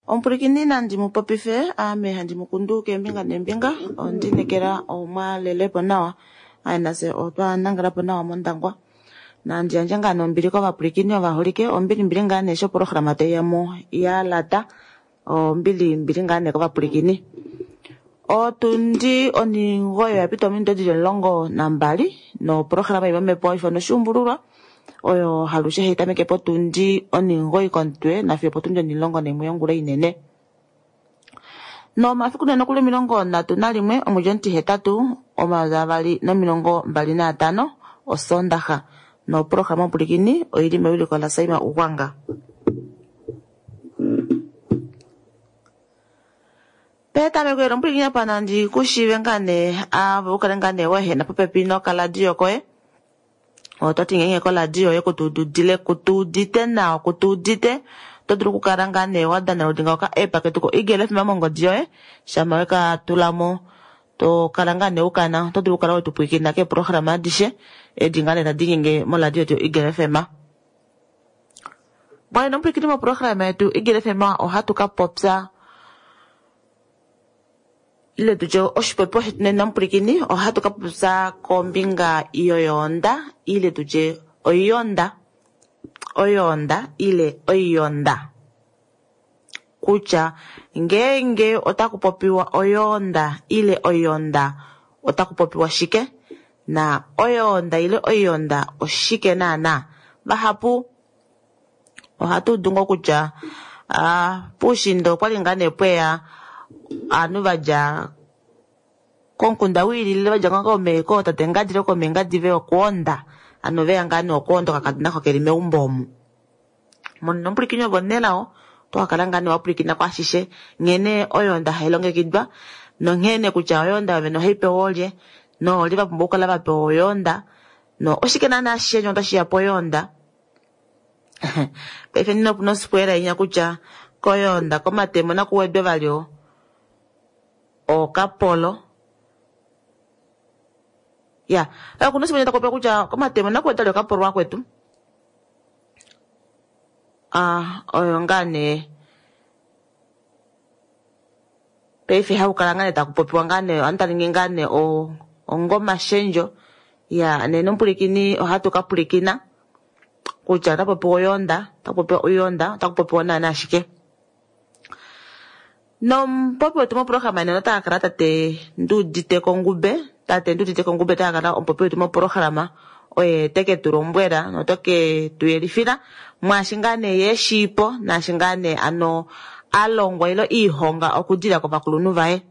Omupwilikini nandi mu popife, ame handi mu kundu keembinga neembinga, ondi inekela omwa lelepo nawa, aye nafye otwa nangelapo nawa mOndangwa. Nandi yandje ngaa nee ombili kovapwilikini ovaholike, ombili mbili ngaa nee eshi oprograma tai ya mo ya lata, ombili mbili ngaa nee kovapwilikini. Otundi onhingoyi oya pita ominute dili 12 noprograma imwe yomhepo hai ifanwa oshuumbululwa oyo halushe hai tameke potundi onhingoyi komutwe nafiyo opotundi 11 yongula inene. Nomafiku nee nokuli 31 omwedi omutihetatu 2025 Osoondaxa. Noprograma omupwilikini oili mewiliko laSaima Ugwanga. Petameko elo omupwilikini apa nandi ku shiive ngaa nee ave u kale ngaa nee wa ehena popepi nokaladio koye. Oto ti ngeenge koladio yoye kutuududile kutuudite nawa kutuudite oto dulu okukala ngaa nee wa downloadinga oka app ketu ko Eagle FM mongodi yoye shama weka tula mo to kala ngaa nee ukana oto dulu okukala wetu pwilikina keeprograma adishe edi ngaa nee tadi nyenge moladio yetu yo Eagle FM. Bwana nomupwilikini moprograma yetu Eagle FM ohatu ka popya ile tutye oshipopiwa shetu nena mupwilikini ohatu ka popya kombinga yoyoonda ile tutye oiyonda oyoonda ile oiyonda kutya ngeenge otaku popiwa oyoonda ile oiyonda otaku popiwa shike na oyoonda ile oiyonda oshike naana vahapu ohatu udu ngoo kutya puushiinda okwali ngaa nee pweya ovanhu vadja komukunda wiilile vadja ngoo kootate ngadi ile komeengadi veya okwoonda hano veya ngaa nee okwoonda okakadona oko keli meumbo omu. Monena omupwilikini ove omunelao oto kakala ngaa nee wapwilikina kwaashishe nghene oyoonda hai longekidwa nonghene kutya oyoonda yovene ohai pewa oolye noolye vapumbwa okukala vapewa oyoonda no oshike naana ashishe nyoo tashiya poyoonda. Paife nena opuna osikuela inya kutya koyoonda komatemo naku wedwe vali okapolo ya okuna osikuela taku kutya komatemo naku wedwe vali okapolo akwetu oyo ngaa nee paife haku kala ngaa nee taku popiwa ngaa nee ovanhu taningi ngaa nee ongomashendjo ya nena omupwilikini ohatu ka pwilikina kutya ota popiwa oyoonda ota popiwa oyoonda ota kupopiwa naana ashike. Nomupopi wetu moprograma nena ota kakala tate Nduudite Kongube tate Nduudite Kongube ota kakala omupopi wetu moprograma oye teke tu lombwela note ke tu yelifila mwaashi ngaa nee ye eshiipo naashi ngaa nee ano alongwa ile iihonga okudila kovakulunhu vaye.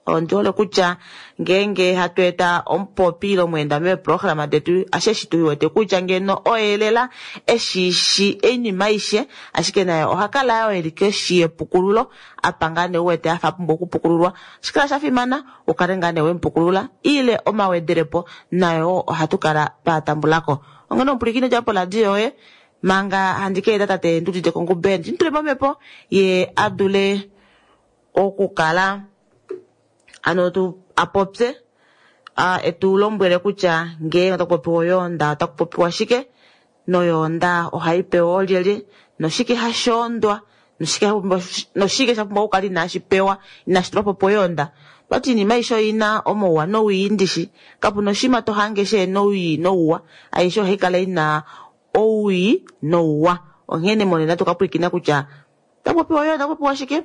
Ondi hole kutya ngeenge hatu eta omupopi ile omweenda meeprograma detu ashe eshi tu wete kutya ngeno oye lela eshiishi oinima aishe ashike naye oha kala yoo eli koshi yepukululo apa ngaa nee uwete afa apumbwa okupukululwa. Ohashi kala shafimana ukale ngaa nee wemupukulula ile omawedelepo nayo ohatu kala twatambulako. Onghene omupwilikini dja poradio yoye manga handi ka eta tate Nduudite Kongube ndi mutule momhepo ye adule okukala ano tu apopye etu lombwele kutya ngeenge otaku popiwa oyoonda otaku popiwa shike noyoonda ohai pewa oolyelye noshike hashi ondwa noshike sha pumbwa okukala inashi pewa inashi tulwa po poyoonda. Vati oinima aishe oina omauwa nowii ndishi kapuna oshinima to hange shehena owii nouwa aishe ohai kala ina owii nouwa onghene monena tokapwilikina kutya otaku popiwa oyoonda otaku popiwa shike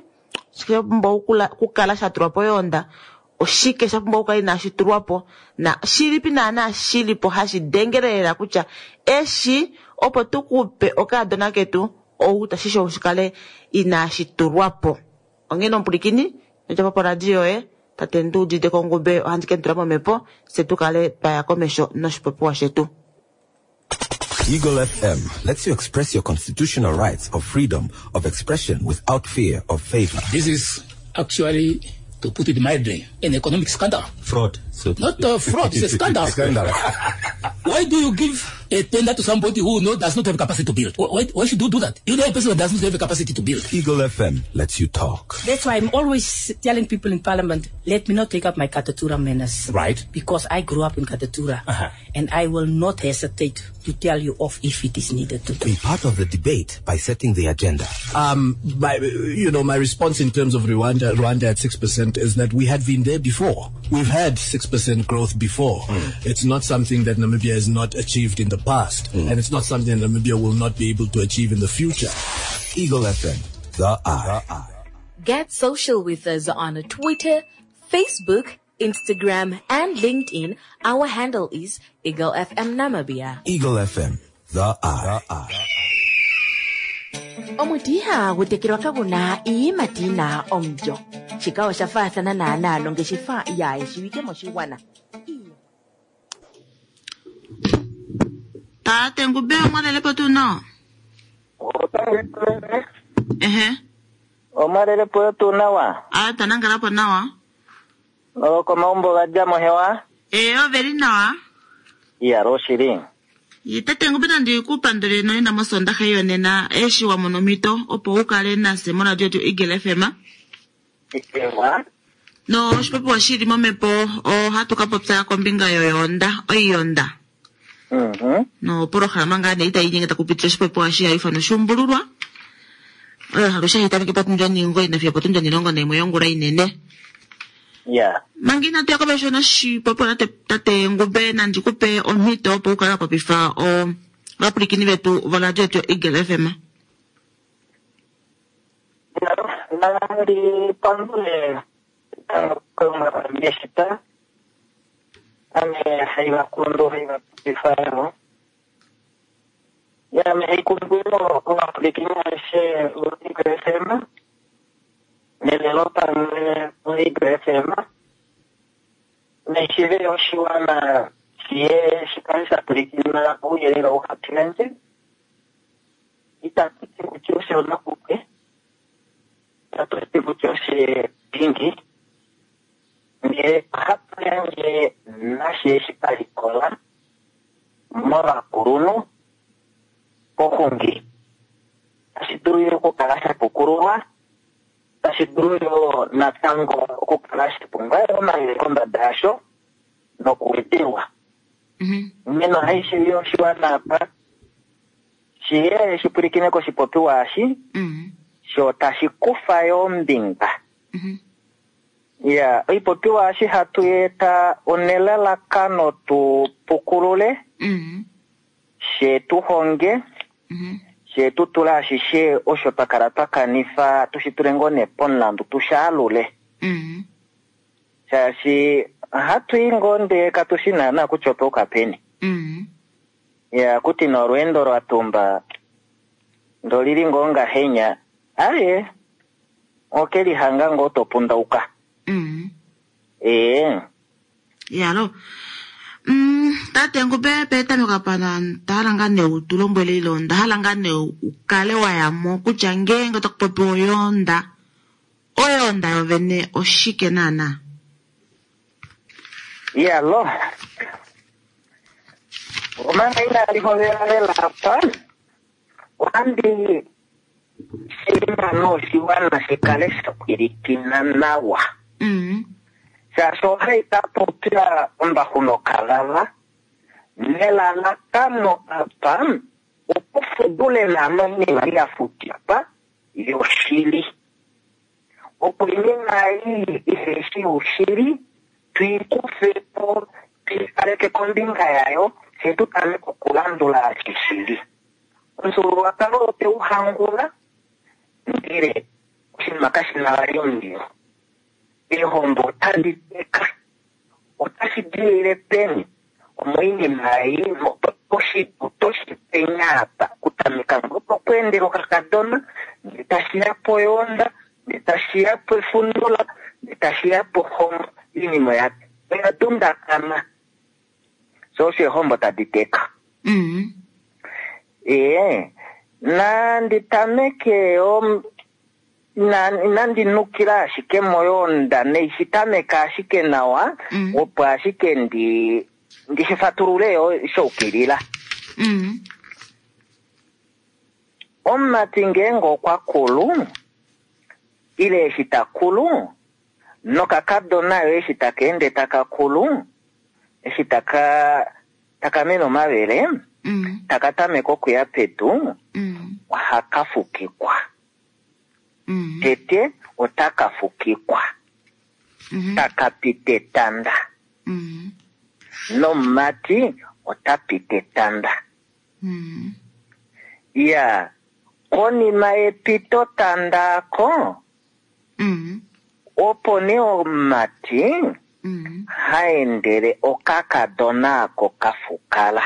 oshike sha pumbwa okukala sha tulwa poyoonda oshike sha pumbwa okukala inashi tulwa po na shilipi naana shilipo hashi dengele lela kutya eshi opo tukupe okaadona ketu ou tashi shikale inashi tulwa po. Onghene omupwilikini nodjapo poradio yoye tate Nduudite Kongube ohandi ke mu tula momhepo fye tukale twaya komesho noshipopiwa shetu. Eagle FM lets you express your constitutional rights of freedom of expression without fear of favor. This is actually, to put it mildly, an economic scandal. Fraud. So Not a fraud, it's a scandal. Scandal. Why do you give a tender to somebody who does not have capacity to build. Why should you do that? You know a person who does not have the capacity to build. Eagle FM lets you talk. That's why I'm always telling people in Parliament, let me not take up my Katutura manners. Right. Because I grew up in Katutura. Uh-huh. And I will not hesitate to tell you off if it is needed to do. Be part of the debate by setting the agenda. My response in terms of Rwanda at 6% is that we had been there before. We've had 6% growth before. Mm. It's not something that Namibia has not achieved in the past. Mm. And it's not something that Namibia will not be able to achieve in the future. Eagle FM, the eye. Get social with us on Twitter, Facebook, Instagram, and LinkedIn. Our handle is Eagle FM Namibia. Eagle FM, the eye. Omuti ihagu tekelwa kaguna iiyimati yina omulyo. Shika osha faathana naanaa nongeshefa yaayeshiwike moshigwana. Tate Ngube omwalelepo tuu nawa? Ehe. Omwalelepo tuu nawa? A twanangalapo nawa. Okomaumbo ga dja mohewa? Ee, oveli nawa. Iyalo oshili. Tate Ngube nandi ku pandule noyena mosondaha yonena eshi wa mono omhito opo u kale nase moradio yetu Eagle FM. Ewa. No oshipopiwa shili momhepo ohatu ka popya kombinga yoyoonda, oiyonda. Mhm. No polohalama ngaa nee itayi inyenge taku pitile oshipopiwa shi hayi ithanwa oshuumbululwa. Oyo alushe hayi tameke potundi omugoyi nafiyo opotundi 11 yongula inene. Ya. Manga inatu ya komesho noshipopiwa tate Ngube nandi kupe omhito opo u kale wa popifa ovapwilikini vetu voradio yetu Eagle FM. Nandi pandule tango ame haivakundu haivapopifa ya ame haikundu ovapwilikini aveshe vo-Eagle FM nelelo pamwe vo-Eagle FM neshive oshiwana shiye shikale sha pwilikina ouyelele ou hatu yandje. Itatu ti kutya osho nakupwe, itatu ti kutya oshe dingi, ndele ohatu yandje nashe eshi palikola movakulunhu poxungi. Tashi dulu yo okukala sha pukululwa, tashi dulu yo natango okukala sha pumbwa omayele kombada yasho nokuwedelwa. Meno haishivi oshiwana apa shiye shipwilikine koshipopiwa eshi, sho tashi kufa yo ombinga. Ya, oipopiwa eshi hatu eta onelalakano tu pukulule, she tu honge, she tu tula ashishe osho twa kala twa kanifa, tushi tule ngoo nee pomulandu tushaalule. Shaashi hatu i ngoo ndee katushi naana kutya otwa uka peni. Ya, kuti nolweendo lwa tumba ndolili ngoo ngahenya, aye okelihanga ngoo topundauka. Ee. Yalo. Tate Ngube petameko apa ndahala ngaa nee u tu lombwele ile ndahala ngaa nee u kale wa ya mo kutya ngeenge otaku popiwa oyoonda, oyoonda yovene oshike naana? Yalo. Omanga inali hovela lela apa, ohandi shilima noshiwana shikale sha pwilikina nawa. Shaashi ohai ka popya ombaxu nokalava, nelalakano apa opo fudule naana oinima ya futipwa yoshili. Opo oinima ei iheshi yoshili tuikufe po, tuikaleke kombinga yayo, fye tu tameke okulandula oshili. Omufyuululwakalo otwe u hangula, ndele oshinima kashi na vali omundilo. Eehombo otadi teka, otashi dilile peni? Omoinima ei otoshi penya apa, kutameka ngoo pokweendela okakadona, ndee tashi ya poyoonda, ndee tashi ya pefundula, ndee tashi ya pohombo. Oinima oya dundakana. So osho eehombo tadi teka. Ee, nandi tameke nandi nukila ashike moyoonda neishi tameka ashike nawa, opo ashike ndi shifatulule yo shoukilila. Omumati ngeenge okwa kulu, ile eshi ta kulu, nokakadona yo eshi taka ende taka kulu, eshi taka taka mene omavele, taka tameke okuya pedu, ohaka fukikwa. Tete otaka fukikwa, taka pita etanda. Nomumati ota pita etanda. Iya, konima yepito tanda ako, opo nee omumati ha endele okakadona ako ka fukala.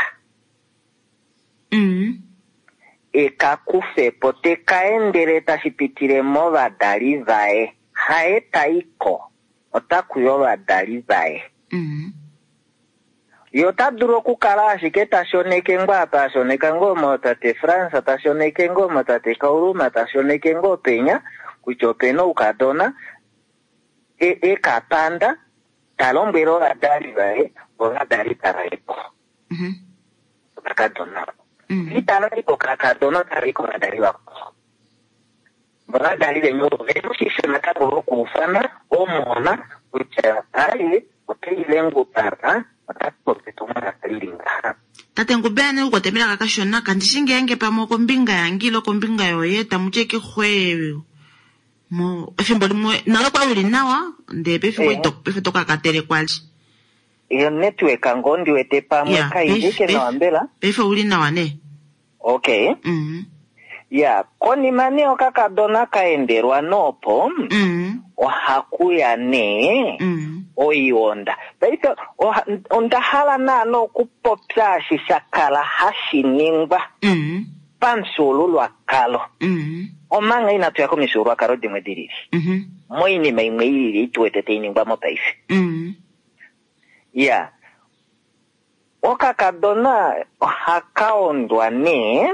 Eka kufe po, teka endele tashi pitile movadali vaye. Haye ta i ko, ota kuya ovadali vaye. Ye ota dulu okukala ashike ta shoneke ngoo apa a shoneka ngoo mootate France, ta shoneke ngoo mootate Kauluma, ta shoneke ngoo penya, kutya opena oukadona, e ka panda, ta lombwele ovadali vaye, ovadali tava i ko. Okakadona. Itava i kokakadona, otava i kovadali vako. Ovadali veni ovo ve mu shisho natango vokuufana omuhona kutya aye otaile ngupapa ota popi etumwalaka lili ngaha. Tate Ngubeyani okukotemela kakashona kandishi ngeenge pamwe okombinga yange ile okombinga yoye tamu ti eke xwe mo efimbo limwe nale kwali uli nawa ndee pefimbo paife to kakatele kwali. Iyo network ngoo ndi wete pamwe kaidike nawa mbela. Paife uli nawa nee. Okay. Ya, konima nee okakadona ka endelwa noopo, ohakuya nee oionda. Paife onda hala naana okupopya eshi sha kala hashi ningwa pamufyuululwakalo. Omanga inatu ya komifyuululwakalo dimwe di lili. Moinima imwe i lili tu wete tai ningwa mopaife. Ya, okakadona ohaka ondwa nee,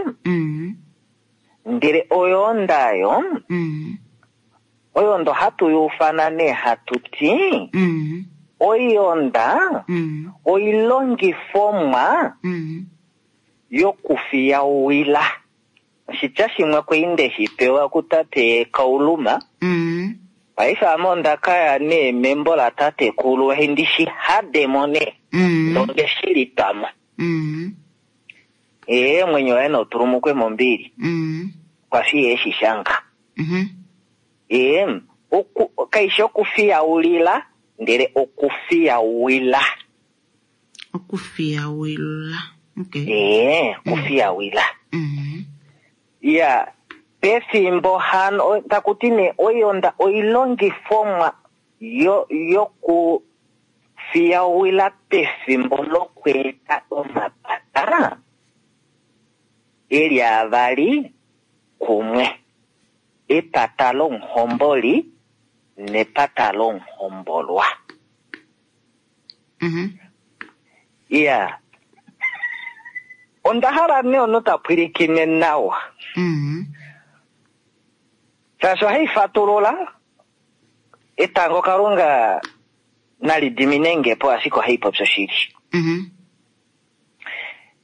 ndele oyoonda yo, oyoonda ohatu yuufana nee hatu ti, oyoonda oilongifomwa yokufiyawila. Oshitya shimwe kwali nde shi pewa kutate Kauluma. Paife ame onda kaya nee membo latatekulu, ndi shi hademo nee. Nonde shi litwamo. Ee, mwenyo waye nautulumukwe mombili. Kwa fi eshi shanga. Ee, kaishi okufiyaulila, ndele okufiyawila. Okufiyawila. Okay. Ee, okufiyawila. Ya, pefimbo hano, takuti nee oionda oilongifomwa yokufiyawila pefimbo lokweeta omapata eli avali kumwe. Epata lomuhomboli nepata lomuhombolwa. Ya. Onda hala nee ono ta pwilikine nawa. Shaashi ohai fatulula etango Kalunga nali dimine nge po, ashike ohai popi oshili.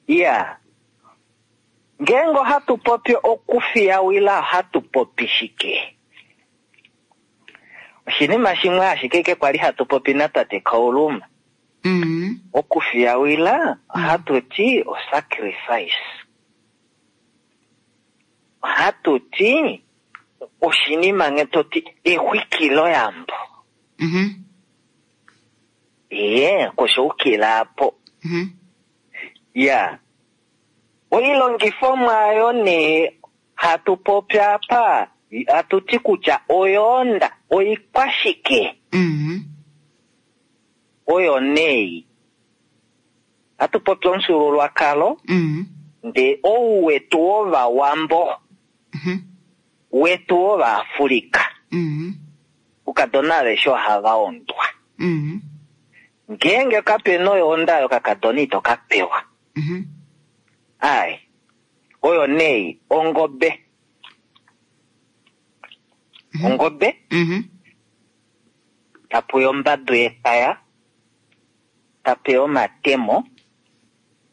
Ya. Ngeenge ohatu popi okufiyawila, ohatu popi shike? Oshinima shimwe ashike ke kwali hatu popi natate Kauluma. Okufiyawila ohatu ti osacrifice. Ohatu ti oshinima nge to ti exwikiloyambo. Ee, koshoukila po. Ya. Oilongifomwa ayo nee hatu popi apa, hatu ti kutya oyoonda oikwashike. Oyo nei. Hatu popi omufyuululwakalo, ndee ou wetu wovawambo, wetu wovaAfrika. Ukadona aveshe ohava ondwa. Ngeenge kapena oyoonda ayo kakadona ito ka pewa. Ai. Oyo nei ongobe. Ongobe. Tapuya ombadu yepaya, tapeya omatemo,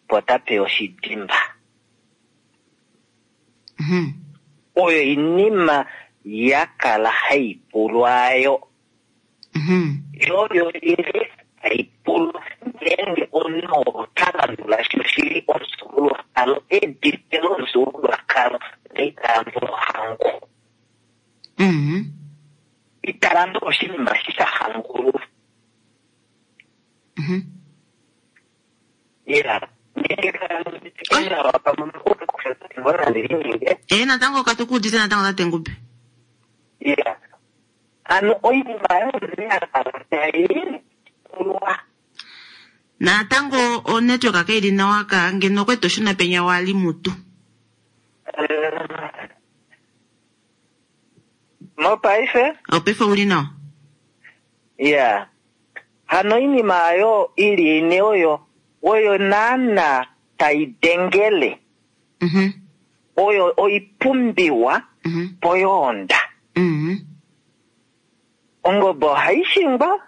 po tapeya oshidimba. Oyo oinima ya kala hai pulwayo. Yoyo ile hai pulwa ngeenge omunhu ota landula shoshili omufyuululwakalo, edite lomufyuululwakalo ndele ita landula ohangu. Ita landula oshinima eshi sha hangulwa. Iya, ngeenge kala nawa pamwe nande Ee, natango katu ku udite natango tate Ngube. Iya. Ano oinima ya kala tai pulwa. Natango onetwork kaili nawa ka ngeno okwe to shuna penya wali mutu. Mopaife? Opaife uli nawa. Iya. Hano oinima ayo ili ine oyo oyo naana tai dengele. Oyo oipumbiwa poyoonda. Ongobe ohai shingwa,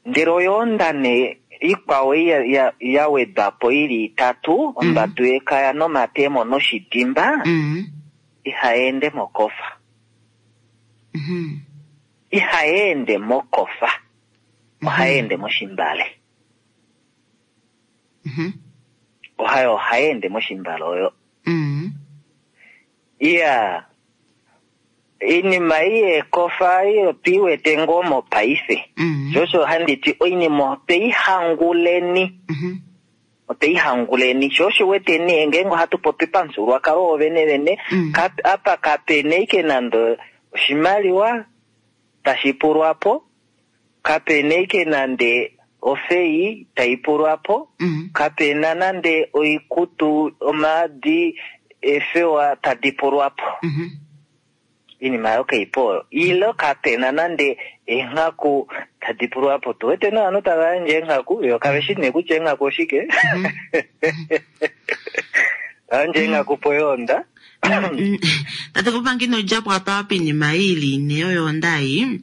ndele oyoonda nee ikwao ya wedwa po ili itatu, ombadu yekaya nomatemo noshidimba, ihai ende mokofa. Ihai ende mokofa. Ohai ende moshimbale. Ohai ende moshimbale oyo. Iya. Oinima ei yekofa ei otui wete ngoo mopaife. Sho osho handi ti oinima otwei hanguleni. Otwei hanguleni. Sho osho wete nee ngeenge ohatu popi pamufyuululwakalo wovene vene, apa kapena ashike nande oshimaliwa tashi pulwa po, kapena ashike nande ofei tai pulwa po, kapena nande oikutu, omaadi, eefewa tadi pulwa po. Inima ayo kaipo oyo. Ile kapena nande eenghaku tadi pulwa po. Tu wete novanhu tava yandje eenghaku, yo kave shi nee kutya eenghaku oshike. Yandje eenghaku poyoonda. Tate Kupangi ino dja po apa pinima ei ili ine yoyoonda ei.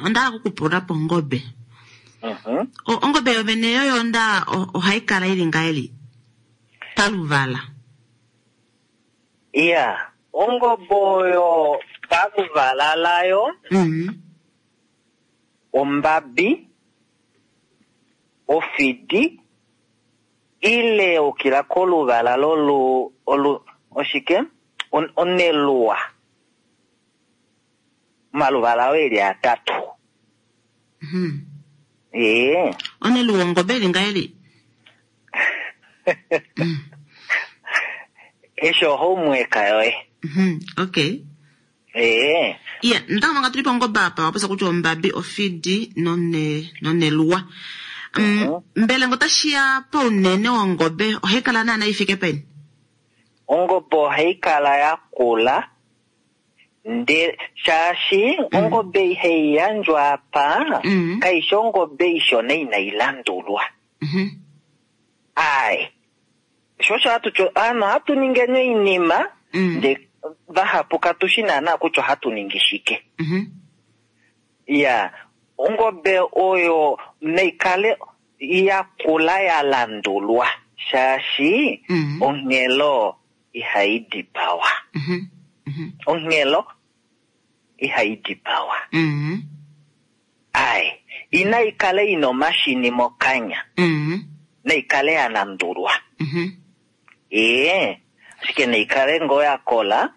Onda hala okukupula po ongobe. Ongobe yovene yoyoonda ohai kala ili ngahelipi? Paluvala. Iya, ongobe oyo paluvala layo, ombabi, ofidi, ile ukila koluvala lolu, olu, oshike? Oneluwa. Omaluvala oyo eli atatu. Ee. Oneluwa ongobe ili ngahelipi? Esho homework yoye. Okay. Ee. Iya, natango manga tuli pongobe apa, wapopya kutya ombabi, ofidi noneluwa. Mbela ngo otashi ya pounene wongobe, ohai kala naana ifike peni? Ongobe ohai kala ya kula, ndele shaashi ongobe ihai yandjwa apa, kaishi ongobe ishona inai landulwa. Ai. Sho osho hatu tyo, ano hatu ningi oinima, ndele vahapu katu shi naana kutya ohatu ningi shike. Iya, ongobe oyo naikale ya kula ya landulwa, shaashi onghelo ihai dipawa. Onghelo ihai dipawa. Ai, inaikale ina omashini mokanya. Naikale ya landulwa. Ee, ashike naikale ngoo ya kola.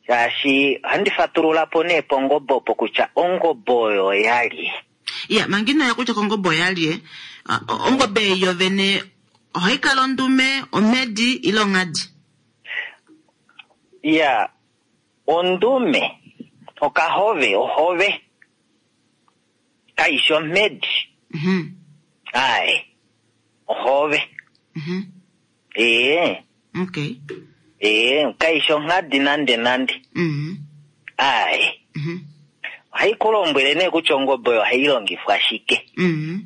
Shaashi ohandi fatulula po nee pongobe opo kutya ongobe oyo ya lye. Iya, manga ino ya kutya kongobe oya lye, ongobe yovene ohai kala ondume, omhedi ile onghadi? Iya, ondume, okahove, ohove. Kaishi omhedi. Ai, ohove. Ee. Okay. Ee, kaishi onghadi nande nande. Ai. Ohai ku lombwele nee kutya ongobe oyo ohai longifwa shike.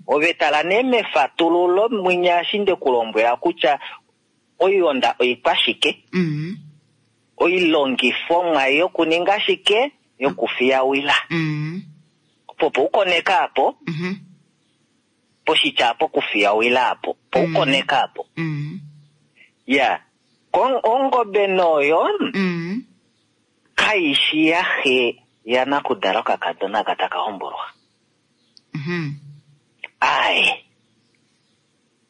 Ove tala nee mefatululo mwinya eshi nde ku lombwela kutya oionda oikwa shike. Oilongifomwa yokuninga shike, yokufiyawila. Opo poukoneka apo, poshitya apo kufiyawila apo, poukoneka apo. Ya. Ongobe noyo kaishi yaxe yanakudala okakadona aka taka hombolwa. Aye.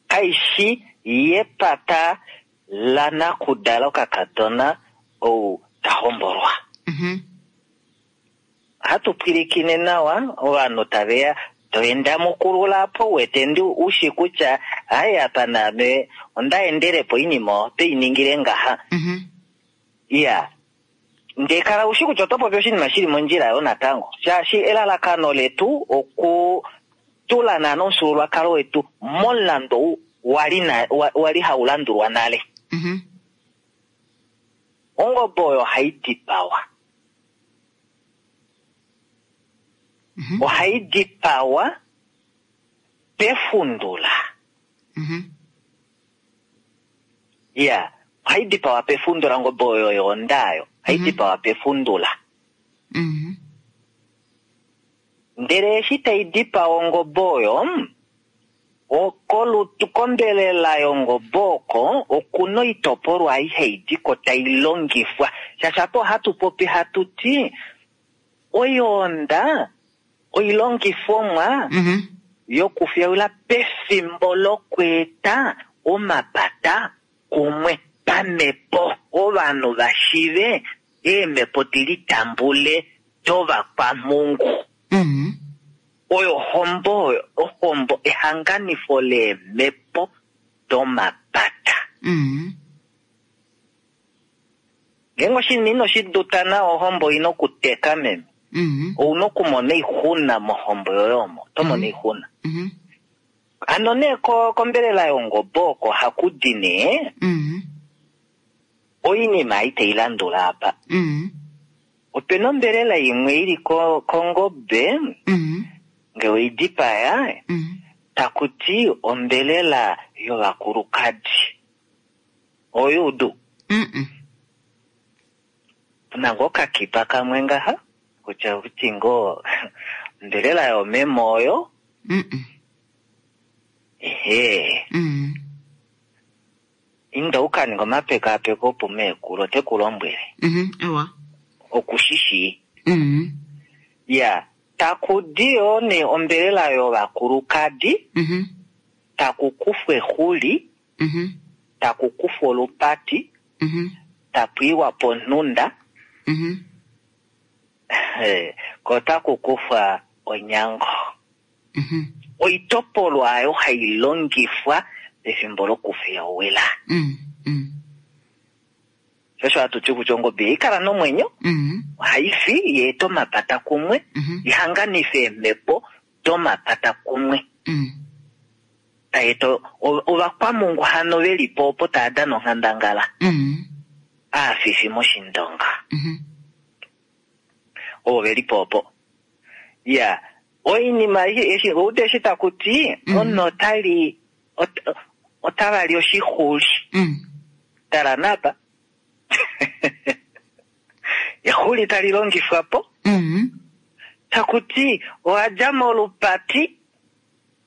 Kaishi yepata lanakudala okakadona ou ta hombolwa. Hatu pwilikine nawa ovanhu taveya toenda mukulula po wete ndi ushi kutya hayi apa naame onda endelepo oinima oto iningile ngaha. Iya. Ndee kala ushi kutya oto popi oshinima shili mondjila yo natango. Shaashi elalakano letu oku tula naana omufyuululwakalo wetu momulandu ou wali hau landulwa nale. Ongobe oyo ohai dipawa. Ohai dipawa pefundula. Iya, ohai dipawa pefundula ongobe oyo yoonda oyo. Ohai dipawa pefundula. Ndele eshi tai dipawa ongobe oyo, kolutu kombelela yongobe oko okuna oitopolwa aihe idiko tai longifwa. Shaashi apa ohatu popi hatu ti oyoonda oilongifomwa yokufyaula pefimbo lokweeta omapata kumwe pamhepo. Ovanhu vashive eemhepo dilitambule dovakwamhungu. Oyo ohombo, ohombo ehanganifo leemhepo domapata. Ngeenge oshinima ino shi duta nawa ohombo oina okuteka meme. Ouna okumona oixuna mohombo yoye omo, oto mono oixuna. Hano nee kombelela yongobe oko haku di nee oinima ei tai landula apa. Opena ombelela imwe ili kongobe nge weidipaya taku ti ombelela yovakulukadi. Oyuudu. Puna ngoo okakipa kamwe ngaha kutya kuti ngoo ombelela yomeme oyo. Ehe. Inda ukaninga omapekapeko opo meekulu ote ku lombwele. Ewa. Okushishi. Ya, taku di yoo nee ombelela yovakulukadi, taku kufwa exuli, taku kufwa olupati, tapu iwa ponhunda, ko taku kufwa onyango. Oitopolwa ayo hai longifwa pefimbo lokufyawila. Shosho hatu ti kutya ongobe ihai kala nomwenyo, ohai fi yeeta omapata kumwe, ihanganife eemhepo domapata kumwe. Taeta ovakwamungu hano velipo opo tava dana onghandangala. Aafifi moshindonga. Ovo velipo opo. Ya, oinima eshi oude eshi taku ti omunhu otali otava li oshixuli. Tala napa. Exuli tali longifwa po. Taku ti owa dja molupati.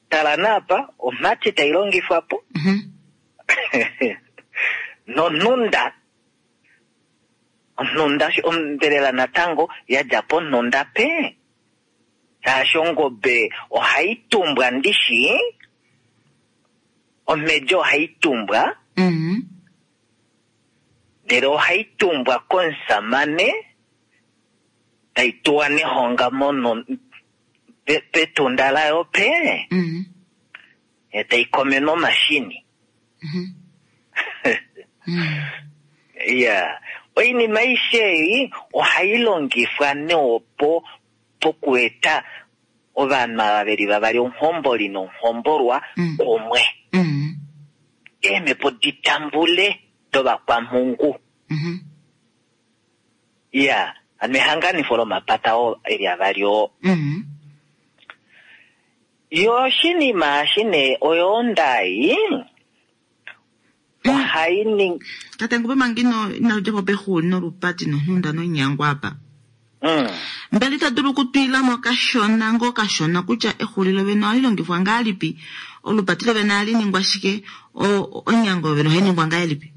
Tala napa omhati tai longifwa po. Nonhunda. Onhunda ombelela natango ya dja ponhunda pe. Shaashi ongobe ohai tumbwa ndishi. Omhedi ohai tumbwa. Ndele ohai tumbwa komusamane tai tuwa nehonga mono petunda layo pe. Tai komenwa omashini. Ya, oinima aishe ei ohai longifwa neopo pokueta ovanhu ava veli vavali omuhomboli nomuhombolwa kumwe. Eemhepo ditambule dovakwamhungu. Ya, hano ehanganifo lomapata oo eli avali oo. Yo oshinima eshi nee oyoonda ei ohai ningi Tate Ngube manga ino dja po pexuli nolupati nonhunda nonyango apa. Mbela ita dulu okutwila mo kashona ngoo kashona kutya exuli lovene ohali longifwa ngahelipi, olupati lovene ohali ningwa shike, onyango yovene ohai ningwa ngahelipi?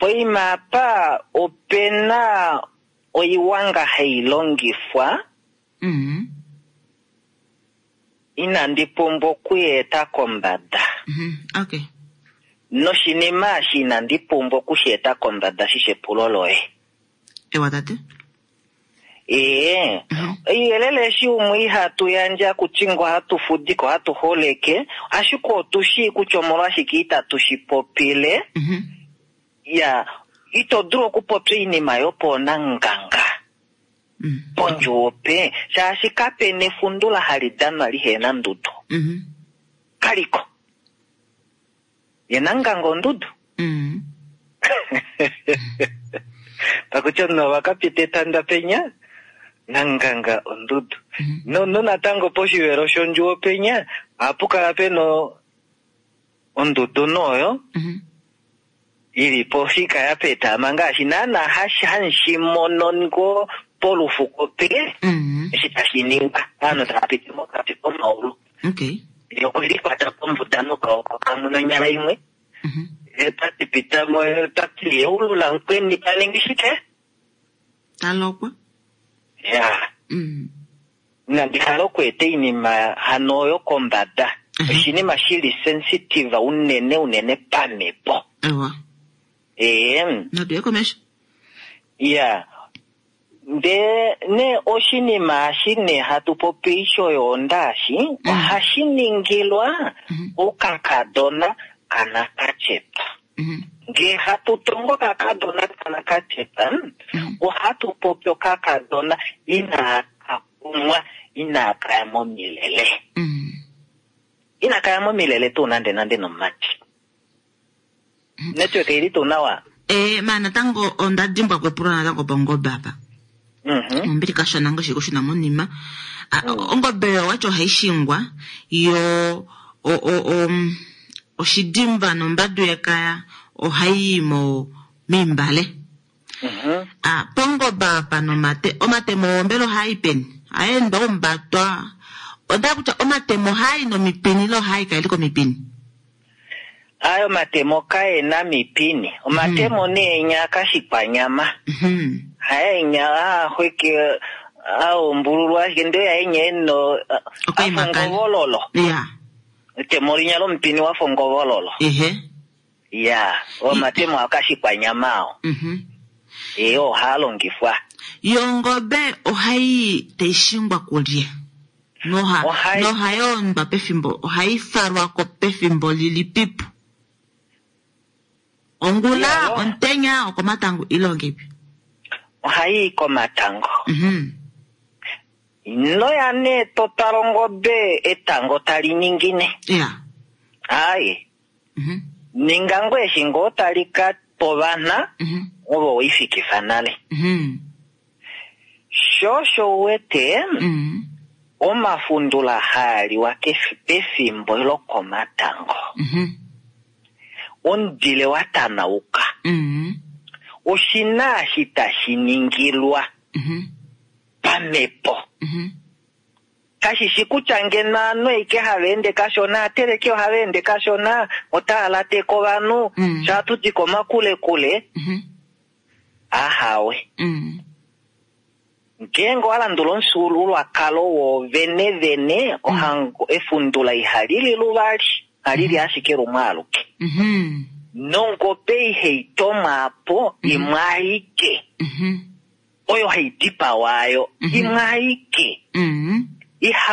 Poima apa opena oiwanga hai longifwa. Inandi pumbwa okuyeeta kombada. Okay. Noshinima eshi inandi pumbwa okusheeta kombada shi epulo loye. Ewa tate. Ee, ouyelele eshi umwe ihatu yandja kutya ngo hatu fudike ohatu holeke, ashike otu shii kutya omolwashike itatu shi popile. Ya, ito dulu okupopya oinima yopoonanganga pondjuupe, shaashi kapena efundula hali danwa lihena ndudu. Kaliko. Ye nanganga ondudu. Pakutya omunhu ova kapita etanda penya, nanganga ondudu. No natango poshivelo shondjuwo penya, ohapu kala pena ondudu noyo, ili pofika ya petama ngaashi naana hashi mono ngo polufuko pe, eshi tashi ningwa, ovanhu tava piti mokati komaulu. Okay. Okwelikwata pombuda nokaoko kamwe nonyala imwe. Tati pita mo, tati yeulula mukweni taningi shike? Talokwa. Ya. Inandi hala okweeta oinima hano oyo kombada. Oshinima shili sensitive unene unene pamhepo. Ewa. Ee. Natuye komesho. Ya. Ndee ne oshinima eshi ne hatu popi shoyoonda eshi, ohashi ningilwa okakadona kanakachepa. Ngee hatu tongo okakadona kanakachepa, ohatu popi okakadona inaka kumwa, inaka ya momilele. Inaka ya momilele tuu nande nande nomumati. Network ili tuu nawa? Ma natango onda dimbwa kwepulo natango pongobe apa. Ombili kashona ngo shiko shina monima. Ongobe yo wacho haishingwa yo oshidimba nombadu yekaya ohayi mo mimbale. Pongobe apa nomate omatemo ombelo hayi peni. Aenda ombatwa. Onda kutya omatemo hayi nomipini lo hayi kaili komipini. Ayo matemo kaena mipini. Omatemo neenya kashikwanyama. Haenya ahweke aombululwa ashike ndee yaenya eno afongovololo. Ya. Etemo linya lomupini wafongovololo. Ya, omatemo akashikwanyama ao. Ee, ohaa longifwa. Yongobe ohayi taishingwa kulye. Noha yoondwa pefimbo, ohayi falwako pefimbo lilipipo. Ongula, ontenya, okomatango ilongepi. Ohayi komatango. Noya ne totala ongobe etango tali ningine. Ya. Aye. Ninga ngoo eshi ngoo tali ka povana, ovo weifikifa nale. Sho osho uwete, omafundula haaliwa pefimbo lokomatango. Omudile wa tanauka. Oshina eshi tashi ningilwa pamhepo. Kashishi kutya ngeno ovanhu aike hava ende kashona, ateleke ohava ende kashona, otava lateke ovanhu, sha hatu di komakulekule. Ahawe. Ngeenge owa landula omufyuululwakalo woovene vene, ohango efundula ihali li luvali, ohali li ashike lumwe aluke. Nongobe ihai tomwa po imwe aike. Oyo hai dipawa ayo, imwe aike.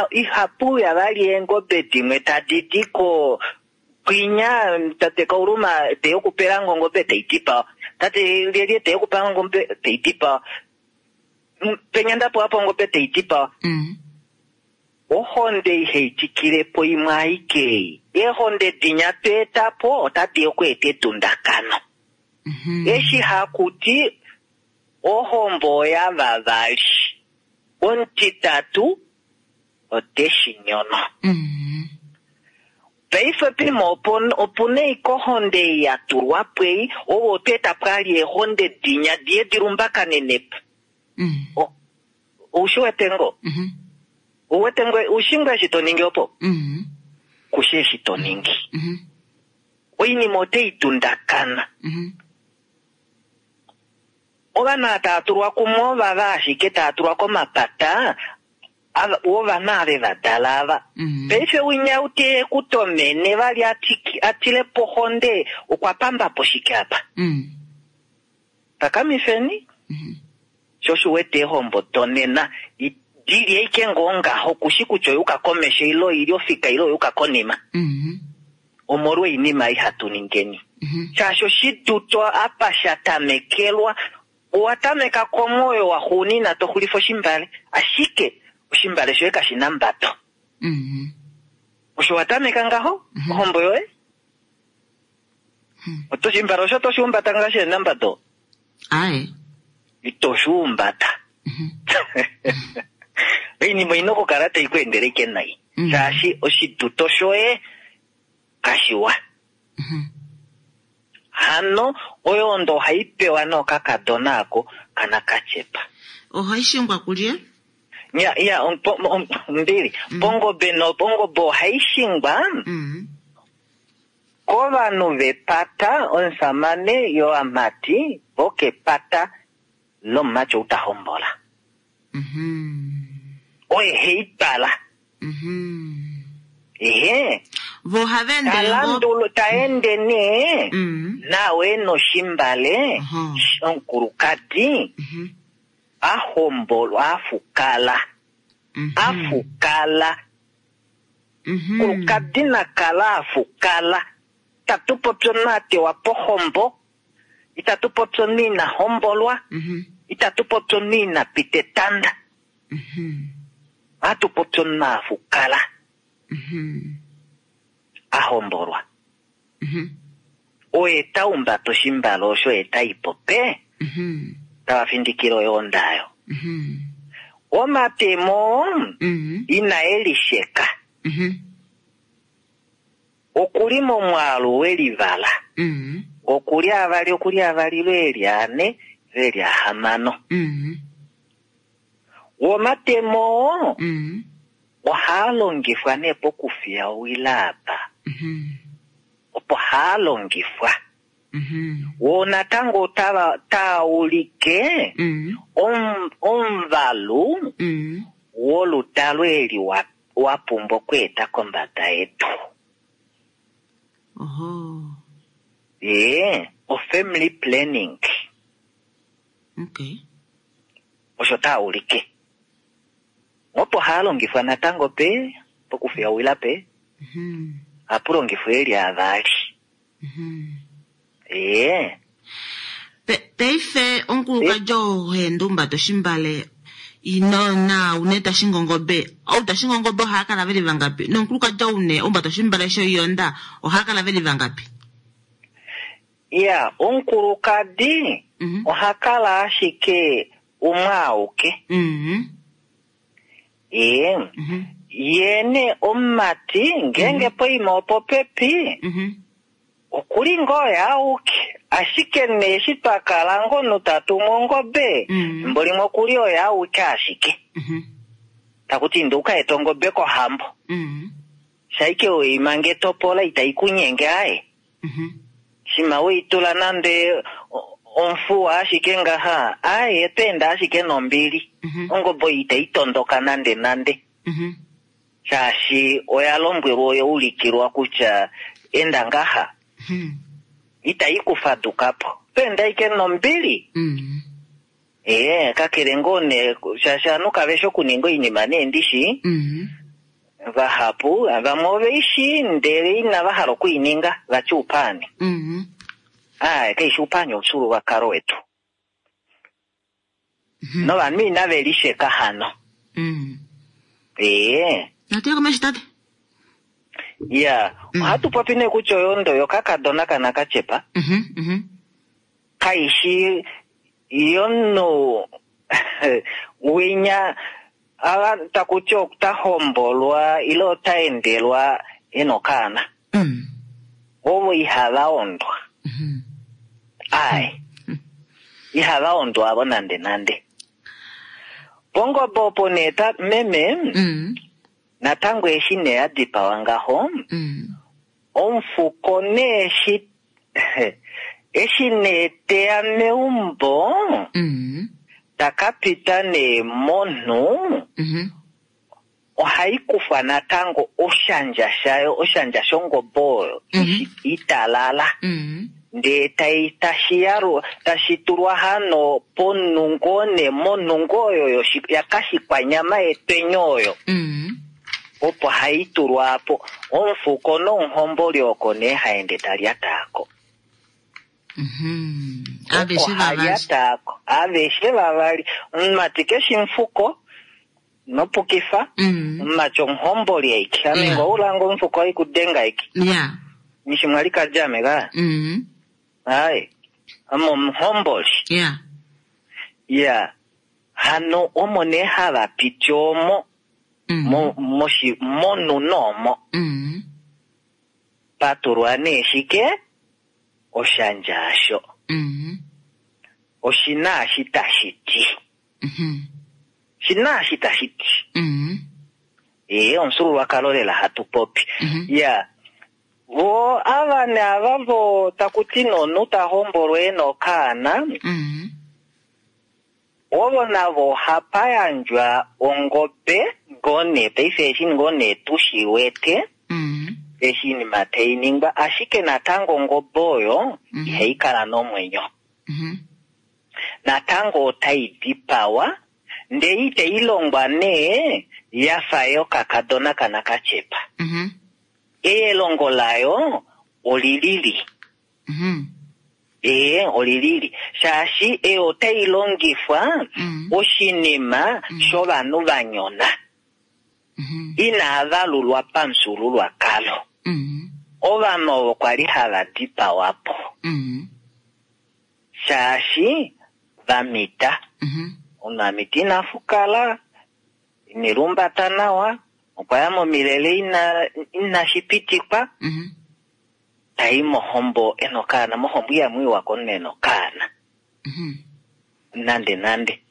Ihapu ya vali eengobe dimwe tadi di ko kwinya, tate Kauluma te okupela ngongobe tai dipawa. Tate Lyelye te okupela ngongobe tai dipawa. Penya ndapo apo ongobe tai dipawa. Ohonde ihai tikilepo imwe aike. Eehonde dinya tweeta po otadi okweeta edundakano. Eshi hakuti ohombo oya vavali. Omutitatu oteshi nyono. Paife pimo opuna eikohonde ya tulwa pwei, ovo otweeta pwali eehonde dinya diye dilumbakanenepo. Oushi wete ngo? Uwete ngo, ushi ngo eshi to ningi opo? Kushi eshi to ningi. Oinima otei dundakana. Ovanhu ava tava tulwa kumwe ovava ashike tava tulwa komapata wovanhu ave va dala ava. Paife winya ute kutomene vali atile pohonde okwa pamba po shike apa. Takamifeni. Sho osho wete eehombo donena dili ashike ngoo ngaho kushi kutya oyuka komesho ile oili ofika ile oyuka konima. Omolwa oinima ei hatu ningeni. Shaashi oshiduto apa sha tamekelwa, owa tameka komwoyo wa xuunina to xulifa oshimbale, ashike oshimbale shoye kashi na mbado. Osho wa tameka ngaho, ohombo yoye? Oshimbale osho to shi humbata ngaho shi na mbado? Aye. Ito shi humbata. Oinima oina okukala tai ku endele ike nai. Shaashi oshiduto shoye kashiwa. Hano oyondo ohai pewa nookakadona ako kana kachepa. Ohai shingwa kulye? Ya, ya, mbili. Pongobe no pongobe ohai shingwa kovanhu vepata omusamane yoamati vokepata lomumati ou ta hombola. Oye hei twala. Ehe. Vo ohava ende ngo- Talandulu, ta ende nee nawe noshimbale omukulukadi a hombolwa afukala. Afukala. Omukulukadi nakala afukala. Itatu popi omunhu a tewa pohombo, itatu popi omunhu ina hombolwa, itatu popi omunhu ina pita etanda. Ohatu popi omunhu afukala. A hombolwa. Oye ta humbata oshimbale osho ye ta ipo pe, tava findikile oyoonda ayo. Omatemo ina e lisheka. Okuli momwaalu welivala. Okuli avali, okuli avali, veli ane, veli ahamano. Omatemo ohaa longifwa nee pokufiya owila apa. Opo haa longifwa. Wo natango taa ulike omuvalu woludalo eli wa pumbwa okweeta kombada yetu. Ye, o family planning. Osho taa ulike. Opo haa longifwa natango pe, pokufiya owila pe, ohapu longifwa eli avali. Ye. Paife omukulukadi oo ha humbata oshimbale ino na une ta shingi ongobe, ou ta shingi ongobe ohaa kala veli vangapi? Nomukulukadi ou ne humbata oshimbale shoiyonda ohaa kala veli vangapi? Ya, omukulukadi oha kala ashike umwe auke. Ye. Ye ne omumati ngeenge poima opopepi, okuli ngoo ye auke. Ashike ne eshi twa kala ngoo omunhu ta tumu ongobe, efimbo limwe okuli oye auke ashike. Takuti inda uka ete ongobe kohambo. Shaike weima nge topola itai kunyenge aye. Shima weitula nande omufuwa ashike ngaha, aye tweenda ashike nombili. Ongobe itai tondoka nande nande. Shaashi oya lombwelwa oya ulikilwa kutya enda ngaha. Itai kufadukapo. Tweenda ashike nombili. Kakele ngoo ne, shaashi ovanhu kave shi okuninga oinima nee ndishi. Vahapu, vamwe ove ishi ndele inava hala okuininga, vati upaani. Kaishi upaani omufyuululwakalo wetu. Novanhu inave lisheka hano. Natu ye komesho tate. Ya, ohatu popi nee kutya oyondo yokakadona kana kachepa. Kaishi yomunhu winya ava takuti ota hombolwa ile ota endelwa ena okaana. Ovo ihava ondwa. Ai. Ihava ondwa avo nande nande. Pongobe opo nee ta meme, natango eshi nee ya dipawa ngaho, omufuko nee eshi, Eshi nee teya meumbo, ta ka pita nee monhu, ohai kufwa natango oshandja shayo, oshandja shongobe oyo, italala. Ndee tai tashi yalulwa, tashi tulwa hano ponungo nee monungo oyo yakashikwanyama yetwenyo oyo. Opo hai tulwa po. Omufuko nomuhomboli oko nee haende talyataako. Aveshe vavali. Halyataako. Aveshe vavali. Omumati keshi mufuko nopukifa. Omumati omuhomboli aike. Ame ngo ulanga omufuko aikudenga aike. Nishi mwali kajame ka. Ai. Ame omuhomboli. Ya. Hano omo nee hava piti omo. Monu noomo. Patulwa nee shike? Oshandja asho. Oshina ashi tashi ti. Shina ashi tashi ti. Ee, omufyuululwakalo lela hatu popi. Ya. Vo ava naava vo taku ti nomunhu ta hombolwa e na okaana, ovo navo ohapa yandjwa ongobe ngoo nee paife eshi ngoo nee tushi wete, eshi inima tai ningwa, ashike natango ongobe oyo ihai kala nomwenyo. Natango otai dipawa, ndee itai longwa nee yafa yokakadona kana kachepa. Elongo layo olilili. Ee, olilili. Shaashi eyo otai longifwa oshinima shovanhu va nyona. Inava lulwa pamufyuululwakalo. Ovanhu ovo kwali hava dipawa po. Shaashi va mita. Omunhu a mita ina fukala, ine lumbata nawa, okwa ya momilele inashi pitikwa, tai mohombo ena okaana, mohombo ihamu iwa komunhu ena okaana. Nande nande.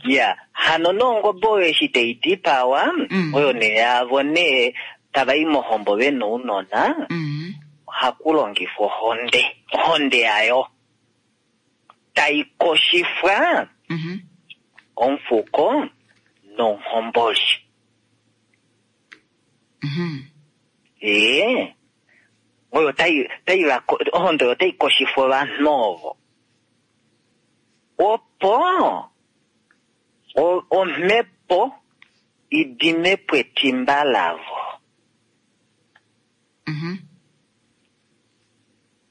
Ya, hano nongobe oyo eshi tai dipawa, oyo nee yavo nee tava i mohombo vena ounona, ohaku longifwa ohonde, ohonde yayo tai koshifwa omufuko nomuhomboli. Ee, oyo tai, tai va ko-, ohonde oyo tai koshifwa ovanhu ovo. Opo omhepo idime po etimba lavo.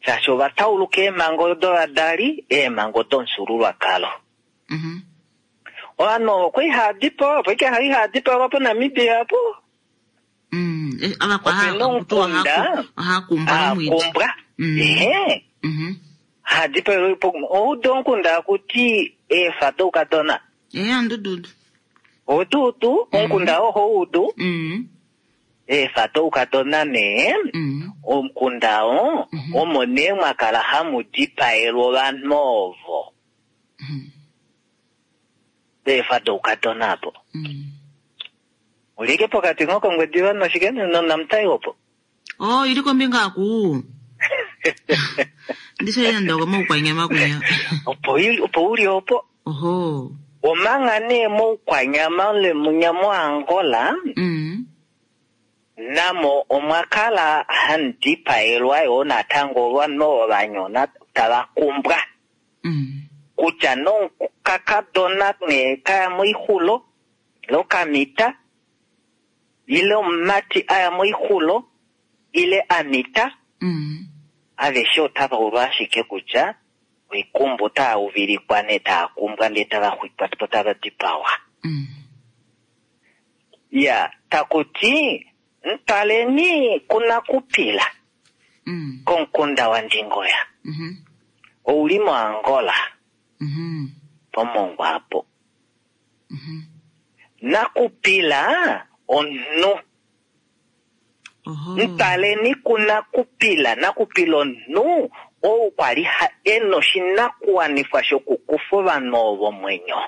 Shaashi ova tauluka eemhango dovadali, eemhango domufyuululwakalo. Ovanhu ovo kwali hava dipawa, opo ike hava dipawa poNamibia apo. Ava kwa Ope na omukunda, oha kumbwa nomwiidi. Kumbwa. Ehe. Ha dipawa po, oudu omukunda akuti eefa doukadona. Ehe, andududu. Odudu, omukunda oho udu. Eefa doukadona nee, omukunda oo, omo nee mwa kala hamu dipaelwa ovanhu ovo. Eefa doukadona apo. Ulike pokati ngokongwediva noshike nonamutai opo. Oh, ili kombinga aku. Ndisho yenda kwa moukwanyama kunya. Opo ili, opo uli opo. Oho. Omanga nee moukwanyama le munya mo Angola. Namo omwa kala handipaelwa yo natango ovanhu ovo va nyona tava kumbwa. Kutya nokakadona nee kaya moixulo, ile okamita, ile omumati aya moixulo, ile amita, aveshe otava ulwa ashike kutya oikumbu otava uvilikwa nee tava kumbwa ndee tava xwikwa po tava dipawa. Ya, takuti ntwaleni kunakupila komukunda waNdingoya. Ouli moAngola. Pomongwa apo. Nakupila omunhu. Ntwaleni kunakupila, nakupila omunhu ou kwali ena oshinakuwanifwa shokukufa ovanhu ovo omwenyo.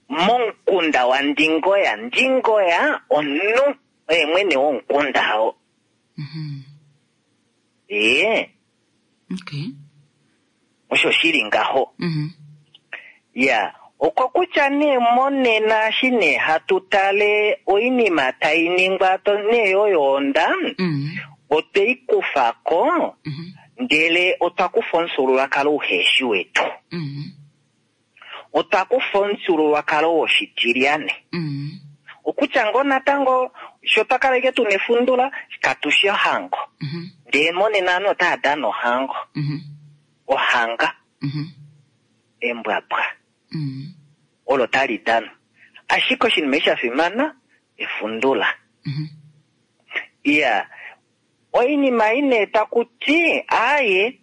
Momukunda waNdingoya, Ndingoya omunhu oye mwene womukunda oo. Ee. Okay. Osho shili ngaho. Mhm. Ya, okokutya nee monena eshi nee hatu tale oinima tai ningwa to nee yoyoonda, Mhm. otwe i kufa ko, Mhm. ndele otwa kufa omufyuululwakalo uheshi wetu. Mhm. Otwa kufa omufyuululwakalo woshitilyane. Mhm. Okutya ngoo natango sho twa kala ike tuna efundula, katu shi ohango. Mhm. Ndele monena ovanhu otava dana ohango. Mhm. Ohanga, Mhm. embwabwa, Mhm. olo tali danwa. Ashike oshinima eshi sha fimana, efundula. Mhm. Iya, oinima ine taku ti aaye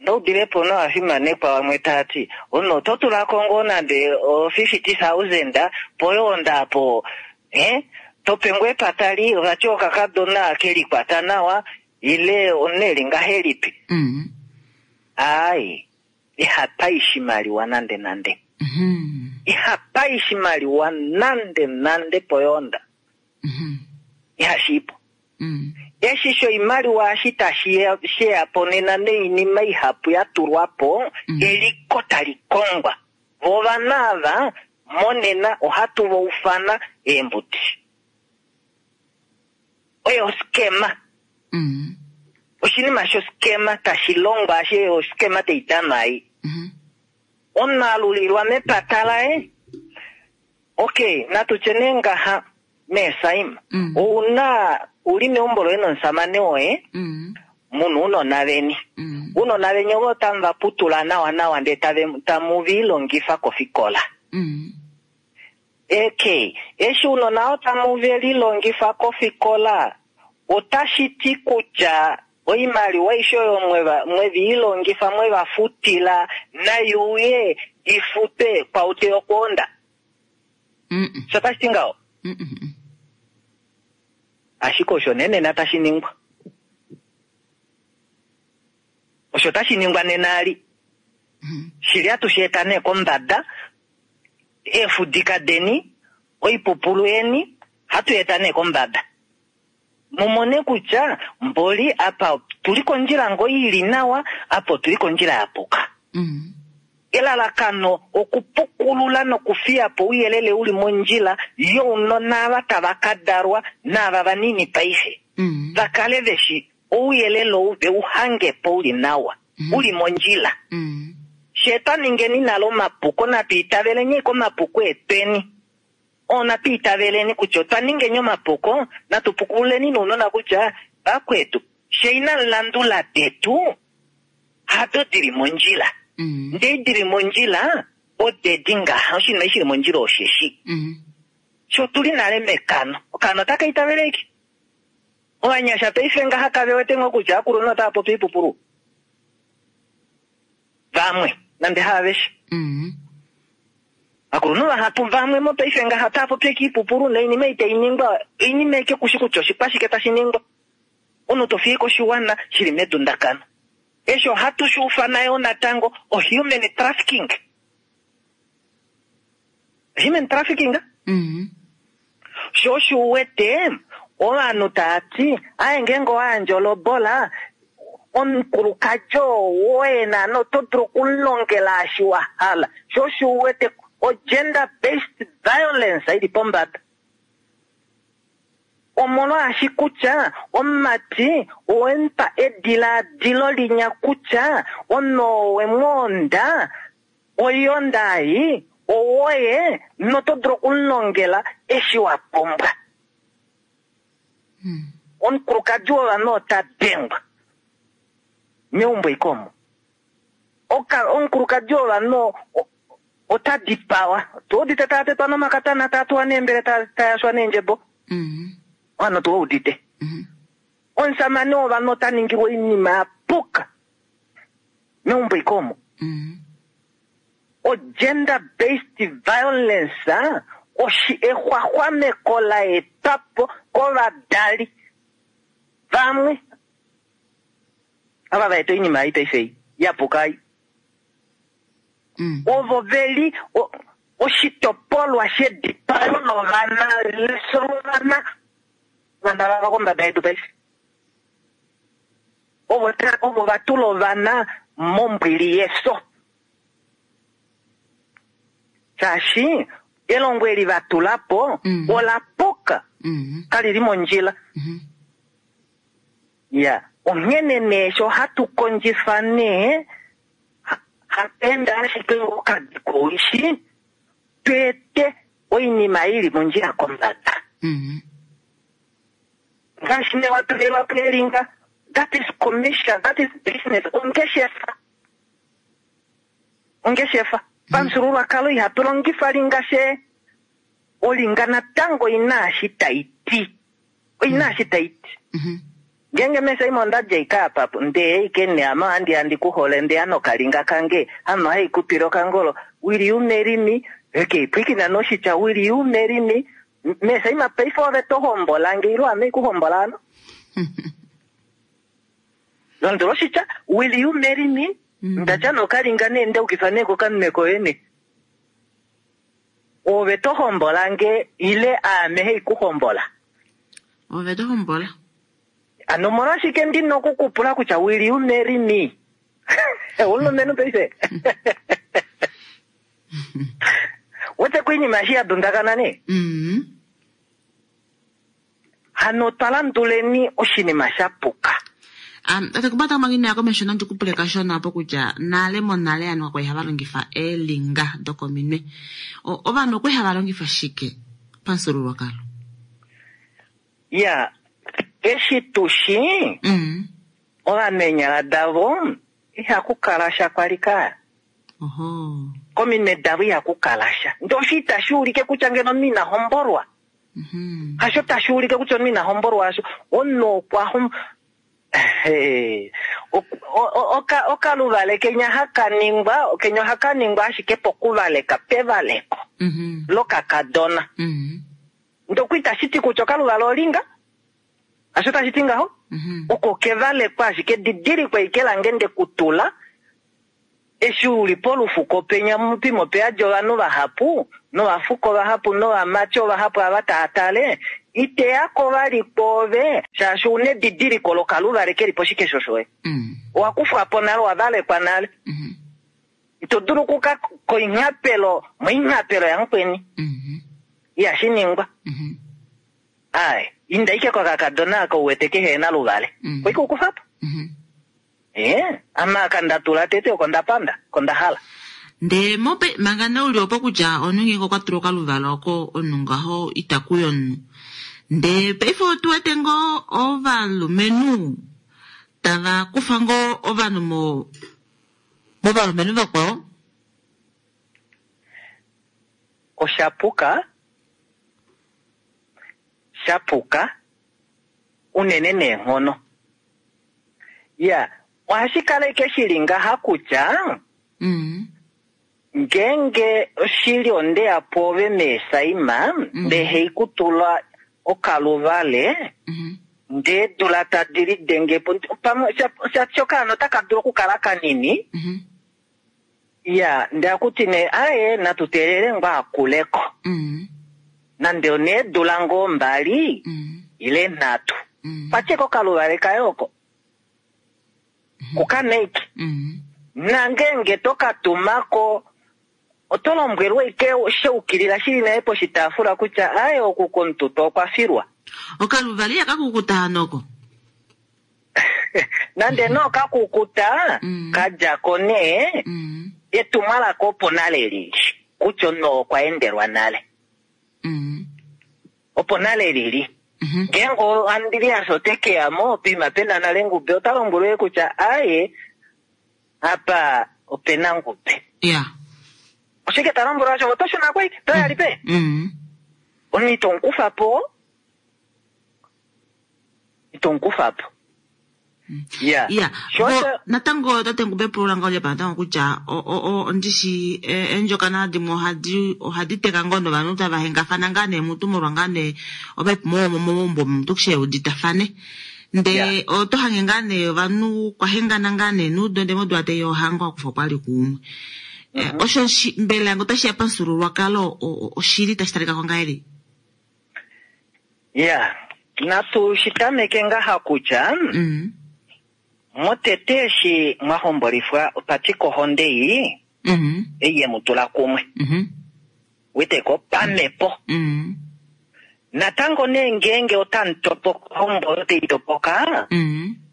noudilepo novafimanekwa vamwe tati omunhu oto tulako ngoo nande o 50,000 poyoonda apo eh tope ngoo epatali vati okakadona kelikwata nawa ile omunhu eli ngahelipi. Mhm. Aaye, ihapa ishimaliwa nande nande. Mhm. Ihapa ishimaliwa nande nande poyoonda. Mhm. Ihashiipo. Mhm. Eshi shoimaliwa eshi tashi sheya po nena noinima ihapu ya tulwa po, eliko tali kongwa. Vo ovanhu ava monena ohatu va ufana eembuti. Oyo oskema. Mhm. Oshinima shoskema tashi longwa ashe oskema tai danwa ei. Mhm. Omunhu alulilwa mepata laye. Okay, natu tye nee ngaha meesaima. Mm. Ouna uli meumbo loye nomusamane woye, Mhm. muna uunona veni. Mhm. Uunona veni ovo tamu va putula nawa nawa ndee tamu vi longifa kofikola. Mhm. Okay, eshi uunona oo tamu ve lilongifa kofikola, otashi ti kutya oimaliwa aishe oyo mwevi ilongifa mweva futila naiuye ifutwe kwaute yokwoonda. Mhm. Sho tashi ti ngaho? Mhm. Ashike osho nee nena tashi ningwa. Osho tashi ningwa nena ali. Mhm. Shili atushi eta nee kombada, eefudika deni, oipupulu yeni, hatu eta nee kombada. Mumone kutya mboli apa tuli kondjila ngoo ili nawa, apa otuli kondjila ya puka. Mhm. Elalakano okupukulula nokufiya po ouyelele uli mondjila younona ava tava ka dalwa naava vanini paife. Mhm. Va kale veshi ouyelele ou ve u hange po uli nawa, uli mondjila. Mhm. She twa ningeni nale omapuko, natu itaveleni komapuko etweni. Oo natu itaveleni kutya otwa ningeni omapuko, natu pukululeni nounona kutya vakwetu, she ina landula detu, hado dili mondjila. Mhm. Ndee dili mondjila, odedi ngaha, oshinima eshi shili mondjila osheshi. Mhm. Sho tuli nale mekano, okano otaka itaveleki. Ovanyasha paife ngaha kave wete ngoo kutya akulunhu otava popi oipupulu. Vamwe, nande haaveshe. Mhm. Akulunhu vahapu vamwe mopaife ngaha otava popi oipupulu noinima ei tai ningwa, oinima eke kushi kutya oshikwashike tashi ningwa. Omunhu to fiye koshiwana shili medundakano. Eshi ohatu shi ufana yo natango o human trafficking. Human trafficking? Mhm. Sho osho uwete ovanhu tava ti aye ngeenge owa yandja olobola omukulukadi oo woye naana oto dulu okumulongela eshi wa hala. Sho osho uwete o gender based violence ili pombada. Omolwaashi kutya omumati owemupa edilaadilo linya kutya omunhu oo wemwoonda oiyonda ei owoye noto dulu okumulongela eshi wa pumbwa. Mhm. Omukulukadi wovanhu ota dengwa meumbo ikomo. Omukulukadi wovanhu ota dipawa. Tuudite taa tetwa nomakatana, taa tuwa neembele, taa yashwa neendjebo. Mhm. Ovanhu tuwaudite. Mhm. Omusamane wovanhu ota ningilwa oinima ya puka meumbo ikomo. Mhm. O gender based violence oshi exwaxwameko la etwa po kovadali vamwe ava va eta oinima ei paife ei ya puka ei. Mm. Ovo veli oshitopolwa shedipayo lovana leso lovana vana vava kombada yedu paife. Ovo ovo va tula ovana mombwili yefyo. Shaashi elongo eli va tula po ola puka. Kali li mondjila. Ya, onghene nee sho hatu kondjifa nee hatu enda ashike okadi kowishi tweete oinima ili mondjila kombada. Ngaashi nee watulilwa po elinga, that is commission, that is business, ongeshefa. Ongeshefa. Pamufyuululwakalo ihatu longifa linga she olinga natango ina eshi tai ti. Oina eshi tai ti. Ngeenge mesaima onda dja ike apa ndee ike nee ame ohandi ya ndi ku hole ndeya nokalinga kange ame ohai ku twile okangolo will you marry me okay pwiikina nee oshitya will you marry me mesaima paife ove to hombola nge ile ame ikuhombola hano londula oshitya will you marry me ndatya nokalinga nee ndaukifa nee kokanwe koye nee ove to hombola nge ile aame hei ku hombola. Ove to hombola. Ano omolwashike ndina okukupula kutya will you marry me? Omulumenhu paife. Wete koinima eshi ya dundakana nee. Hano otwa landuleni oshinima sha puka. Tate kubata manga inaya komesho nandi kupule kashona opo kutya nale monale ovanhu kakwa li hava longifa eelinga dokominwe. Ovanhu okwa li hava longifa shike pamufyuululwakalo? Ya, eshi tu shi, ovanhu eenyala davo ihaku kala sha kwali ka. Kominwe davo ihaku kala sha. Ndee osho itashi ulike kutya ngeno omunhu ina hombolwa. Hasho tashi ulike kutya omunhu ina hombolwa hasho. Omunhu okwa hom-, okaluvale kenya haka ningwa, kenya ohaka ningwa ashike pokuvaleka, pevaleko lokakadona. Ndoko itashi ti kutya okaluvale olinga, hasho tashi ti ngaho. Oko kevalekwa ashike didilikwa ike lange ndekutula, eshi uli polufuko penya mupimo peyadi ovanhu vahapu, novafuko vahapu, novamati ovahapu ava tava tale, iteyako vali kwoove, shaashi una edidiliko lokaluvale keli poshikesho shoye. Owa kufwa po nale, owa valekwa nale. Ito dulu okuka koinghapelo, moinghapelo yamukweni. Ihashi ningwa. Ai, inda ike kokakadona aka uwete kehe ena luvale. Koike ukufa po. Ame aka nda tula tete oko nda panda, oko nda hala. Ndee mope, manga nee uli opo kutya omunhu ngeenge okwa tula okaluvala oko, omunhu ngaho ita kuya omunhu. Ndee paife otu wete ngoo ovalumenhu tava kufa ngoo ovanhu movalumenhu vakwao? Osha puka, sha puka unene neenghono. Ya, ohashi kala ike shili ngaha kutya ngeenge oshili onde ya pwoove meesaima, ndee hei kutula okaluvale, ndee dula tadi lidenge po, pamwe sha okaana otaka dulu okukala kanini. Ya, ndee akuti nee, aye, natu teelele ngoo akuleko. Nande oneedula ngoo 2, ile 3. Patye kokaluvale kaye oko. Kukaneiki. Nangenge to ka tumako, oto lombwelwa ike sheukilila shili naye poshitaafula kutya aye oku komututo okwa filwa. Okaluvale ihaka kukuta hano oko? Nande no kakukuta, kadjako nee, etumwalaka opo nale lili, kutya omunhu okwa endelwa nale. Opo nale lili. Ngeenge Andreas ote ke ya mo, poima pena nale Ngube, ota lombwelwe kutya aye, apa opena Ngube. Oshike ta lombwelwa osho? Oto shuna kwai? To ya lipe? Omunhu ito mu kufa po. Ito mu kufa po. Ya. Ya. Sho osho- Natango tate Ngube pulula ngaho lyepa natango kutya ondishi eendjokana dimwe ohadi teka ngoo novanhu tava hengafana ngaa nee mutu molwa ngaa nee ovaipumo vomomaumbo omuntu keshe uditafane. Ndee oto hange ngaa nee ovanhu kwa hengana ngaa nee nuudo ndee modula tai ohango akufa okwa li kuumwe. Osho mbela ngoo otashi ya pamufyuululwakalo, oshili tashi talika ko ngahelipi? Ya, natu shi tameke ngaha kutya, Motete eshi mwa hombolifwa opatika ohonde ei, ei ye mu tula kumwe. Weteko pamhepo. Natango nee ngeenge otamu topoka ohombo oyo tai topoka,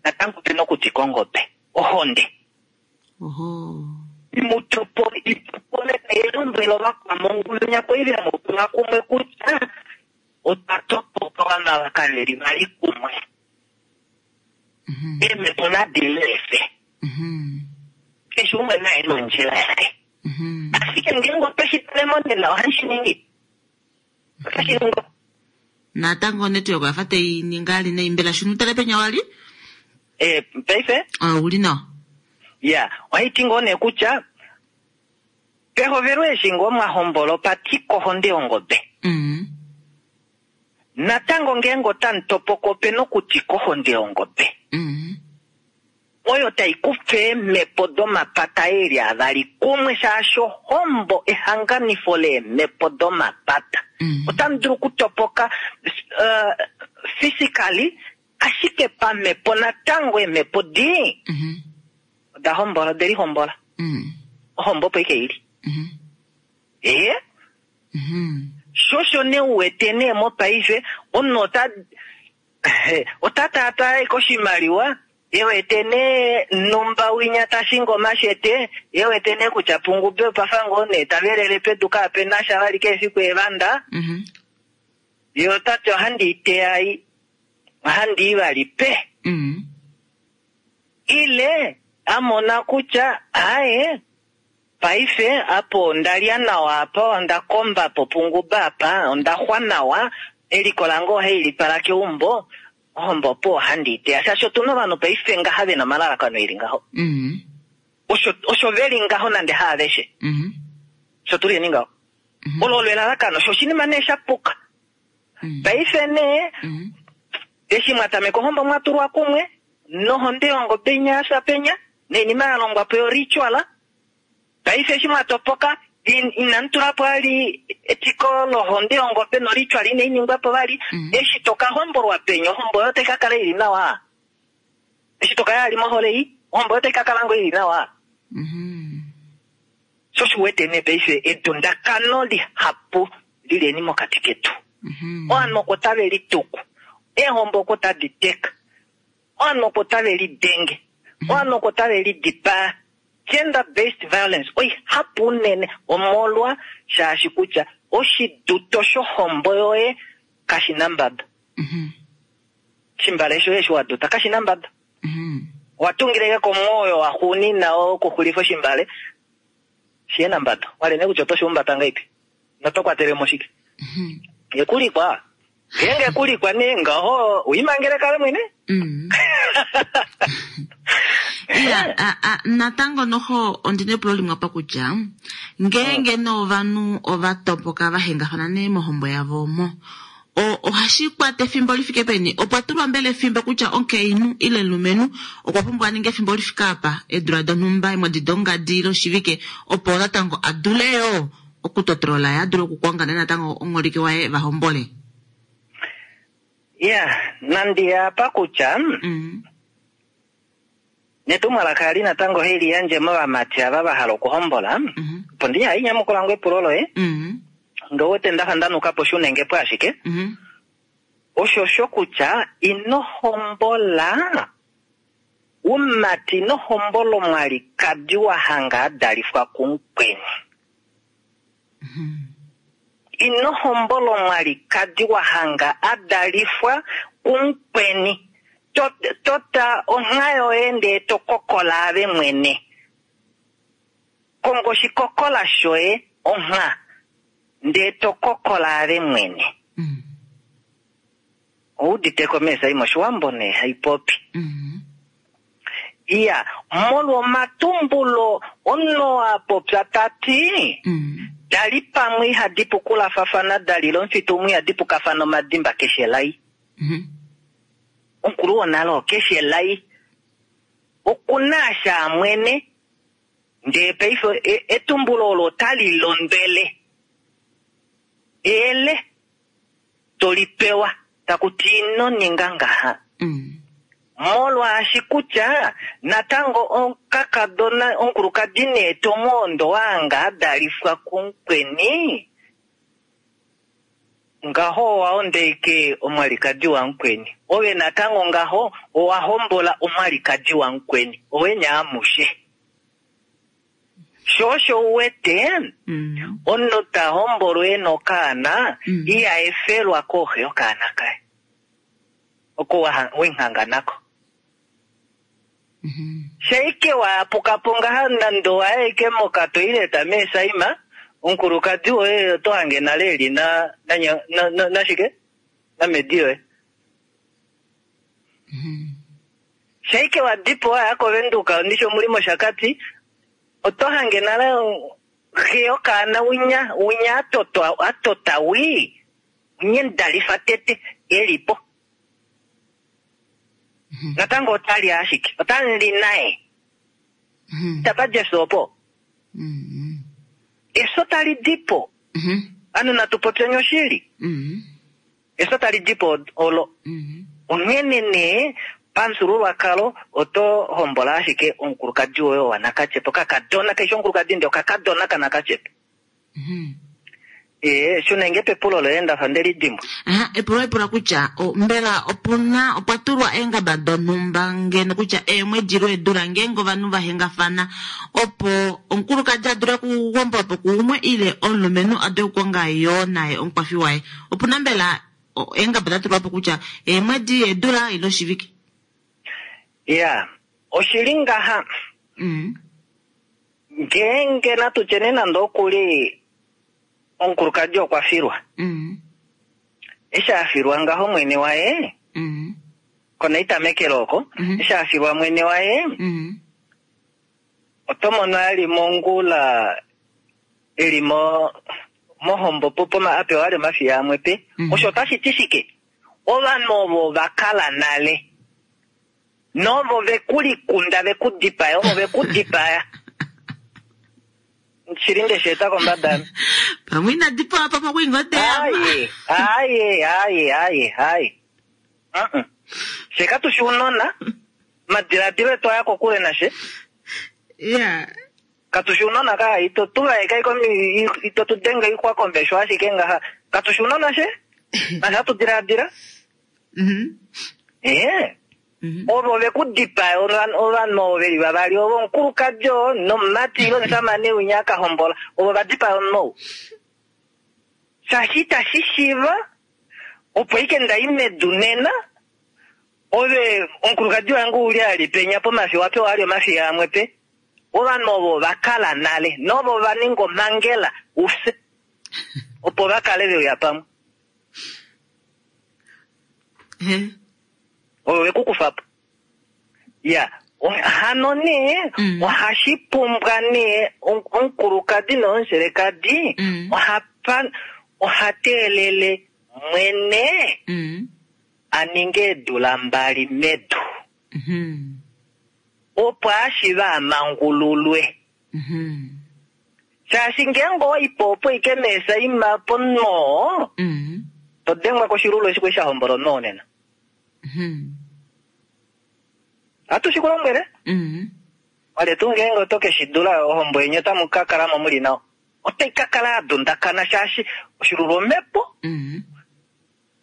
natango ope na okutika ongobe, ohonde. Mu topole, itopole tai lombwele ovakwamongulu nyako ile mu tula kumwe kutya otwa topoka ovanhu ava kave li vali kumwe. Eemhepo nadi lefe. Keshe umwe naye nondjila yaye. Ashike ngeenge otwe shi tale monena ohashi shi ningi. Otashi ningi. Natango network oya fa tai ningi ali nai mbela shunu tale penya wali? Eh, paife? Ah, uli nawa. Ya, ohai ti ngoo nee kutya pehovelo eshi ngoo mwa hombola opa tika ohonde yongobe. Natango ngeenge otamu topoka ope na okutika ohonde yongobe. Oyo tai kufa eemhepo domapata eli avali kumwe shaashi ohombo ehanganifo leemhepo domapata. Otamu dulu okutopoka uh, physically ashike pamhepo natango eemhepo di oda hombola ode lihombola. Ohombo opo ike ili. Ee. Sho osho nee u wete nee mopaife omunhu ota ota taataa ashike oshimaliwa e wete nee numba winya ta shingi omashete, e wete nee kutya pungube opa fa ngoo nee ta velele pedu kaape na sha vali keshe efiku eevanda, ye ota ti ohandi i teya ei, ohandi i vali pe. Ile a mona kutya aaye Paife apa onda lya nawa apa, onda komba po punguba apa, onda xwa nawa, eliko lange ohai li twala keumbo, ohombo opo ohandi i teya. Shaashi otu na ovanhu paife ngaha ve na omalalakano e li ngaho. Osho, osho ve li ngaho nande haaveshe. Osho tu liyeni ngaho. Olo olo elalakano. Osho oshinima nee sha puka. Paife nee, eshi mwa tameka ohombo mwa tulwa kumwe, nohonde yongobe inya ya fya penya, noinima ya longwa po yoritual, paife eshi mwa topoka, inamu tula po vali etiko lohonde yongobe noritual inai ningwa po vali, eshi to ka hombolwa penya, ohombo yoye otai ka kala i li nawa? Eshi to ka ya vali mohole ei, ohombo yoye otai ka kala ngoo i li nawa? Sho osho u wete nee paife edundakano lihapu li leni mokati ketu. Ovanhu oko tave lituku, eehombo oko tadi teka. Ovanhu oko tave lidenge, ovanhu oko tave lidipaa. Gender based violence oihapu unene omolwa shaashi kutya oshiduto shohombo yoye kashi na mbaba. Oshimbale shoye eshi wa duta kashi na mbaba. Owa tungile ashike komwoyo waxuunina wokuxulifa oshimbale shihe na mbada. Wale nee kutya oto shi humbata ngahelipi noto kwatele mo shike. Ekulikwa. Ngeenge kulikwa nee ngaho uimangele kale mwene. Mm. Iya, a, a, natango noho ondina epulo limwe apa kutya ngeenge nee ovanhu ova topoka va hengafana nee mohombo yavo omo ohashi kwata efimbo li fike peni? Opwa tulwa mbela efimbo kutya omukainhu ile omulumenhu okwa pumbwa a ninge efimbo li fike apa, eedula donhumba, eemwedi dongadi ile oshivike opo natango a dule yoo okutotolola ye a dule okukonga nee natango omuholike waye va hombole? Ya, nandi ya apa kutya netumwalaka ali natango heli yandje movamati ava va hala okuhombola, opo ndi hai nyamukula ngo epulo loye, ndo wete nda fa nda nuka po shunenge po ashike, osho sho kutya ino hombola umati ino hombola omwalikadi wa hanga a dalifwa kumukweni. Ino hombola omwalikadi wa hanga a dalifwa kumukweni. Tota ongha yoye ndee to kokola ave mwene. Konga oshikokola shoye, ongha, ndee to kokola ave mwene. Ou uditeko meesai moshiwambo nee haipopi. Iya, molwa omatumbulo omunhu oo a popya ta ti, Da li pamwe ihadi pukulafafana, da lile omufitu umwe ihadi pukafana omadimba keshe elai. Omukulu wonale oo keshe elai oku na asha a mwene, ndee paife etumbulo olo otali londwele eyele to li pewa taku ti ino ninga ngaha. Molwaashi kutya natango okakadona omukulukadi nee tomwondo waanga adalifwa kumukweni, ngaho owa ondeike omwalikadi wamukweni. Ove natango ngaho owa hombola omwalikadi wamukweni, owenya amushe. Sho osho u wete omunhu ta hombolwa e na okaana iha efelwa kooxe yokaana kaye oko wenghanga nako. Shaike wa yapuka po ngaha nande owa ya ashike mokatoileta meesaima, omukulukadi woye oto hange nale eli na na nashike namedi yoye. Shaike wa dipo wa ya koVenduka ndishi omuli mOshakati, oto hange nale xe yokaana winya winya atotwa atota wii winya endalifa tete eli po. Natango otali ashike otali naye. Itapa di efyo opo. Efyo tali di po. Ovanhu natu popyeni oshili. Efyo tali di po olo. Onghene nee pamufyuululwakalo oto hombola ashike omukulukadi woye wanakatyepa, okakadona, kaishi omukulukadi ndee okakadona kanakatyepa. Ee, shuna nge pepulo loye ndafa nde li dimbwa. Aha, epulo epula kutya mbela opuna opwa tulwa eengaba donhumba ngeno kutya eemwedi ile eedula ngeenge ovanhu va hengafana opo omukulukadi a dule okuhombolwa po kuumwe ile omulumenhu a dule okukonga yoo naye omukwafi waye. Opuna mbela eengaba da tulwa po kutya eemwedi, eedula ile oshivike? Ya, oshili ngaha. Ngeenge natu tye nee nande okuli omukulukadi okwa filwa. Eshi a filwa ngaho mwene waye, konaitamekelo oko, eshi a filwa mwene waye, oto mono a li mongula e li mo mohombo po a pewa ali omafiya amwe pe. Osho otashi ti shike? Ovanhu ovo va kala nale novo ve ku likunda ve ku dipaya, ovo ve ku dipaya. Shili nde shi eta kombada ame. Pamwe ina dipawa pamwe okwa inga oteya. Aye, aye, aye, aye, aye. Fye katu shi ounona, omadiladilo etu aya kokule nashe. Yeah. Katu shi ounona ka, ito tu vaeka ito tu denge oixwa komesho ashike ngaha. Katu shi ounona she? Nashe hatu diladila. Ee. Ovo ve ku dipaya, ovanhu ovo ve li vavali, ovo omukulukadi oo nomumati ile omushamane winya a ka hombola, ovo va dipaya omunhu ou. Shaashi itashi shiiva opo ike nda i medu nena, ove omukulukadi wange u li a li penya pomafi, owa pewa ali omafi amwe pe. Ovanhu ovo va kala nale, novo va ninga omhangela u fye, opo va kale ve uya pamwe. Oyo ve ku kufa po. Ya, hano nee, ohashi pumbwa nee omukulukadi nomuselekadi oha teelele mwene a ninge eedula mbali medu. Opo a shiive a mangululwe. Shaashi ngeenge owa i po opo ike meesaima pomunhu oo, to dengwa koshilulu eshi kwali sha hombola omunhu oo nena. Ohatu shi ku lombwele. Olye tuu ngeenge oto ke shi dula, ohombo yeni otamu ka kala mo mu li nawa. Otai ka kala ya dundakana shaashi oshilulu omhepo.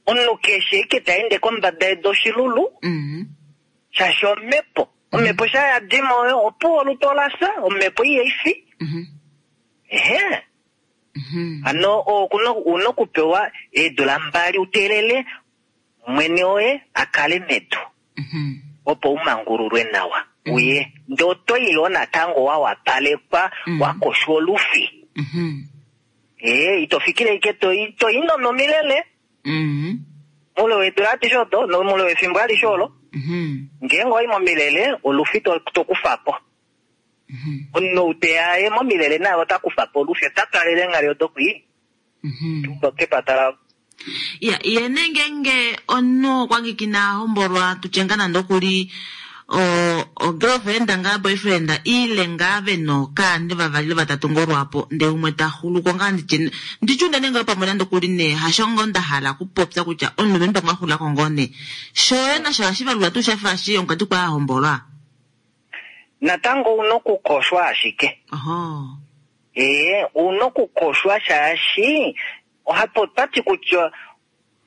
Omunhu keshe eke ta ende kombada yedu oshilulu, shaashi omhepo. Omhepo sha ya dima oyo, opuwo olutu ola fya, omhepo ihai fi. Ehe. Hano u na okupewa eedula mbali u teelele mwene woye a kale medu, opo u mangululwe nawa uye. Ndee oto i yoo natango wa wapalekwa, wa koshwa olufi. Ee, ito fikile ike to i, to i nomilele. Moule weedula adishe odo, nomoule wefimbo alishe olo, ngeenge owa i momilele, olufi to, to kufa po. Omunhu ou te ya aye momilele naye ota kufa po olufi, ota twalele eenghali odo kwii, kepata lavo. Ya, ye nee ngeenge omunhu okwa ngiki ina hombolwa, tutye ngaa nande oku li. O girlfriend ngaa boyfriend ile ngaa ve nokaani vavali ile vatatu ngoo lwaapo ndee umwe ta xuluko ngaa nditye nditye unene ngoo pamwe nande okuli nee hasho ngoo nda hala okupopya kutya omulumenhu pamwe a xulako ngoo nee shoye nasho ohashi valulwa tuu shafa eshi omukadi kwali a hombolwa? Natango ouna okukoshwa ashike. Ohoo. Ee, ouna okukoshwa shaashi ohapu otwati kutya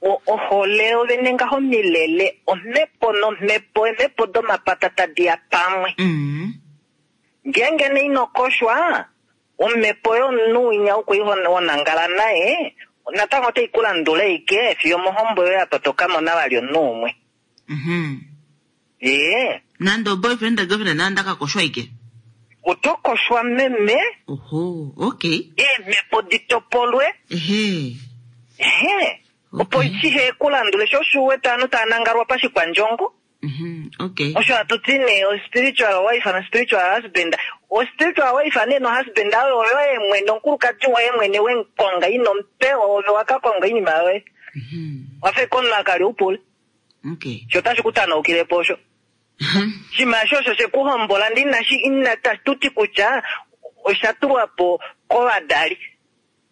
Ohole yovene ngaho omilele, omhepo nomhepo, eemhepo domapata tadi ya pamwe. Ngeenge nee ino koshwa, omhepo yomunhu winya ou kwali wa nangala naye, natango otai ku landula ashike fiyo omohombo yoye apa to ka mona vali omunhu umwe. Ee. Nande oboyfriend girlfriend nande aka koshwa ashike? Oto koshwa meme. Oho, okay. Eemhepo di topolwe. Ehe. Ehe. Opo shihe ku landule sho osho u wete ovanhu tava nangalwa pashikwandjongo. Okay. Osho hatu ti nee o spiritual wife no spiritual husband. O spiritual wife nee no husband oyo oyoye mwene omukulukadi woye mwene we mu konga ino mu pewa ove wa ka konga oinima yoye. Wa fa ashike omunhu a ka lya oupule. Okay. Sho otashi ku tanaukile po osho. Oshinima eshi osho she ku hombola ndee inashi ina tu ti kutya osha tulwa po kovadali.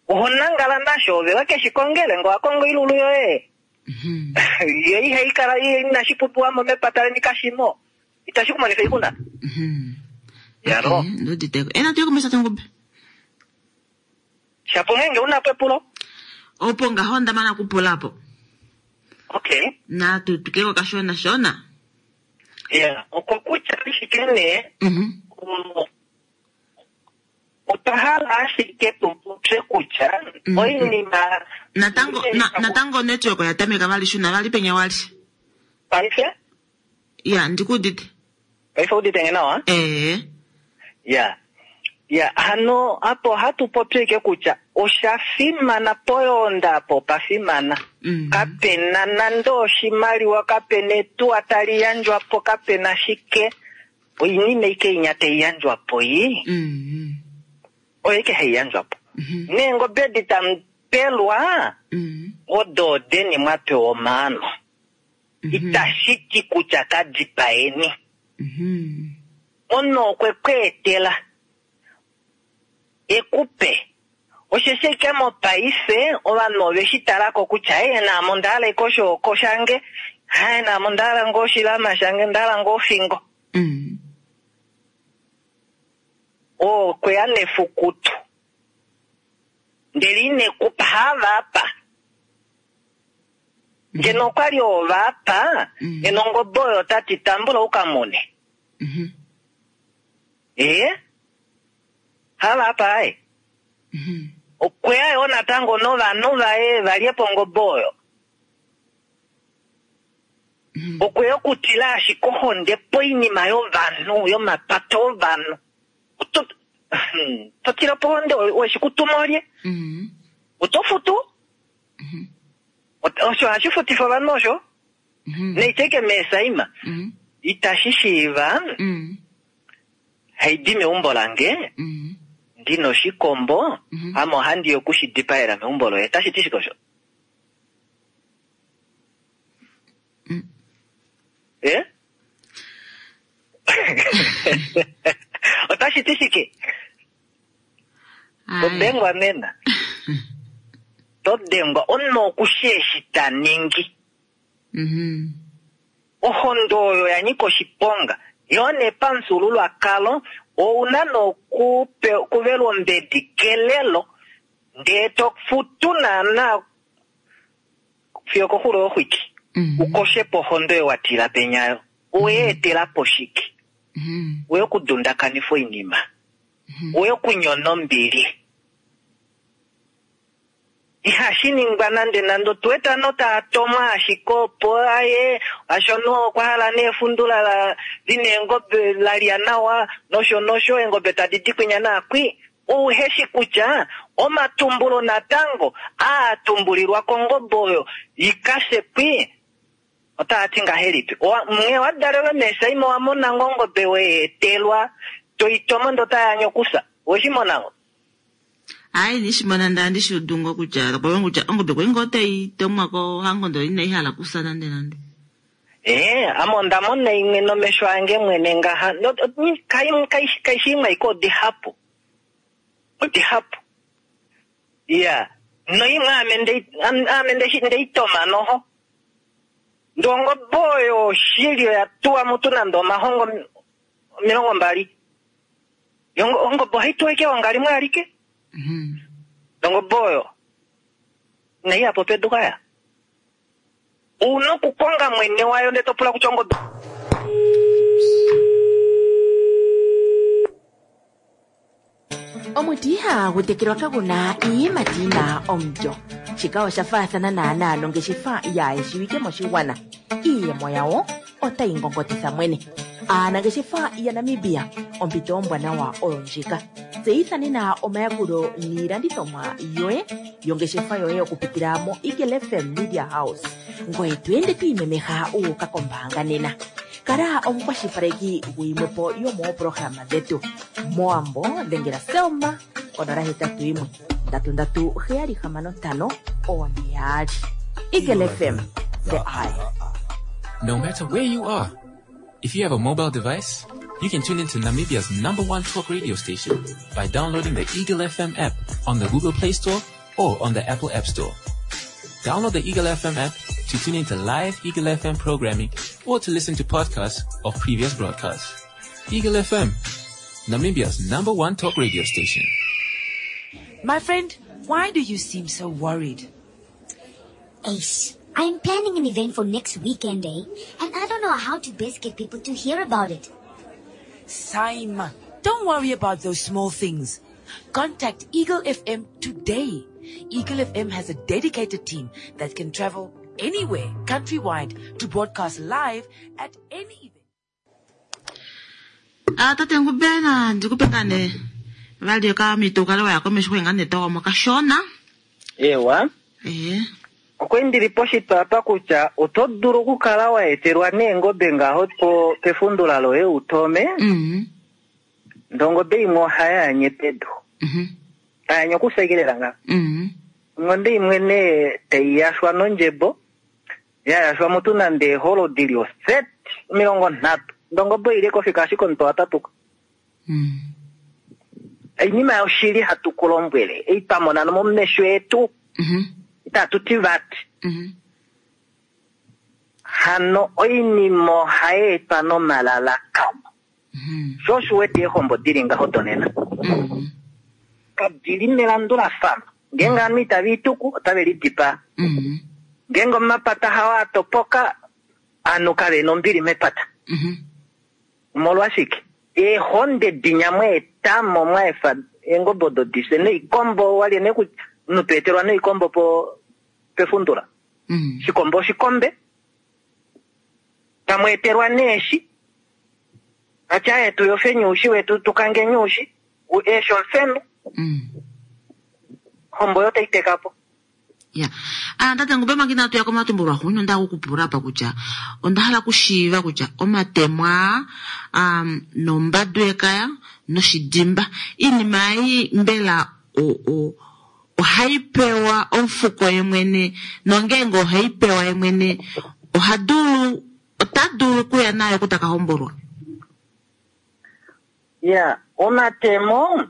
Oho nangala nasho ove we keshi kongele ngee owa kongo oilulu yoye. Yo ihai kala inashi pumbiwa mo mepata leni kashimo. Itashi ku monifa oixuna. Yalo. Okay, nduuditeko. E natu ye komesho Tangube. Shapo ngeenge una po epulo. Opo ngaho onda mana okupula po. Okay. Natu twikile ko kashona shona. Yeah, okokutya ashike nee otwa hala ashike tu popye kutya oinima Natango na, natango network oya tameka vali shuna vali penya wali. Paife? Ya, ndikuudite. Paife udite nge nawa? Ee. Ya. Ya, hano apo ohatu popi ashike kutya osha fimana poyoonda apo opa fimana. Kape na nande oshimaliwa, kape na etuwa tali yandjwa po, kape na shike. Oinima ashike inya tai yandjwa po ii. Oyo ashike hai yandjwa po. Neengobe edi tamu pelwa, odo odeni mwa pewa omaano. Itashi ti kutya ka dipaeni. Omunhu okwe ku etela e ku pe. Osheshi ashike mopaife ovanhu ove shi tala ko kutya ee naame onda hala ashike oshooko shange, ee naame onda hala ngoo oshilama shange, onda hala ngoo ofingo. Oo okwe ya nefukutu ndele ine ku pa, hava apa. Ngeno okwa li ova apa, ngeno ongobe oyo ota ti tambula u ka mune. Ee, hava apa aye. Okwe ya yoo natango novanhu vaye va lye po ongobe oyo. Okwe ya okutila ashike ohonde poinima yovanhu, yomapata ovanhu. Oto, to tila po ohonde, owe shi ku tuma olye? Oto futu? Osho hashi futifa ovanhu osho. Neiteke meesaima. Itashi shiiva haidi meumbo lange ndina oshikombo ame ohandi ya oku shi dipaela meumbo loye. Otashi ti shike osho? Eh? Otashi ti shike? To dengwa nena. To dengwa omunhu oku shi eshi ta ningi. Ohonde oyo ya nyika oshiponga. Yoo nee pamufyuululwakalo ou na nee okuvelwa ombedi kelelo ndee to futu naana fiyo okoxulo yoxwiki u koshe po ohonde oyo wa tila penya yo. Owe etela po shike? Owe okudundakanifa oinima. Owe okunyona ombili. Ihashi ningwa nande nande. Otu wete ovanhu tava tomwa ashike opo aye osho omunhu okwa hala nee efundula la lina eengobe la lya nawa nosho nosho eengobe tadi di kwinya naakwi. Uhe shi kutya omatumbulo natango aa tumbulilwa kongobe oyo i ka fye kwi otaa ti ngahelipi. Owa, nghee wa dalelwe meesaima owa mona ngoo ongobe we i etelwa to i tomo ndee otai anye okufya. Owe shi mona ngoo? Aaye ine shi mona ndee ohandi shi udu ngoo kutya, kutya ongobe kwali ngoo tai tomwa kohango ndele inai hala okufya nande nande. Ee, ame onda mona imwe nomesho ange mwene ngaha. Kaishi imwe aike odihapu. Odihapu. Iya. Noimwe ame ndeitoma noho. Ndee ongobe oyo oshili oya tuwa mutu nande omahongo 20. Ongobe ohai tuwa ashike eonga limwe alike. Ongobe oyo inai ya po pedu kaya. Una okukonga mwene wayo ndee to pula kutya ongobe. Omuti ihagu tekelwa kagu na iiyimati yi na omulyo. Shika osha faathana naanaa nongeshefa yaa shiwike moshigwana. Iiyemo yawo otayi ngongotitha mwene. Aanangeshefa yaNamibia, ompito ombwanawa oyo ndjika. Tseyitha nena omayakulo niilandithomwa yoye yongeshefa yoye okupitila moEagle FM Media House. Ngoye to ende to imemeha wu uka kombaanga nena. Kala omukwashilipaleki guyimwe po yomooprograma dhetu. Mowambo dhengela Selma ko081 3376 42. Eagle FM, the eye. No matter where you are, if you have a mobile device, you can tune into Namibia's number one talk radio station by downloading the Eagle FM app on the Google Play Store or on the Apple App Store. Download the Eagle FM app to tune into live Eagle FM programming or to listen to podcasts of previous broadcasts. Eagle FM, Namibia's number one talk radio station. My friend, why do you seem so worried? Ace, I'm planning an event for next weekend, eh? And I don't know how to best get people to hear about it. Simon, don't worry about those small things. Contact Eagle FM today. Eagle FM has a dedicated team that can travel anywhere, countrywide, to broadcast live at any event. Ah, tate Ngubena, ndikupe ngaa nee vali okamhito ukale waya komesho kwe ngaa nee togomo kashona. Ewa. Ee. Okwe ndili poshitwa apa kutya oto dulu okukala wa etelwa neengobe ngaho pefundula loye utome. Ndee ongobe imwe ohai anye pedu. Tai anye okusekelela ngaho. Ongobe imwe nee tai yashwa nondjebo, ya yashwa mutu nande eeholo dili oset 30. Ndee ongobe oili kofika ashike omutwe wa tatuka. Oinima yoshili hatu ku lombwele, ei twa mona nomomesho etu, itatu ti vati. Hano oinima ohai etwa nomalalakano. Sho osho wete eehombo dili ngaho donena. Kadili melandulafano. Ngeenge ovanhu itava ituku, otave lidipaa. Ngeenge omapata hao a topoka, ovanhu kave na ombili mepata. Omolwashike? Eehonde dinya mwa etamo mwa efa eengobe odo difye noikombo walye nee kutya omunhu to etelwa noikombo pefundula. Shikombo oshikombe. Tamu etelwa neeshi. Atya aye tu yofeni oushi wetu tukangeni oushi. Eeshi omufenu. Hombo yo tai teka po. Ya. Ah, tate Ngube manga inatu ya komatumbulo axuuninwa onda hala okukupula apa kutya onda hala okushiiva kutya omatemwa, nombadu yekaya noshidimba iinima ei mbela ohai pewa omufuko ye mwene nongeenge ohai pewa ye mwene ota dulu okuya nayo oku taka hombolwa. Ya, omatemo,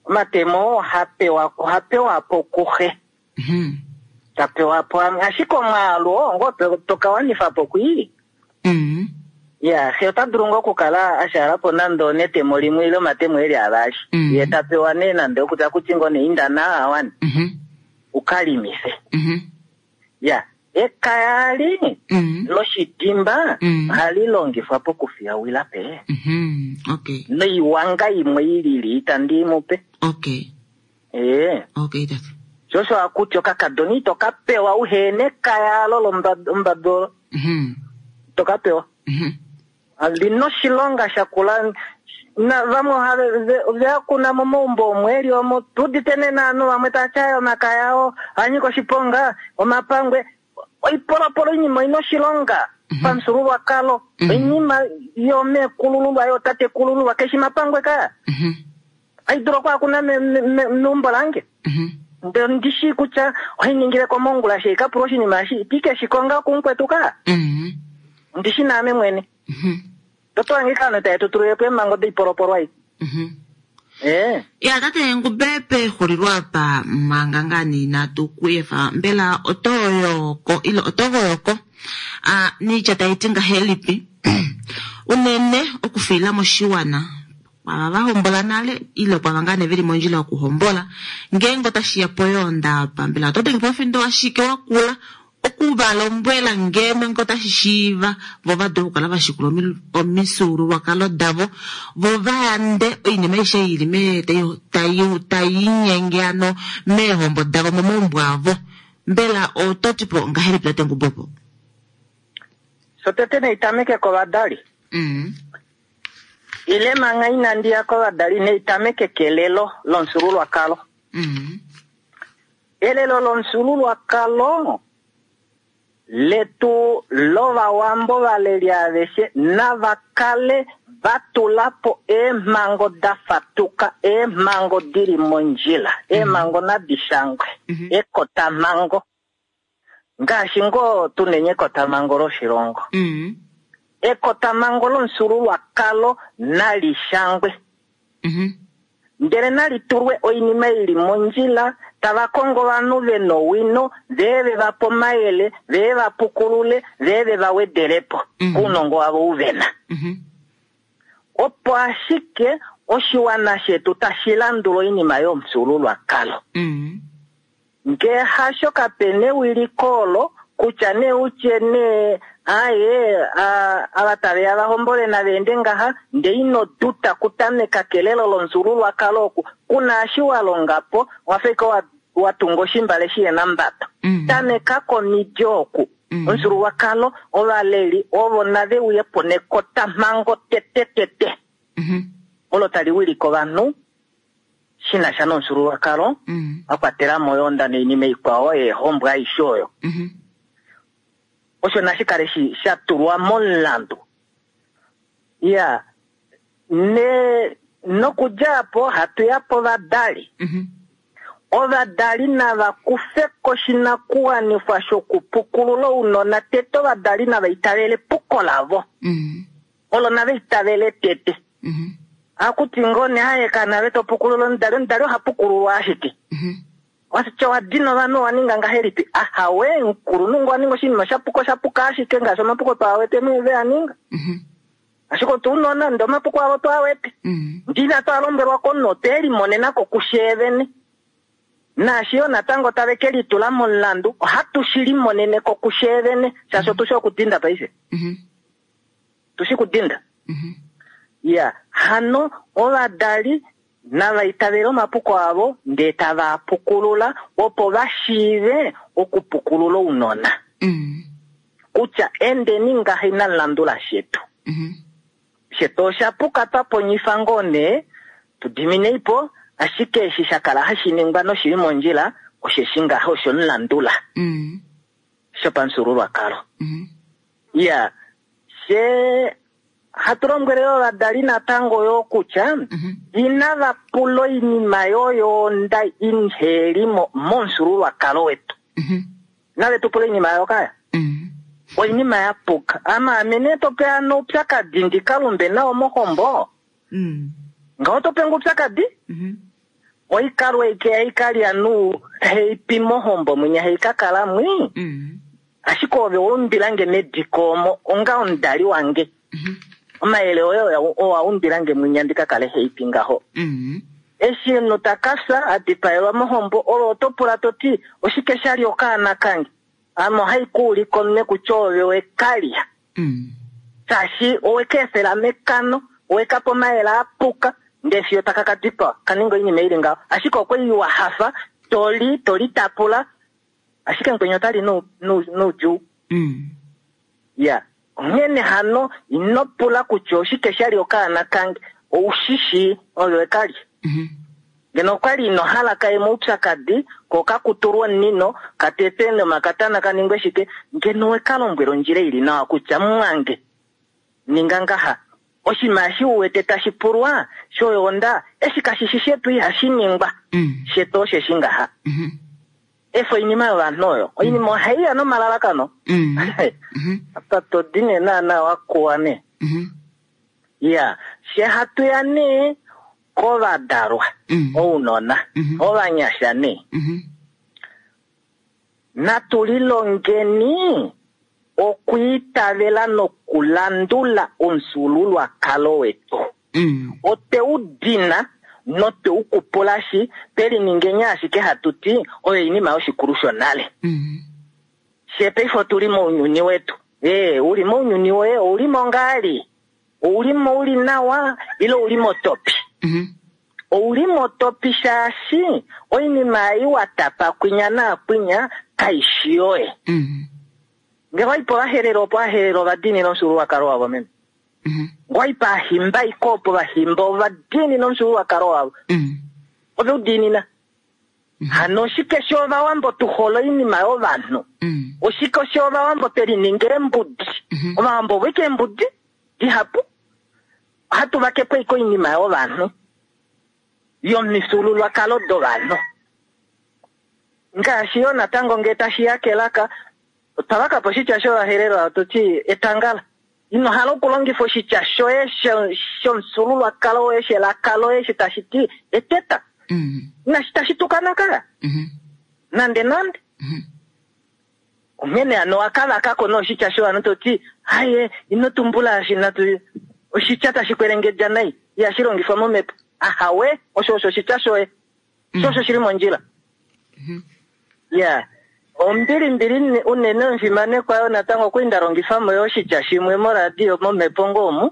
omatemo oha pewa po kuxe. Ta pewa po amwe, ashike omwaalu oo ngoo to ka wanifa po kwii. Ya, xe ota dulu ngoo okukala a shaala po nande onetemo limwe ile omatemo eli avali. Ye ta pewa nee nande okutya kuti ngoo nee inda naa awane. Uka limife. Ya, ekaya li loshidimba ohali longifwa pokufiyawila pe. Noiwanga imwe ilili itandi mu pe. Okay, tate. Sho osho akuti okakadona ito ka pewa uhene ekaya alo lombado olo. Ito ka pewa. Lina oshilonga shakula. Na vamwe ohave ve kuna momaumbo omo eli omo tudite nena ovanhu vamwe tava ti omakaya oo oha nyika oshiponga, omapangwe, oipolopolo oinima oina oshilonga pamufyuululwakalo, oinima yomeekulululwa yootatekulululwa keshi mapangwe kaa. Ohai dulu okwaakuna meumbo lange. Ndele ondi shii kutya ohai ningile komongula she ikapula oshinima eshi, iti ke shi konga kumukwetu kaa. Ondi shi naame mwene. Toto wange kano taye tu tulile po eemhango doipolopolwa ei. Ee. Ya tate Ngube pexulilo apa manga ngaa nee inatu ku efa mbela oto yoko ile oto goyoko a niitya tai ti ngahelipi unene okufiila moshiwana kwava va hombola nale ile kwava ngaa nee veli mondjila yokuhombola ngeenge otashi ya poyoonda apa mbela oto denge po omufindo washike wakula oku va lombwela ngeno nge otashi shiiva vo va dule okukala va shikula omifyuululwakalo davo vo va yande oinima aishe ei ili me tai tai linyenge ano meehombo davo momaumbo avo. Mbela oto ti po ngahelipi tate Ngubo opo? Shotete nai tameke kovadali. Ile manga inandi ya kovadali nai tameke kelelo lomufyuululwakalo. Elelo lomufyuululwakalo letu lOvawambo valeli aveshe nava kale va tula po eemhango da fatuka, eemhango di li mondjila, eemhango nadi shangwe, ekotamhango ngaashi ngoo tu neni ekotamhango loshilongo. Ekotamhango lomufyuululwakalo nali shangwe. Ndele nali tulwe oinima i li mondjila, tava kongo ovanhu ve nowino, ve ve va pe omayele, ve va pukulule, ve ve va wedele po kounongo wavo ou ve na. Opo ashike oshiwana shetu tashi landula oinima yomufyuululwakalo. Ngee hasho kape na ewiliko olo kutya nee utye nee aaye ava tave ya va hombole nava ende ngaha ndee ino duta kutameka kelelo lomufyuululwakalo oku kuna eshi wa longa po owa fa ashike wa tunga oshimbale shihena mbado. Tameka komidi oku. Omufyuululwakalo ovaleli ovo nave uye po nekotamhango tete tete olo tali wilike ovanhu shi na sha nomufyuululwakalo, a kwatela mo oyoonda noinima ikwao yeehombo aishe oyo. Osho nashi kale shi sha tulwa momulandu. Ya ne nokudja apo hatu ya povadali. Ovadali nava kufe ko oshinakuwanifwa shokupukulula ounona tete ovadali nava itavele epuko lavo. Olo nava itavele tete. Akuti ngoo nee aye kana to pukulula omudali, omudali oha pukululwa ashike. Watya owa dina ovanhu owa ninga ngahelipi? Ahawe, omukulunhu ngoo wa ninga oshinima sha puka osha puka ashike ngaashi omapuko twaa wete ve a ninga. Ashike otuunona ndee omapuko avo twaa wete. Ndee inatu a lombwelwa komunhu otwe limonena ko kushee vene. Naashi yoo natango tave ke litula momulandu ohatu shi limonene ko kushee vene shaashi otushi okudinda paife. Tushi kudinda. Ya, hano ovadali nava itavele omapuko avo ndee tava a pukulula opo va shiive okupukulula ounona. Kutya endeni ngaha inamu landula shetu. Shetu osha puka twa ponyifa ngoo nee, tu diminei po, ashike eshi sha kala hashi ningwa noshili mondjila osheshi ngaha osho mulandula. Shopamufyuululwakalo. Iya, fye hatu lombwele yo ovadali natango yo kutya inava pula oinima yoyoonda inheli mo momufyuululwakalo wetu. Inave tu pula oinima oyo kaya. Oinima ya puka. Ama ame nee to pe ano oupyakadi ndi ka lumbe nao mohombo? Ngaho to pe nge oupyakadi? Oikalwa eike haikalya nu haipi mohombo mwinya haikakala mwi? Ashike ove wa umbila nge mediko omo onga omudali wange. Omayele oye owa umbila nge mwinya ndi ka kale haipi ngaho. Eshi omunhu ta ka fya, a dipaelwa mohombo, ove oto pula to ti, Oshike sha li okaana kange? Ame ohai ku ulika omunwe kutya ove we ka lya. Shaashi owe ka efela mekano, owe ka pa omayele a puka, ndee fiyo taka ka dipawa, ka ninga oinima i li ngaho. Ashike okwa li wa hafa, to li, to litapula, Ashike mukweni ota li noudjuu. Ya. Onghene hano, ino pula kutya oshike sha li okaana kange. Ou shi shii, ove we ka lya. Ngeno okwa li ino hala ka ye moupyakadi, ko ka kutulwe omunino, ka tetwe nomakatana ka ningwe shike, ngeno owe ka lombwela ondjila i li nawa kutya, Mumwange, ninga ngaha. Oshinima eshi u wete tashi pulwa, shoyoonda, eshi kashi shi shetu ihashi ningwa. Shetu osheshi ngaha. Efa oinima yovanhu oyo. Oinima ohai ya nomalalakano. Apa to di nee naana wa kuwa nee. Ya, she hatu ya nee kovadalwa, ounona, ovanyasha nee. Natu lilongeni okwiitavela nokulandula omufyuululwakalo wetu. Otwe u dina notwe u kupulashi, twe liningeni ashike hatu ti oyo oinima yoshikulu shonale. Fye paife otu li mounyuni wetu. Ee, u li mounyuni woye, ou li mo ngaa li? Ou li mo u li nawa ile ou li motopi? Ou li motopi shaashi oinima ei wa tapa kwinya naakwinya kai shi yoye. Nge wa i pOvaherero opo Ovaherero ova diinina omufyuululwakalo wavo meme. Nge wa i pAahimba iko opo Ovahimba ova diinina omufyuululwakalo wavo. Ove u diinina. Hano oshike sho Ovawambo tu hole oinima yovanhu? Oshike osho Ovawambo twe lininga eembudi? Ovawambo ovo ike eembudi dihapu. Ohatu vake po ike oinima yovanhu, yomifyuululwakalo dovanhu. Ngaashi yo natango ngee tashi ya kelaka, otwa vaka po oshitya shOvaherero hatu ti etangala. Ino hala okulongifa oshitya shoye shomufyuululwakalo woye shelaka loye eshi tashi ti eteta. Inashi tashi tukana ka. Nande nande. Onghene hano owa ka vaka ko nee oshitya shovanhu to ti haye ino tumbula eshi natu oshitya tashi kwelengedja nai ihashi longifwa momhepo. Ahawe, osho osho oshitya shoye. Sho osho shili mondjila. Ya. Ombilimbili unene omufimanekwa yo natango okwali nda longifa mo yo oshitya shimwe moradio momhepo ngoo omu.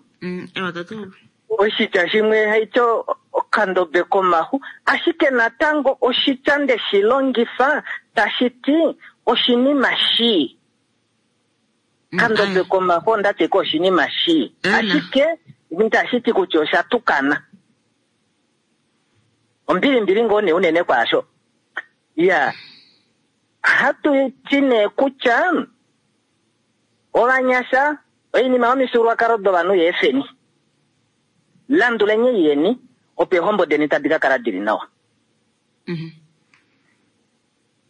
Oshitya shimwe haiti okandobe komaxu, ashike natango oshitya nde shi longifa tashi ti oshinima shii. Kandobe komaxu onda ti ko oshinima shii, ashike itashi ti kutya osha tukana. Ombilimbili ngoo nee unene kwaasho. Ya, hatu ti nee kutya ovanyasha oinima yomifyuululwakalo dovanhu yeefeni. Landuleni ei yeni, opo eehombo deni tadi ka kala di li nawa.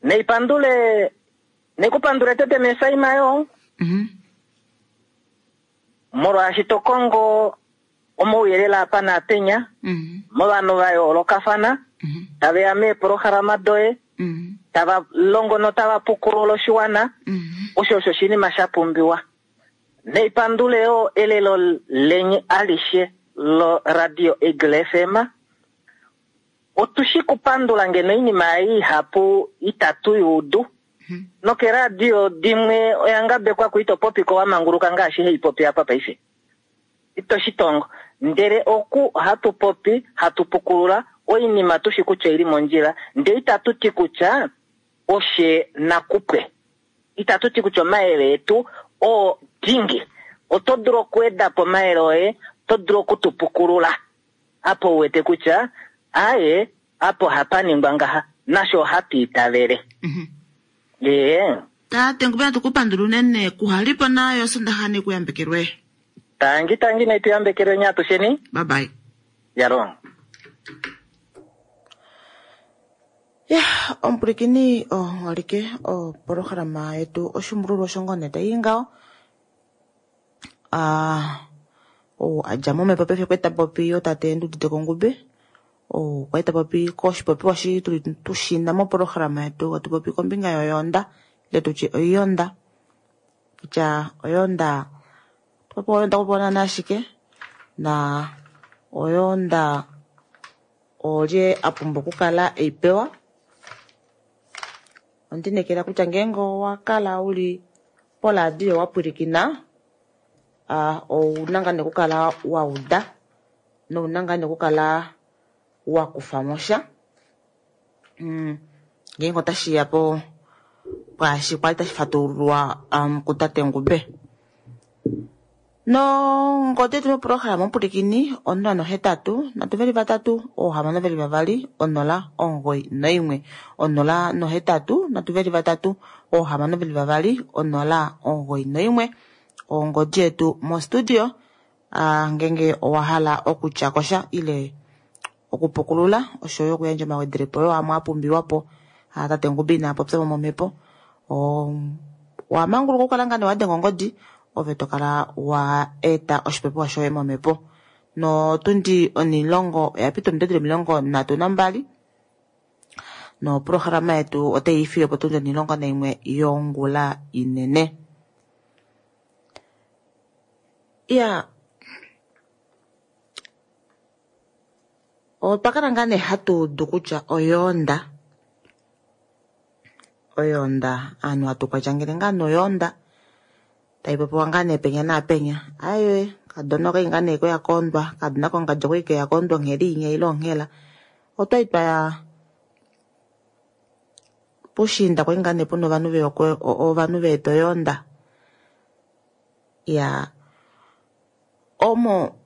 Naipandule, naikupandule tete meesaima yoo, molwaashi to kongo omauyelele apa naapenya, movanhu va yoolokafana, tave ya meeprograma doye, tava longo notava pukulula oshiwana, osho osho oshinima sha pumbiwa. Naipandule yoo elelo lenye alishe loRadio Eagle FM. Otu shi kupandula ngeno oinima ei ihapu itatu i udu. Nokeradio dimwe oya ngabekwa ku ito popi ko wa manguluka ngaashi hei popi apa paife. Ito shi tongo. Ndele oku ohatu popi, hatu pukulula oinima tu shi kutya oili mondjila, ndele itatu ti kutya oshe nakupwe. Itatu ti kutya omayele etu oo dingi. Oto dulu okuweda po omayele oye, oto dulu oku tu pukulula apa u wete kutya aaye apa ohapa ningwa ngaha, nasho ohatu itavele. Ee. Tate Ngube natu ku pandula unene kuhalipo nayo Sondaxa ne ku yambekelwe. Tangi tangi naitu yambekelweni atusheni. Bye bye. Yalong. Ya, omupwilikini oholike opolohalama yetu oshimbululu oshongo tai i ngaho. Ah, ou a dja momhepo paife okwa ta popi otate Ndudite Kongube. Ou okwa ta popi koshipopiwa shi tuli tushina mopolohalama yetu hatu popi kombinga yoyonda ile tutye oiyonda. Kutya oyonda popi oyonda kupona nashike na oyonda olye a pumbwa okukala ei pewa. Ondinekela kutya ngeenge owa kala uli poradio wa pwilikina, ouna ngaa nee okukala wa uda nouna ngaa nee okukala wa kufa mo sha. Ngeenge otashi ya po pwaashi kwali tashi fatululwa kutate Ngube. Nongodi yetu mopolohalama omupwilikini 083 323 622 091 083 323 622 091 ongodi yetu mostudio. Ngenge owa hala okutya kosha ile okupukulula oshoyo okuyandja omawedelepo yoo amwe a pumbiwa po. Aa tate Ngube ina popya mo momhepo. Owa manguluka okukala ngaa nee wa denga ongodi ove to kala wa eta oshipopiwa shoye momhepo. Notundi onilongo oya pita ominute 32 noprograma yetu otai ifile potundi 11 yongula inene. Iya, otwa kala ngaa nee hatu udu kutya oyoonda, oyoonda aanhu hatu kwandjangele ngaa noyoonda tai popiwa ngaa nee penya naapenya. Aye, kadona okai ngaa nee koya koondwa, kadona kongadji okwai keya koondwa onghela inya ile onghela. Otwai twaya pushiinda kwai ngaa nee puna ovanhu veya ovanhu veeta oyoonda. Ya, omo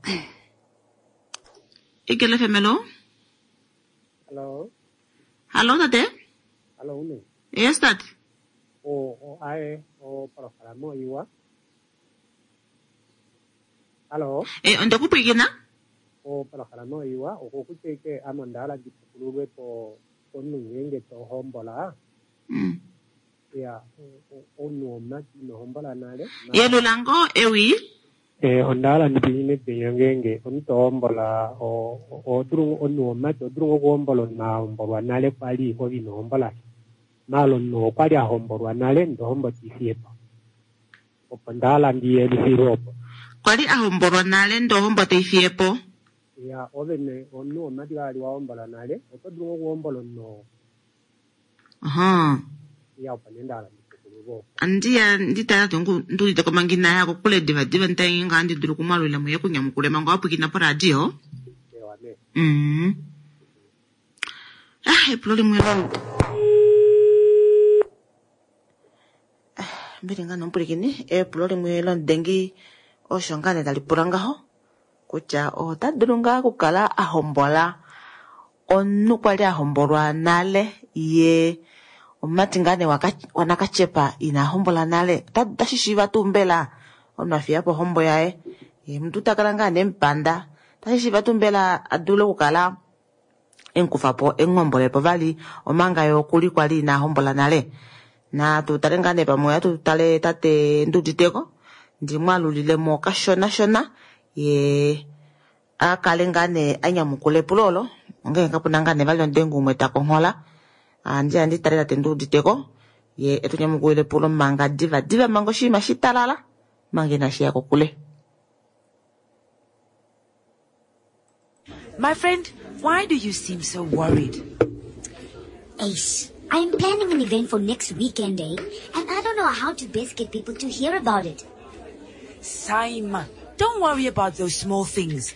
Eagle FM, hello? Hello. Hello, tate? Hello, une. Yes, tate. O, o, ae, o, programa oiwa. Hello. Eh, ondakupwikina? O, programa oiwa, okokutya ike ame onda hala ndi pukululwe po omunhu ngeenge to hombola. Ya, omunhu womumati ino hombola nale. Yelula ngoo ewi? Eh, onda hala ndi pwilikine penya ngeenge omunhu to hombola, o dulu omunhu womumati oho dulu ngoo okuhombola omunhu a hombolwa nale kwali ove ino hombola sha. Maala omunhu oo okwali a hombolwa nale ndee ohombo tei fiye po. Opo nda hala ndi yelifilwe opo. Kwali a hombolwa nale ndee ohombo tei fiye po? Ya, ove nee omunhu womumati kali wa hombola nale, oto dulu ngoo okuhombola omunhu oo. Ya, opo nee nda hala ndi pukululwe opo. Andiya nditala tuu nduudite ko manga inaya kokule divadiva nditale ngaa handi dulu okumwalulila mo ye kunyamukule manga wa pwilikina poradio. Ewa nee. Ah, epulo limwe lo. Mbili ngaa nomupwilikini, epulo limwe lomudengi osho ngaa nee tali pula ngaho kutya ota dulu ngaa okukala a hombola omunhu kwali a hombolwa nale ye omumati ngaa nee wanakatyepa ina hombola nale. Otashi shiiva tuu mbela omunhu a fiya po ohombo yaye ye omuntu ta kala ngaa nee mupanda, otashi shiiva tuu mbela a dule okukala emukufa po emuhombolepo vali omanga ye okuli kwali ina hombola nale. Natu tale ngaa nee pamwe ohatu tale tate Nduditeko ndimwalulilemo kashona shona ye a kale ngaa nee a nyamukula epulo olo, ongenge kapuna ngaa nee vali omudengi umwe ta konghola. Andi andi tale tate Nduditeko ye etu nyamukulile epulo manga diva diva manga oshinima shitalala manga inashi ya kokule. My friend, why do you seem so worried? Ace, I'm planning an event for next weekend, eh? And I don't know how to best get people to hear about it. Simon, don't worry about those small things.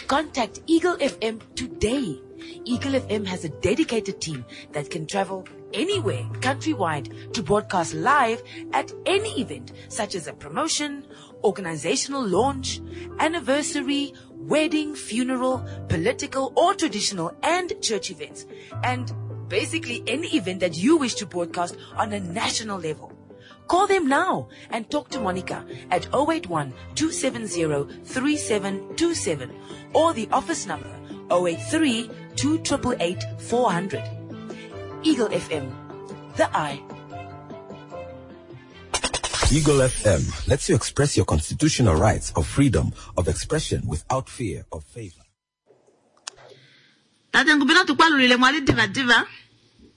Contact Eagle FM today. Eagle FM has a dedicated team that can travel anywhere countrywide to broadcast live at any event, such as a promotion, organizational launch, anniversary, wedding, funeral, political or traditional and church events, and basically any event that you wish to broadcast on a national level. Call them now and talk to Monica at 081-270-3727 or the office number 083-2888-400. Eagle FM, the eye. Eagle FM lets you express your constitutional rights of freedom of expression without fear of favor. Tate Ngubena tukwalulile mwali diva diva.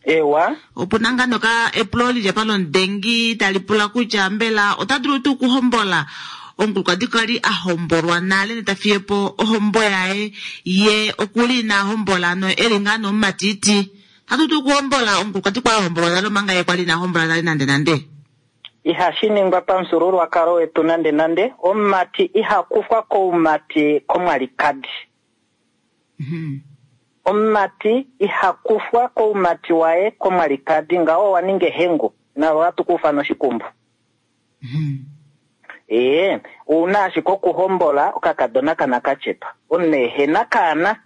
Ewa. Opuna ngaa noka epulo lili apa lomudengi tali pula kutya mbela ota dulu tuu okuhombola omukulukadi kwali a hombolwa nale neta fiye po ohombo yaye ye okuli ina hombola no eli ngaa nomumatiti. Ota dulu tuu okuhombola omukulukadi kwali a hombolwa nale omanga ye kwali ina hombola nale nande nande? Ihashi ningwa pamufyuululwakalo wetu nande nande. Omumati iha kufwa koumati komwalikadi. Omumati iha kufwa koumati waye komwalikadi, ngaho owa ninga ehengu nalo ohatu kufa noshikumbu. Ee, ouna ashike okuhombola okakadona kanakatyepa. Omunhu ehena kaana,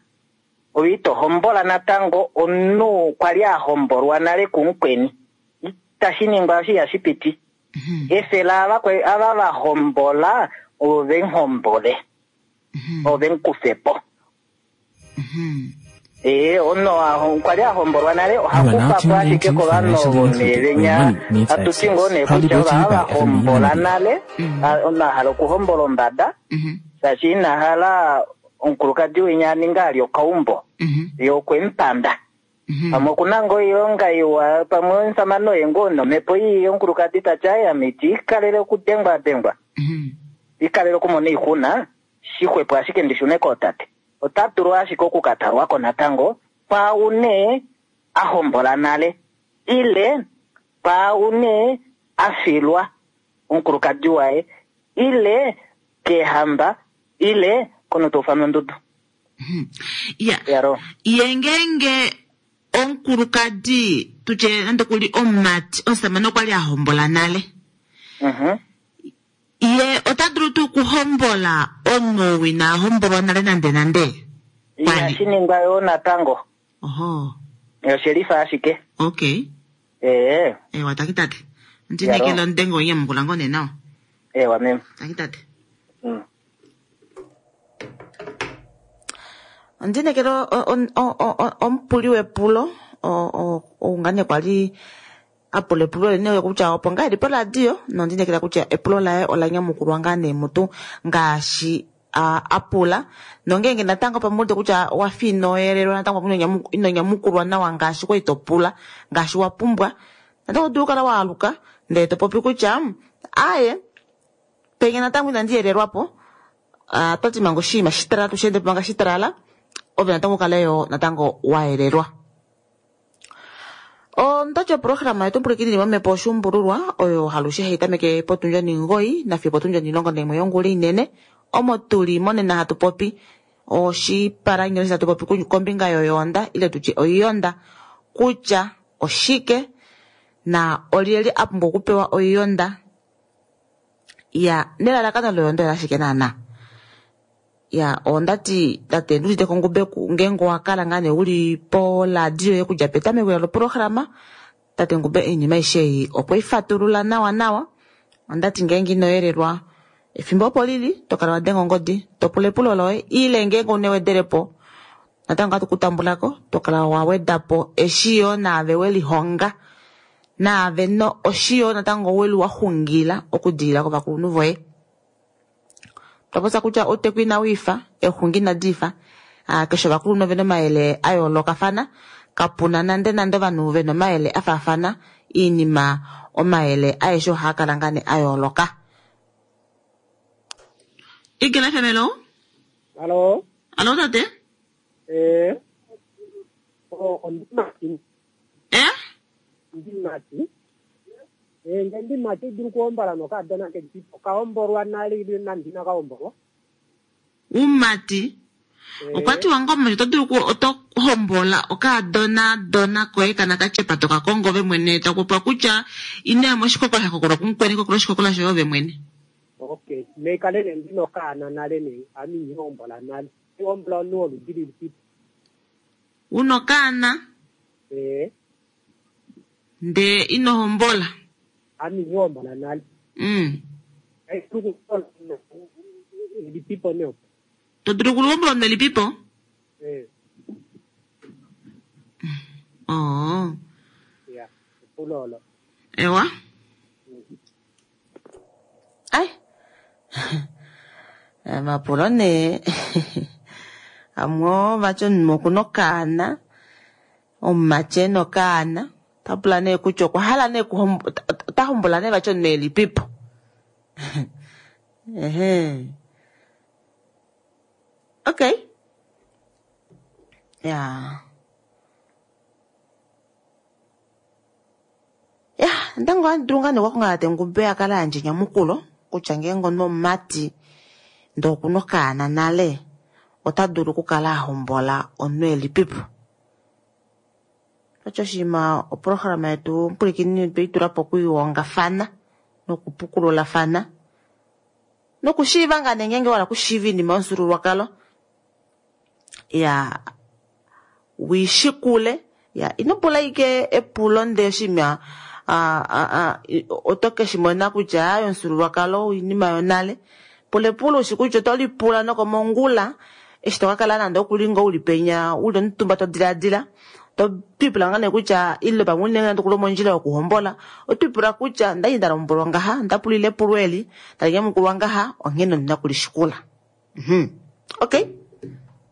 ove ito hombola natango omunhu kwali a hombolwa nale kumukweni. Itashi ningwa, osho ihashi piti. Efela ava va hombola ove muhombole. Ove mu kufe po. Ee, omunhu kwali a hombolwa nale oha You are now kufa po tuned ashike into kovanhu Financially ovo Included, where neevenya money meets hatu ti ngoo access. nee Proudly kutya brought to you ova by hava FNB hombola Namibia. nale, omunhu a hala okuhombola ombada shaashi ina hala omukulukadi winya a ninga ali okaumbo ye okwe mu panda. Pamwe okuna ngoo oilonga iwa, pamwe omusamane oye ngoo nomhepo ii omukulukadi tati aye ame iti ikalele okudengwa dengwa, ikalele okumona oixuna, shixwepo ashike ndishune kootate. Ota dulu ashike okukatalwako natango kwaau nee a hombola nale ile kwaau nee a filwa omukulukadi waye ile keehamba ile kono taufanwa ondudu. Ya. Yaro. Ye ngeenge omukulukadi tutye nande kuli omumati omusamane okwali a hombola nale. Ye ota dulu tuu okuhombola omunhu ou ina hombolwa nale nande nande? Inashi ningwa yoo natango. Oho. Oshelifa ashike. Okay. Ee. Ewa taki tate. Ndinekele ondengo nyamukula ngoo nee nawa. Ewa meme. Taki tate. Ondinekele omupuli wepulo ou ngaa nee kwali a pula epulo lene kutya opo ngaa eli poradio nondinekela kutya epulo laye ola nyamukulwa ngaa nee mutu ngaashi a pula nongeenge natango pamwe uwete kutya owafa ino yelelwa natango pamwe ino nyamukulwa nawa ngaashi kwali to pula ngaashi wa pumbwa natango oto dulu okukala waaluka ndele to popi kutya aaye penya natango inandi yelelwapo twati manga oshinima shitalala tusheende po manga shitalala ove natango ukale yo natango wa yelelwa. Ondati oprograma yetu pwilikini momhepo oshuumbululwa oyo halushe hai tameke potundi omugoyi nafiyo potundi omulongo naimwe yongula inene omo tuli monena hatu popi oshipalanyole hatu popi kombinga yoyoonda ile tutye oiyonda kutya oshike na olyelye a pumbwa okupewa oiyonda ya nelalakano loyonda olashike naana. Ya ondati tate nduudite kongube ngeenge owakala ngaa nee uli poradio yoye okudja petameko loprograma tate Ngube oinima aishe ei okwei fatulula nawa nawa. Ondati ngeenge ino yelelwa efimbo opo lili tokala wadenga ongodi topula epulo loye ile ngeenge ouna ewedelepo natango ohatu kutambulako tokala wawedapo eshi yoo naave welihonga naave oshi yoo natango weli waxungila okudilila kovakulunhu voye. Twapopya kutya outeku inawiifa exungi inadiifa keshe ovakulunhu ovena omayele a yoolokafana kapuna nande nande ovanhu vena omayele afaafana oinima omayele aeshe ohaakala ngaa nee a yooloka. Eagle FM hello. Hallo. Hallo tate. Eh. Oh, ondimati. Eh? Ndimati. Eh, nge ndimati dulu kuhombola nokadona ke kahombolwa nale ile nande inakahombolwa. Umati. Okwatiwa ngoo omumati oto dulu oto hombola okaadona dona koye kana katyepa toka kongo ove mwene takupopiwa kutya inoya moshikokola sha kokolwa kumukweni kokola oshikokola shoye ove mwene. Okay, meikale nee ndina okaana nale nee ame inihombola nale. Ihombola omunhu woludi lilipi? Una okaana Eh, ndee ino hombola. ame inihombola nale. Ai dulu kuhombola elipipo nee opo. To dulu okuhombola omunhu elipipo? Eh, Oh. ya, epulo olo. Ewa. Ai. Mapulo nee amwe vati omunhu okuna okaana omumati ena okaana otapula nee kutya okwa hala nee ota hombola nee vati omunhu elipipo. Ehe. Okay. Ya. Ya, natango ohandi dulu ngaa nee okukonga tate Ngube a kale ayandja enyamukulo kutya ngeenge omunhu omumati ndee okuna okaana nale ota dulu okukala a hombola omunhu elipipo. Osho oshinima oprograma yetu omupwilikini tweitulapo okwiihongafana nokupukululafana nokushiiva ngaa nee ngeenge wahala okushiiva oinima yomufyuululwakalo ya wiishikule ya ino pula ashike epulo ndee oshinima oto keshimona kutya aaye omufyuululwakalo oinima yonale. Pula epulo ushi kutya oto lipula nokomongula Eshi to ka kala nande okuli ngoo uli penya uli omutumba to diladila to twipula ngaa nee kutya ile pamwe uli nande okuli mondjila yokuhombola otwipula kutya ndali nda lombwelwa ngaha ndapulile epulo eli tali nyamukulwa ngaha onghene ondina okulishikula. Okay,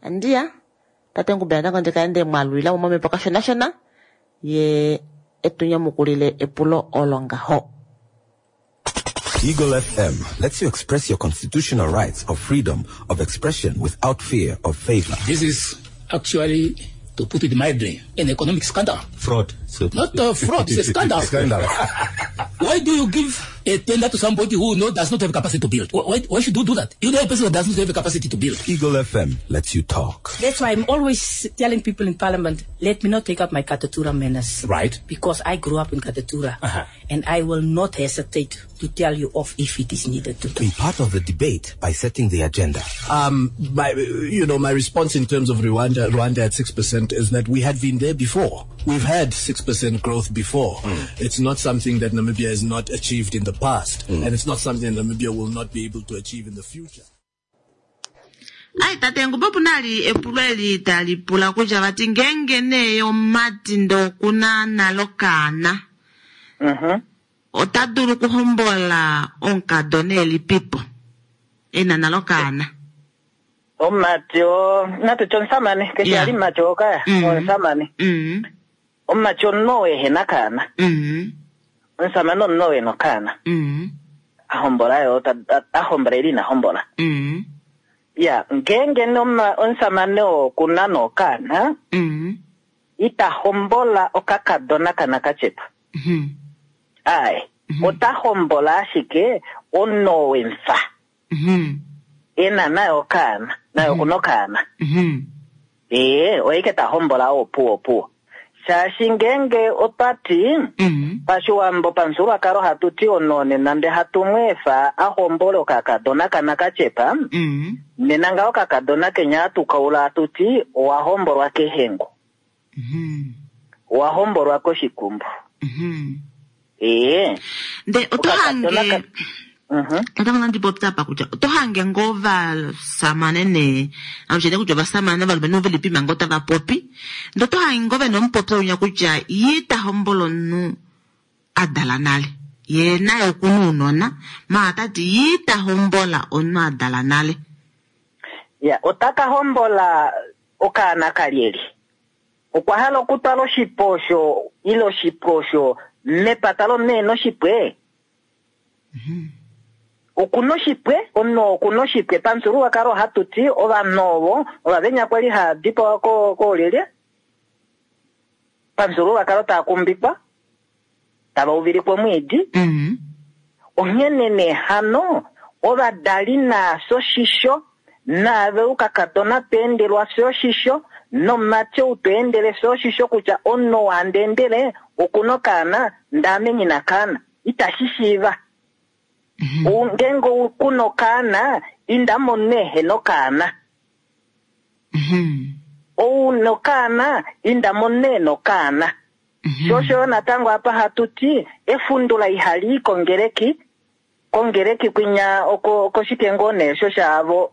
andiya tate Ngube natango ndika ende mwalulila mo momhepo kashonashona ye etu nyamukulile epulo olo ngaho. Eagle FM lets you express your constitutional rights of freedom of expression without fear of favor. This is actually, to put it mildly, an economic scandal. Fraud. So Not a fraud, it's a scandal. Scandal. Why do you give a tender to somebody who does not have capacity to build? Why should you do that? You know a person that does not have a capacity to build. Eagle FM lets you talk. That's why I'm always telling people in Parliament, let me not take up my Katutura manners. Right. Because I grew up in Katutura. Uh-huh. And I will not hesitate to tell you off if it is needed to. Be part of the debate by setting the agenda. My response in terms of Rwanda at 6% is that we had been there before. We've had 6% growth before. It's not something that Namibia has not achieved in the past, and it's not something that Namibia will not be able to achieve in the future. Ai tate Ngube opu na li epulo eli tali pula kutya vati ngeenge nee omumati ndee okuna nale okaana, ota dulu okuhombola omukadona elipipo ena nale okaana? Omumati o natutye omusamane keshe ali mumati okaya omusamane. Omumati omunhu oo ehena kaana. Omusamane omunhu oo ena okaana. Ahombola yo, ahombola ili ina hombola. Ya, ngeenge omusamane oo okuna nokaana, ita hombola okakadona kana kachepa. Aye, ota hombola ashike omunhu oo wemfa. Ena naye okaana, naye okuna okaana. Ee, oye ke ta hombola opuwo opuwo. Shaashi ngeenge otwa ti, pashiwambo pamufyuululwakalo hatu ti omunhu nena nde hatu mu efa a hombole okakadona kana kachepa, nena ngaho okakadona kenya hatu kaula hatu ti owa hombolwa kehengo. Owa hombolwa koshikumbu. Ee. Nde oto Okakadona hange Natango nandi popya apa kutya oto hange ngoo vasamane nee, alushe kutya ovasamane ovalumenhu ve li pima ngoo tava popi, ndee oto hange ngoo vena omupopyo winya kutya ye ita hombola omunhu a dala nale, ye naye okuna ounona, maala tati ye ita hombola omunhu a dala nale. Ya, ota ka hombola okaana kalyelye. Okwa hala okutwala oshipo osho, ile oshipo osho mepata lomunhu ena oshipwe. Okuna oshipwe, omunhu okuna oshipwe. Pamufyuululwakalo ohatu ti ovanhu ovo ovavenya kwali hava dipawa koolyelye. Pamufyuululwakalo tava kumbikwa, tava uvilikwa omwiidi. Onghene nee hano ovadali naafye oshisho, naave oukakadona to endelwa fye oshisho, nomumati ou to endele fye oshisho kutya omunhu ou handi endele okuna okaana, ndaame nyina kaana. Itashi shiiva. Ngeenge okuna okaana, inda momunhu ehena okaana. Ou nokaana, inda momunhu ena okaana. Sho osho yo natango apa hatu ti, efundula ihali i kongeleki, kongeleki kwinya okoshike ngoo nee sho shaavo.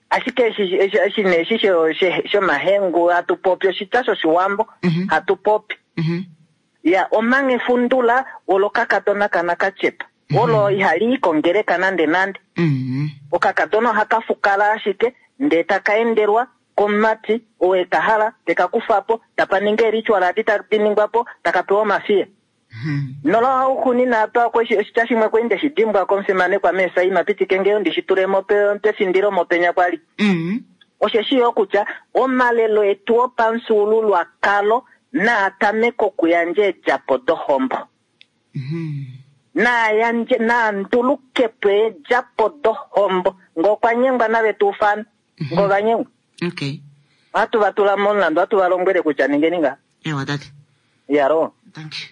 Ashike eshi nee eshi shomahengu hatu popi oshitya shoshiwambo hatu popi. Ya, omanga efundula olo kakadona kana kachepa. Olo ihali i kongeleka nande nande. Okakadona ohaka fukala ashike ndee taka endelwa komumati oo e ka hala, te ka kufa po, tapa ninga eelitual adi tadi ningwa po, taka pewa omafiya. Nola hauxuuninwa apa okwe oshitya shimwe kwali nde shi dimbwa komufimanekwa Meesaima, pitike nge ndi shi tule mo pefindilo mopenya kwali. Osheshi yo kutya omalelo etu opamufyuululwakalo naa tameke okuyandja eedjapo dohombo. Naa yandje, naa nduluke po eedjapo dohombo. Ngee okwa nyengwa nave tu ufane. Ngee ova nyengwa. Ohatu va tula momulandu, ohatu va lombwele kutya ningeni ngaha. Ewa tate. Yalo. Thank you.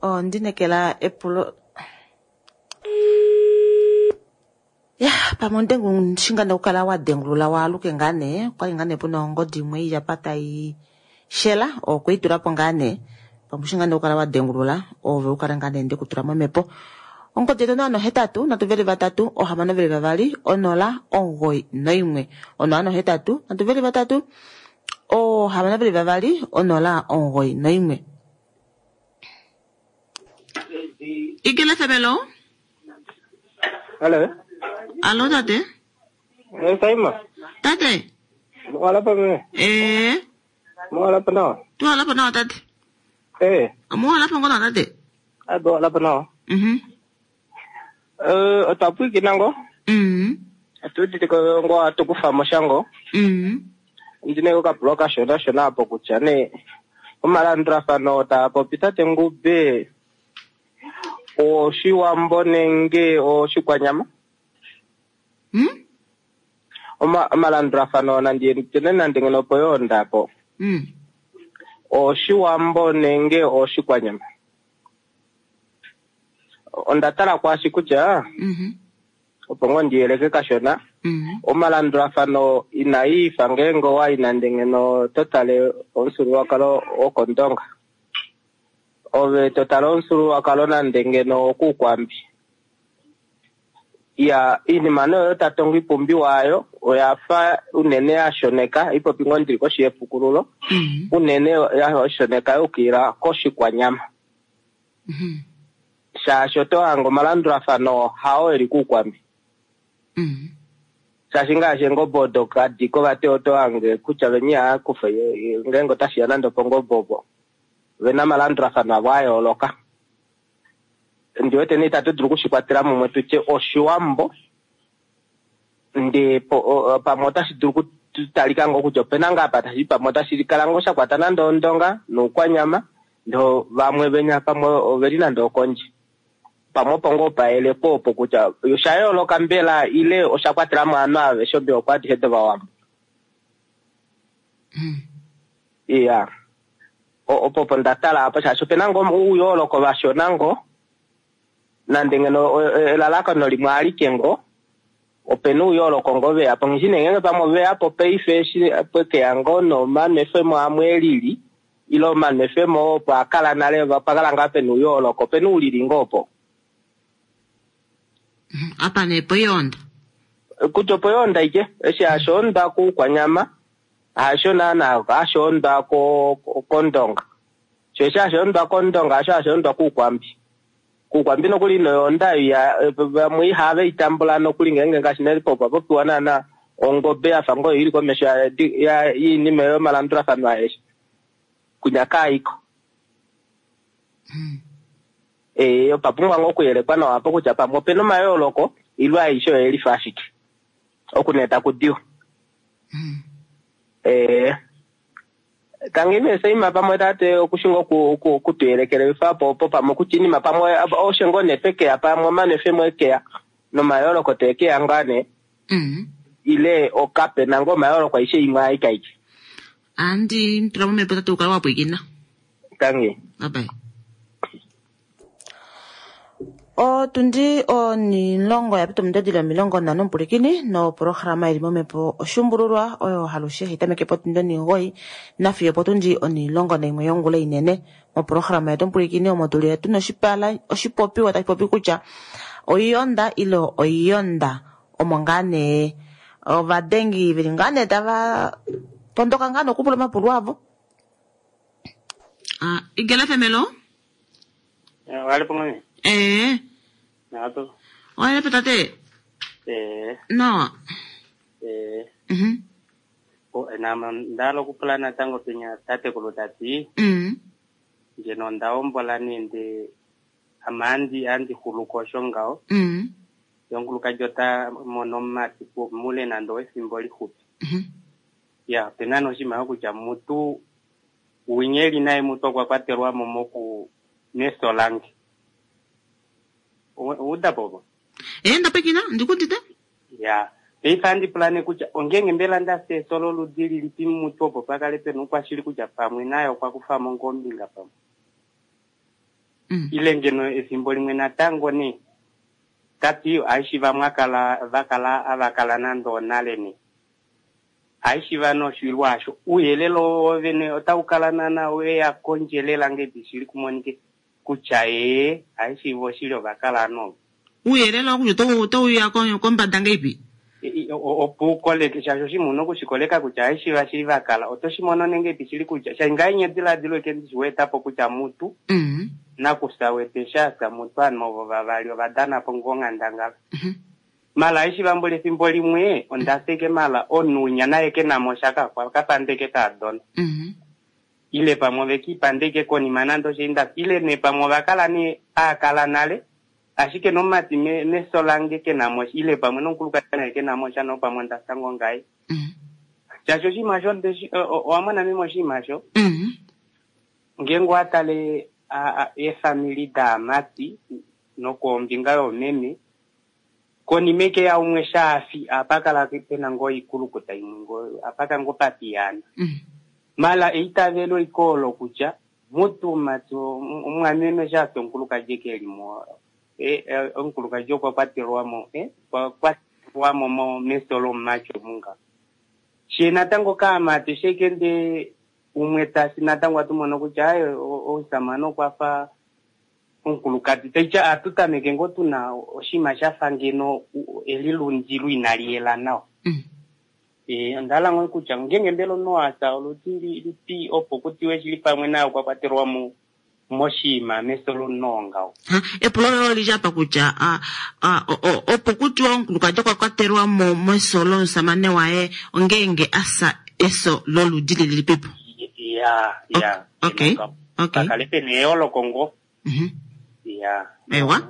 Oh, ndinekela epulo. Ya, pamwe ondengu shinga nokukala wa dengulula waaluke ngaa nee, okwali ngaa nee puna ongodi imwe ili apa tai shela, okwe i tula po ngaa nee. Pamwe shinga nokukala wa dengulula, ove ukale ngaa nee ndekutula momhepo. Ongodi yetu 083 3 622 091. 083 3 622 091. Eagle FM, hello. Hello. Allo tate. Eh, Saima. Tate. Mwalapa mwe. Eh. Mwalapa nawa. Tuwalapa nawa tate. Eh. Mwalapa ngona tate. Ado walapa nawa. Eh, otwapwiki nango. Atudite ngo atukufa moshango. Ndine okapulwa kashona shona apo kutya nee omalandulafano taa popi tate Ngube oshiwambo nenge oshikwanyama. Omalandulafano nandi tene nande ngeno opo yoonda apo. Oshiwambo nenge oshikwanyama. Onda tala kwaashi kutya opo ngoo ndiyeleke kashona omalandulafano inaifa ngeenge owayi nande ngeno totale omufyuululwakalo wokOndonga ove totale omufyuululwakalo nande ngeno okuukwambi ya iinima noyo tatongo ipumbiwa ayo oyafa unene yashoneka ipopi ngoo ndili koshi yepukululo unene yashoneka yuukilila koshikwanyama shaashi oto hanga omalandulafano hao eli kuukwambi shaashi ngaashi eengobe odo kadiko vati oto hange kutya veni ihaakufa ngeenge otashiya nande opongobe opo vena omalandulafano avo a yooloka. Ndiwete nee itatu dulu okushikwatela mumwe tutye oshiwambo ndee pamwe otashi dulu okutalika ngoo kutya opena ngaa apa tashi pamwe otashi kala ngoo shakwata nande ondonga noukwanyama ndoo vamwe venya pamwe oveli nande okondje. Pamwe opo ngoo payeleko opo kutya osha yooloka mbela ile osha kwatela mo ovanhu aveshe omihoko adishe dovawambo. Iya. Opo opo nda tala apo shaashi opena ngoo ouyooloko vashona ngoo nande ngeno elalakano limwe alike ngoo opena ouyooloko ngoo veya po. Nghishi nee ngeenge pamwe oveya po paife eshi pwekeya ngoo nomanwefemo amwe elili ile omanwefemo opo akala nale pakala ngaa pena ouyooloko opena oulili ngoo opo. Apa nee poyoonda. Kutya opoyoonda ike eshi hashoonda kuukwanyama hasho naana hashoonda kondonga. Sho eshi hashoondwa kondonga hasho hashoondwa kuukwambi. Kuukwambi nokuli noyoonda vamwe ihave itambula nokuli ngeenge ngaashi nale po popiwa naana ongobe yafa ngoo ili komesho yiinima yomalandulafano aeshe. Kunya kaiko. Opa pumbwa ngoo okuyelekwa nawa apo kutya pamwe opena omayooloko ile aishe oyelifa ashike. Oku nee taku diwa. Tangi nee Saima pamwe tate okushinga okutuyelekelefa apo opo pamwe kutya iinima pamwe osho ngoo nee pekeya pamwe omanwefemo ekeya nomayooloko teekeya ngaa nee. Ile okapena ngoo omayooloko aishe imwe aikaike. Andi tula momhepo tate ukale wa pwiikina. Tangi. Bye bye. Otundi onilongo ya pita omudadi 50 omupulikini noprograma ili momhepo oshumbululwa oyo halushe hitameke potundi 9 nafiyo potundi 11 yongula inene. Moprograma yetu omupulikini omo tuli tuna oshipala oshipopiwa tashi popi kutya oiyonda ile oiyonda omo ngaa nee ovadengi veli ngaa nee tava tondoka ngaa nokupula omapulo avo. Igela femelo? Wale pongane? Eh. Nato. Wale tate? Eh. No. Eh. O na ndalo kupula natango penya tate kulutati. Ngeno ndaombola nende amandi andi huluko shongao. Yonguluka jota mono mati mule nando efimbo lihupi. Ya pena noshima kutya mutu unyeli naye mutu okwa kwatelwa mo moku neso lange. Uda bobo. Ndapekina ndikundite? Ya. Peifa andi plane kutya ongenge mbela ndase solo ludili lipi mutu opo pakale pena ukwashili kutya pamwe naye okwa kufa mo ngombinga pamwe. Ile ngeno efimbo limwe natango ne tati aishi vamwakala vakala avakala nando nale ne. Aishi vano shilwasho uyelelo wovene otaukala nana weya kondjelela nge bishili kumonike kutya ee aishi voshili ovakala no. Uuyelele oo kutya otau ya kombada ngeipi? Opo ukoleke shaashi oshinima una okushikoleka kutya eshi vashili vakala oto shi mono nenge ipi shili kutya shai ngaa nye ediladilo eke ndishi weetapo kutya mutu nakufya wetu eshi afya mutu ovanhu ovo vavali ova danapo ngoo onghandangala. Mala eshi vambula efimbo limwe onda feke mala omunhu unya naye kenamo sha kakwa kapandeke kaadona. Ile pamwe ove kiipanda ike konima nande osho inda ile nee pamwe ova kala nee aakala nale ashike nomumati meso lange kenamo ile pamwe nomukulukadi naye kenamo sha no pamwe onda fya ngoo ngaye. Shaashi oshinima osho ndeshi owa mona meme oshinima osho ngeenge owa tale eefamili daamati nokombinga yoomeme konima eke ya umwe shaafi apa kala pena ngoo oikulukuta imwe ngoo apa ka ngoo papiyaana. Mala eitavelo ike olo kutya mutumati omwameme shaafi omukulukadi eke elimo omukulukadi okwa kwatelwamo okwa kwatelwamo meso lomumati omunga. She natango kaamati shekende umwe tasi natango atu mono kutya aye omusamane okwa fa omukulukadi taitya atu tameke ngoo tuna oshinima shafa ngeno elilundilo inali yela nawa. Onda hala ngoo kutya ngeenge mbela omunhu wasa oludi lilipi opo kutiwe shili pamwe naye okwa kwatelwa moshinima meso lomunhu oo ngaho. Epulo loye oli li apa kutya opo kutiwa omukulukadi okwa kwatelwa mo meso lomusamane waye ongeenge asa eso loludi lililipipo. Ya, ya. Okay. Okay. Pakale pena eyooloko ngoo. Ya. Ewa.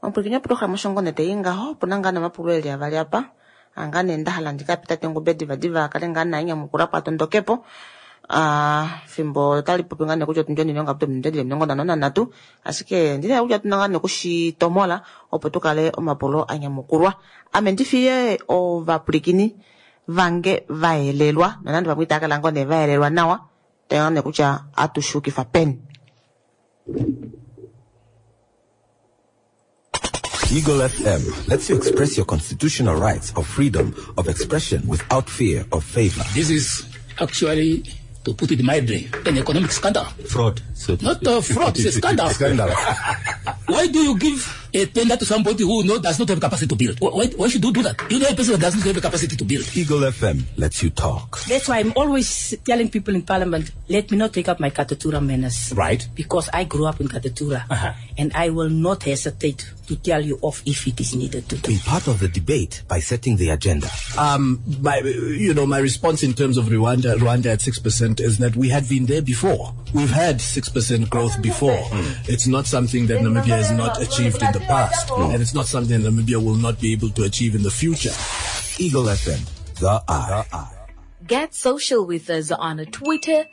Omupwilikini woprograma Oshongo tai ngaho opuna ngaa nomapulo eli avali apa anga nee nda hala ndika pe tate Ngube divadiva akale ngaa naye nyamukula po atondokepo fimbo otali popi ngaa nee kutya otundi onilonga ominute dili 53 ashike ndina kutya otuna ngaa nee okushitomola opo tukale omapulo anyamukulwa. Ame ndifiye ovapwilikini vange vayelelwa nonande vamwe itava kala ngoo nee vayelelwa nawa taya nee kutya atushukifa peni. Eagle FM lets you express your constitutional rights of freedom of expression without fear of favor. This is actually, to put it mildly, an economic scandal. Fraud. So Not a fraud, it's a scandal. Scandal. Why do you give a tender to somebody who does not have capacity to build? Why should you do that? You know a person that does not have a capacity to build. Eagle FM lets you talk. That's why I'm always telling people in Parliament, let me not take up my Katutura manners. Right. Because I grew up in Katutura. And I will not hesitate to tell you off if it is needed to do. Be part of the debate by setting the agenda. My response in terms of Rwanda at 6% is that we had been there before. We've had 6% growth before. It's not something that Namibia has not achieved in the past, and it's not something that Namibia will not be able to achieve in the future. Eagle FM, the eye. Get social with us on Twitter,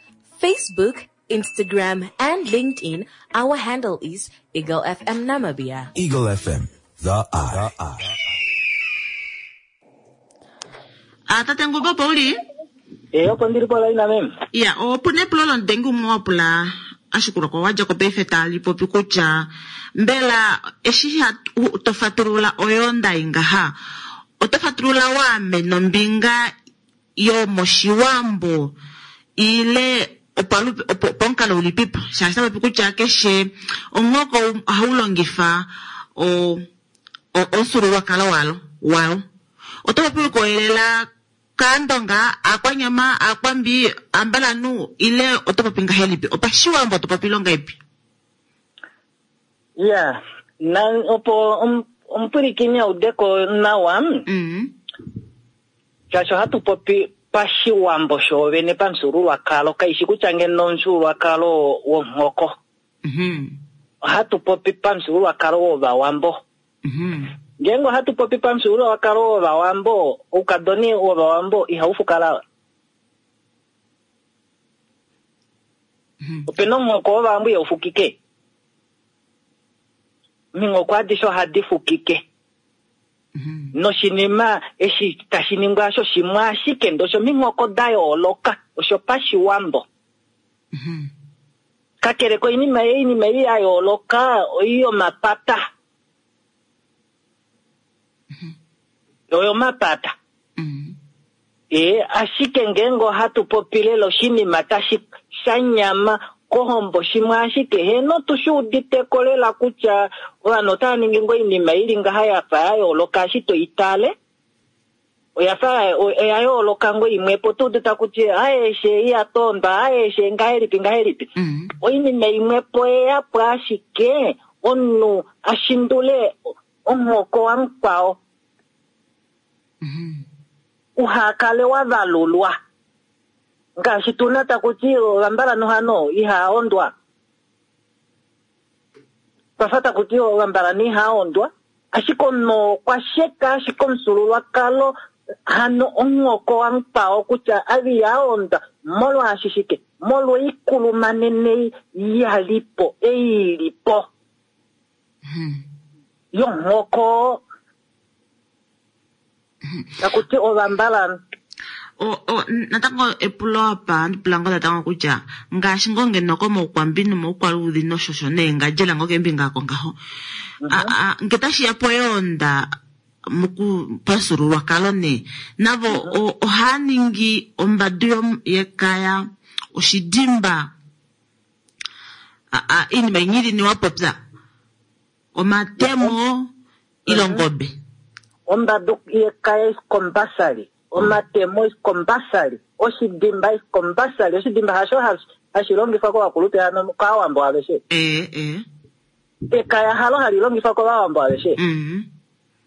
Facebook, Instagram, and LinkedIn. Our handle is Eagle FM Namibia. Eagle FM, the eye. Tate Ngube opo uli? Opo ndili po laina meme. Ya, opo nepulo lomudengi umwe wa pula ashikulwa kwa wadja ko paife tali popi kutya mbela eshi to fatulula oyoonda ingaha oto fatulula waame nombinga yomoshiwambo ile opamukalo ulipipo shaashi tapopi kutya keshe omuhoko ohau longifa omufyuululwakalo walo. Oto popi ukoyelela kaandonga, aakwanyama, aakwambi, ambalanu ile oto popi ngahelipi? Opashiwambo oto popi longa ipi? Ya, na opo omupwilikini audeko nawa. Shaashi ohatu popi pashiwambo shoovene pamufyuululwakalo, kaishi kutya ngeno omufyuululwakalo womuhoko. Ohatu popi pamufyuululwakalo wovawambo. Ngeenge ohatu popi pamufyuululwakalo wovawambo, oukadoni wovawambo ihau fukala. Opena omuhoko wovawambo ihau fukike. Ominghoko adishe ohadi fukike. Noshinima eshi tashi ningwa osho shimwe ashike ndee osho ominghoko da yooloka, osho pashiwambo. Kakele koinima ei, oinima ei ya yooloka oi yomapata. Oyomapata. Ashike ngeenge ohatu popi lela oshinima tashi shanyama Kohombo shimwe ashike heeno tu shi udite ko lela kutya ovanhu otava ningi ngoo oinima ili ngaha yafa ya yooloka eshi toi tale oyafa oya yooloka ngoo imwepo tu udita kutya aeshe iyatondwa aeshe ngahelipi ngahelipi oinima imwepo eyapo ashike omunhu ashindule omuhoko wamukwao uhakale wavalulwa ngaashi tuna takuti ovambalanhu hano ihaondwa twafa takuti ovambalanhu ihaondwa ashike omunhu okwa sheka ashike omufyuululwakalo hano omuhoko wamukwao kutya ave ihaondwa molwaashi shike molwa oikulumanene yalipo ei ilipo yomuhoko takuti ovambalanhu. Natango epulo apa andipula ngoo natango kutya ngaashi ngoo ngeno komaukwambi nomaukwaluudhi noshosho nee ngadjela ngoo keembinga oko ngaho nge tashiya poyoonda pafyuululwakalo nee navo ohaa ningi ombadu yekaya oshidimba iinima inyili wapopya omatemo ilongobe ombadu yekaya is compulsory omatemo is compulsory oshidimba is compulsory oshidimba hasho hashi longifwa kovakulupe hano kaawambo aveshe ekaya halo hali longifwa kovawambo aveshe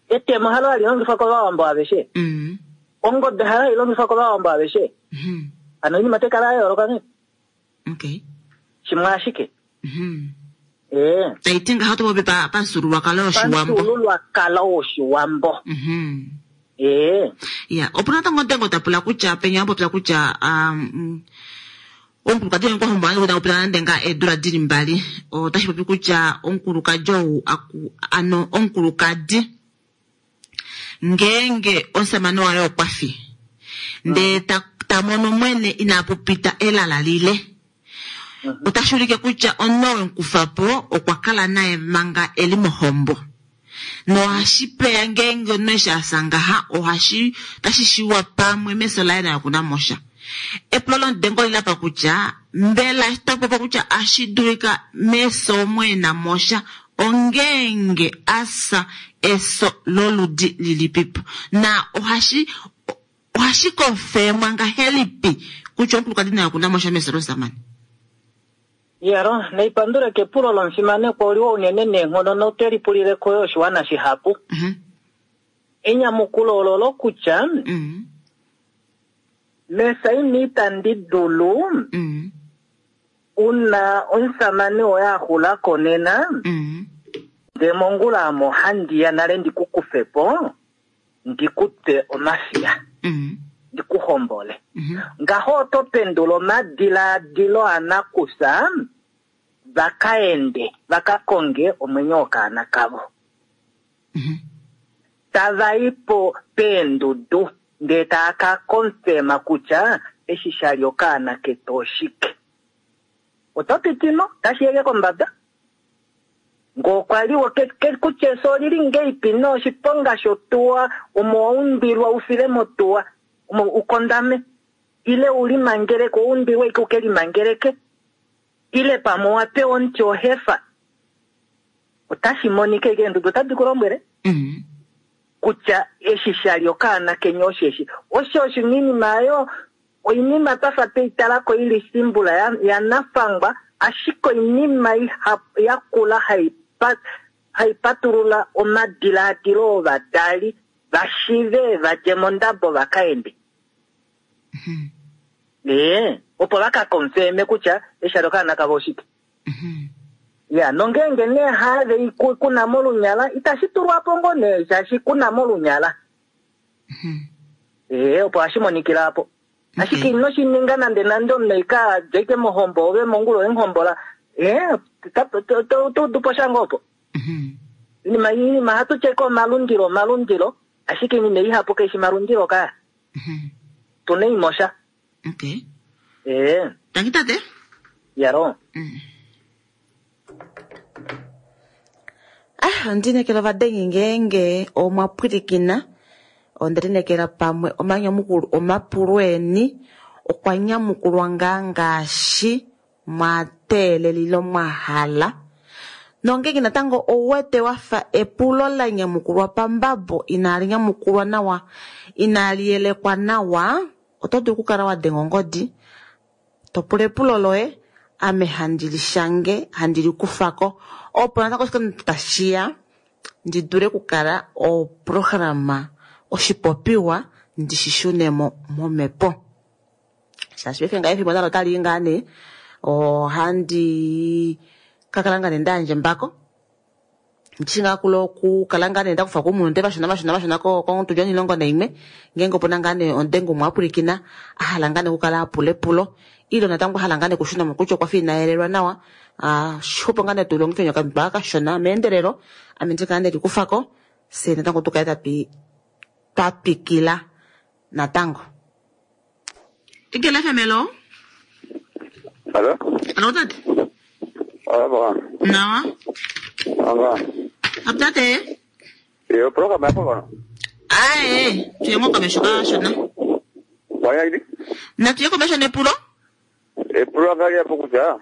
etemo halo hali longifwa kovawambo aveshe ongobe halo hali longifwa kovawambo aveshe hano oinima otaikala ya yooloka nee shimwe ashike taiti ngaho topopi pamufyuululwakalo woshiwambo pamufyuululwakalo woshiwambo ya opuna natango omutengo tapula kutya penya wapopya kutya omukulukadi ou kwahombola nande nande ngaa eedula dili mbali otashi popi kutya omukulukadi ou ano omukulukadi ngeenge omusamane waye okwafi ndee tamono mwene inapupita elala lile otashi ulike kutya omunhu oo wemukufapo okwa kala naye manga eli mohombo nohashi peya ngeenge omunhu eshi asa ngaha ohashi otashi shiwa pamwe mefyo laye naye okuna mosha epulo lomudengo olilapa kutya mbela eshi takupopiwa kutya ashi dulika mefyo omo ena mosha ongeenge asa efyo loludi lilipipo na ohashi ohashi kofemwa ngahelipi kutya omukulukadi naye okuna mosha mefyo lomusamane. Yaro, naipandule kepulo lomufimanekwa oliwa unene neenghono note lipulileko yo oshiwana shihapu. Enyamukulo ololo kutya mesaini itandi dulu una omusamane woye axulako nena ndee mongula ame ohandiya nale ndikukufepo ndikutwe omafiya ndikuhombole ngaho oto pendula omadilaadilo anakusa vakaende vakakonge omwenyo wokaana kavo tavaipo peendudu ndee taa ka konfema kutya eshi shali okaana ketu oshike oto pitimo tashi yeke kombada ngoo okwa liwa kutya efyo olili ngeipi noshiponga shotuwa omo waumbilwa ufile motuwa omo ukondame ile ulimangeleke oumbilwe ike ukelimangeleke ile pamwe owapewa omuti ohefa otashi monika ike eendudu otadi kulombwele kutya eshi shali okaana kenya osheshi osho oshinima ayo oinima twafa tweitalako ili simbula yanafangwa ashike oinima yakula haipatulula omadilaadilo ovadali vashive vadje mondabo vakaende opo vakakonfeme kutya eshi ali okaana kavo oshike ya nongeenge nee have kuna molunyala itashi tulwapo ngoo nee shaashi kuna molunyala opo hashi monikila apo ashike inoshininga nande nande omunhu ika djeke mohombo ove mongula oyemuhombola toudupo sha ngoo opo inima hatu tyeko omalundilo omalundilo ashike inima ihapu kaishi malundilo kaya tuna imosha tangi tate yaro ondinekela ovadengi ngeenge omwa pwilikina ondelinekela pamwe omanyamukulo omapulo eni okwa nyamukulwa ngaa ngaashi mwa teelelilo mwa hala. Nongenge natango ouwete wafa epulo la nyamukulwa pambabo inaali nyamukulwa nawa, inaali yelekwa nawa, oto dulu okukala wa denga ongodi to pula epulo loye, ame handi li shange, handi li kufa ko, opo natango oshikando tashi ya ndi dule okukala oprograma oshipopiwa ndi shi shune mo momhepo. Shaashi paife ngaha efimbo nalo otali i ngaa nee, ohandi ka kala ngaa nee nda yandja embako. Ndishi ngaa kula okukala ngaa nee nda kufa kumunute vashona vashona vashona kongudu 11 ngeenge opuna ngaa nee omudengi umwe a pwilikina a hala ngaa nee okukala a pula epulo ile natango a hala ngaa nee okushuna mo kutya okwa fa ina yelelwa nawa, xupo ngaa nee tu longife okamutwe aka kashona meendelelo, ame ndi kala nde likufa ko, fye natango tu kale twa twikila natango. Igele FM, hello? Hello? Hello, tate? Hello, Nawa? Anga. Tate? Yo program yapo kono. Ae, tuye ngo komesho kashona. Waya idi? Na tuye komesho nepulo? Epulo angali yapo kutya.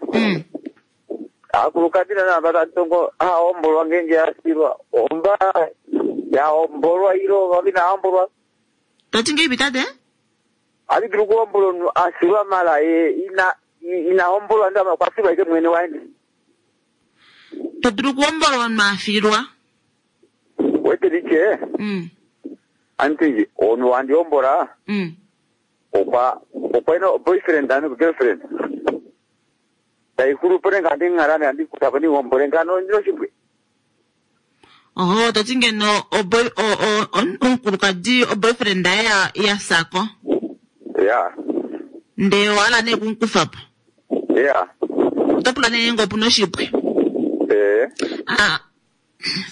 Akulukadhi na bata tongo aombolwa ngenge asilwa. Omba ya ombolwa ilo vavina ombolwa. Tati ngeipi tate? Ali dulu kuombolwa asilwa mala e ina ina ombolwa ndama kwasilwa ike mwene waende. Todulu kuombolwa mafilwa. Wete liche. Anti ono andi ombola. Okwa okwa ino boyfriend anu girlfriend. Taikuru pone ngandi ngarane andi kutapa ni ombole ngano ndino shibwe. Oho, toti ngeno oboy o o omukulukadi o boyfriend yaye ya sako. Yeah. Nde wala ne kunkufapo. Yeah. Otopula ne ngopu no shibwe. Eh. Ah.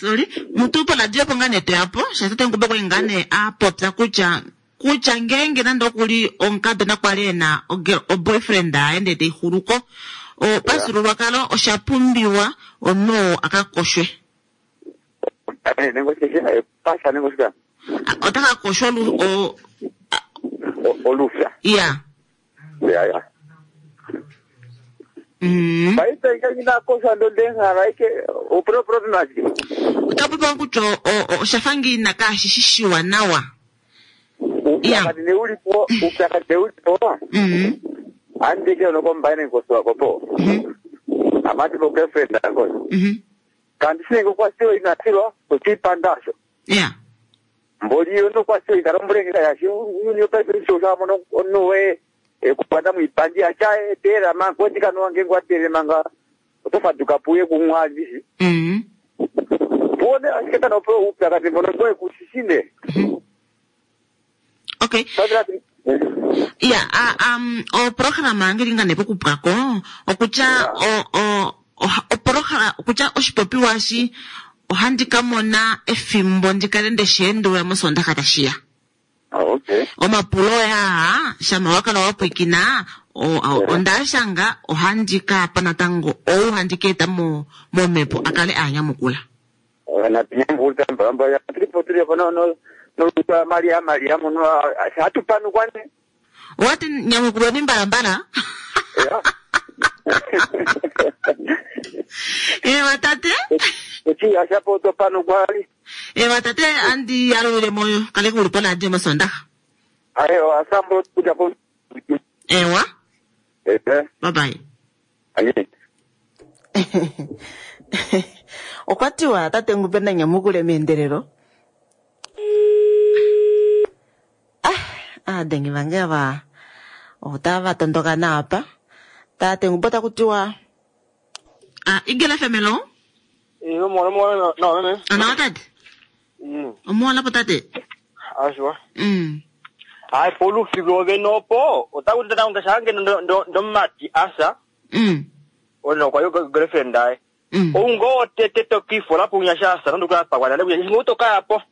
Sorry, mutu pola dio ponga ne teapo, shasate ngube kwa ngane a popya kutya kutya ngenge nando kuli onkadona kwali ena o boyfriend aende te ihuluko. O pasululwakalo osha pumbiwa omunhu akakoshwe. Nengo sheshe pasha nengo shika. Otaka koshwa lu o olufya. Yeah. Yeah, yeah. Baita ika koshwa ndo denga raike o pro naji. Utapopa kutya oshafangi na kashishishiwa nawa. Upyakadi neulipo, upyakadi neulipo. Andike unokombaine nkoswa kopo. Amati bo girlfriend ango. Kandi sinenge kwasiwa inasilwa kuchipandasho. Yeah. Mboli yono kwasiwa ikarombulengeka yashi unyo paipe shosha mono onowe kupanda muipandi achae tera mango ndikanowa ngengo atere manga otofaduka puye kumwa ndishi. Pone ashiketa no pro upyakadi mbono ngoe kusishine. Okay. Yeah, o programa ngeli nga nepo kupwako okutya o o programa okutya oshipopiwa shi ohandi ka mona efimbo ndikale ndeshiendulula mosondaxa tashiya. Okay. Omapulo yaa shama wakala wapwikina ondashanga ohandi ka pa natango ou handi ka eta mo momhepo akale anyamukula. Na tinyambuta mbamba ya tripo tripo no no no Maria Maria muno hatupanu kwane. Wati nyamukulwa ni mbalambala. Yeah. Watate? Eti ashapo topanu kwali. Watate andi alule moyo kale kulipo na adi mosondaxa. Ayo asambo kuja po. Ewa. Eh. Bye bye. Aye. Okwa tiwa tate ngupe na nyamukule meendelelo. Aadengi vange ava otava tondoka naapa. Tate ngupe otaku tiwa Igele FM hello? Iyo mwana mwana na meme. Anawa tate? Omuwana po tate? Ashwa. Ai polu figo nopo. Otaku tata ngashange ndo ndo mati asa. Ono kwa yo girlfriend ai. Ungo tete tokifo lapo unyashasa ndo kwa kwa ndio ngotoka hapo.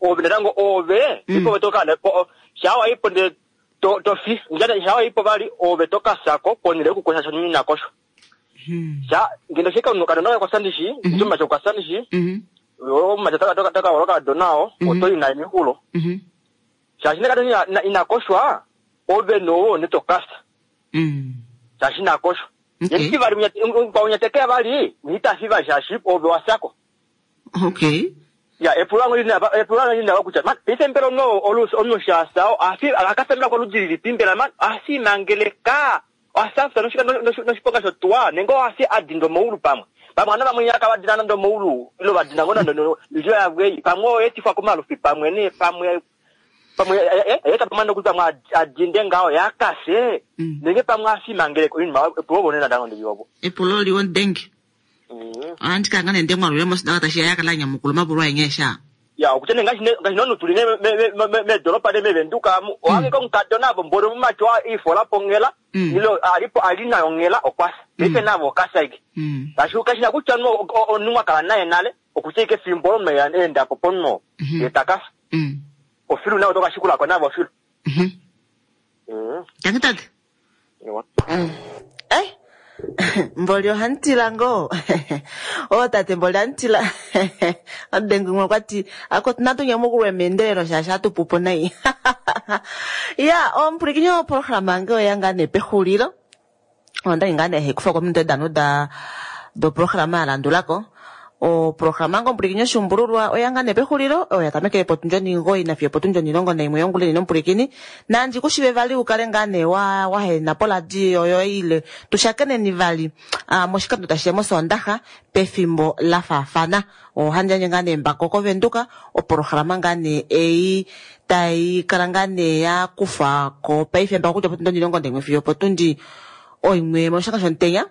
Ove ndango ove ipo toka po shawa ipo nde to to fi njada shawa ipo bali ove toka sako ponile kukosha shoni nakosho. Sha ngendo shika unuka ndo kwa sandishi nduma kwa sandishi. O matata toka toka waloka donao oto ina mikulo. Sha shine kada inakoshwa ove no ne tokasa. Sha shina koshwa. Ye vali kwaunyateke vali itafi vali shaashi ove wasako. Okay. Ya epulo lina kutya man paife mbela omunhu shasa akafembela koludi lilipi mbela man asimangeleka asafta noshiponga shotuwa nenge oasi adinda omaulu pamwe pamwe ana vamwe nyaka vadina nando omaulu ilo vadina ngo nando ilo yavwei pamwe oyetifwa komalufi pamwe ne pamwe pamwe eta pamwe nokuti pamwe adinde ngaho yakase nenge pamwe asimangeleka inima epulo vonena ndango ndivyovo epulo liwo ndenge andikanga nende mwalule mosidaka tashiya yakala nyamukulu mapulo aenyesha ya okutya ne ngashi nonu tuli medoropa ne mevenduka amu owange omukadona avo mbolo mumacho ifola pongela ilo alipo alinayo ngela okwasa ife navo okasa ike kashi kashina kutya onu wakala naye nale okutya ike fimbo olo endapo ponno yetakasa ofilu nawe tokashikulako navo ofilu. Tangi tate. Mboli ohantila ngo. O tate mboli antila. Adengu mwe kwati ako natunya mukulwe meendelelo shaashi atupupo nai. Ya, omupulikinyo programa nge oyanga ne pexulilo. Onda inga ne hekufa kominute danu da do programa alandulako. O programa ngo omupulikinyo shumbululwa oyanga ne pexulilo oya tamekele potundi 9 nafiyo potundi 11 yonguleni nomupulikini. Nandi kushive vali ukale ngaa ne wa wahena poladio yo ile tushakeneni vali moshikando tashiya mosondaxa pefimbo la faafana. Ohandjandje ngaa ne mbako kovenduka oprograma ngaa ne ei tai kala ngaa ne ya kufa ko paife mbako kutya potundi 11 fiyo potundi 1 moshaka shomutenya.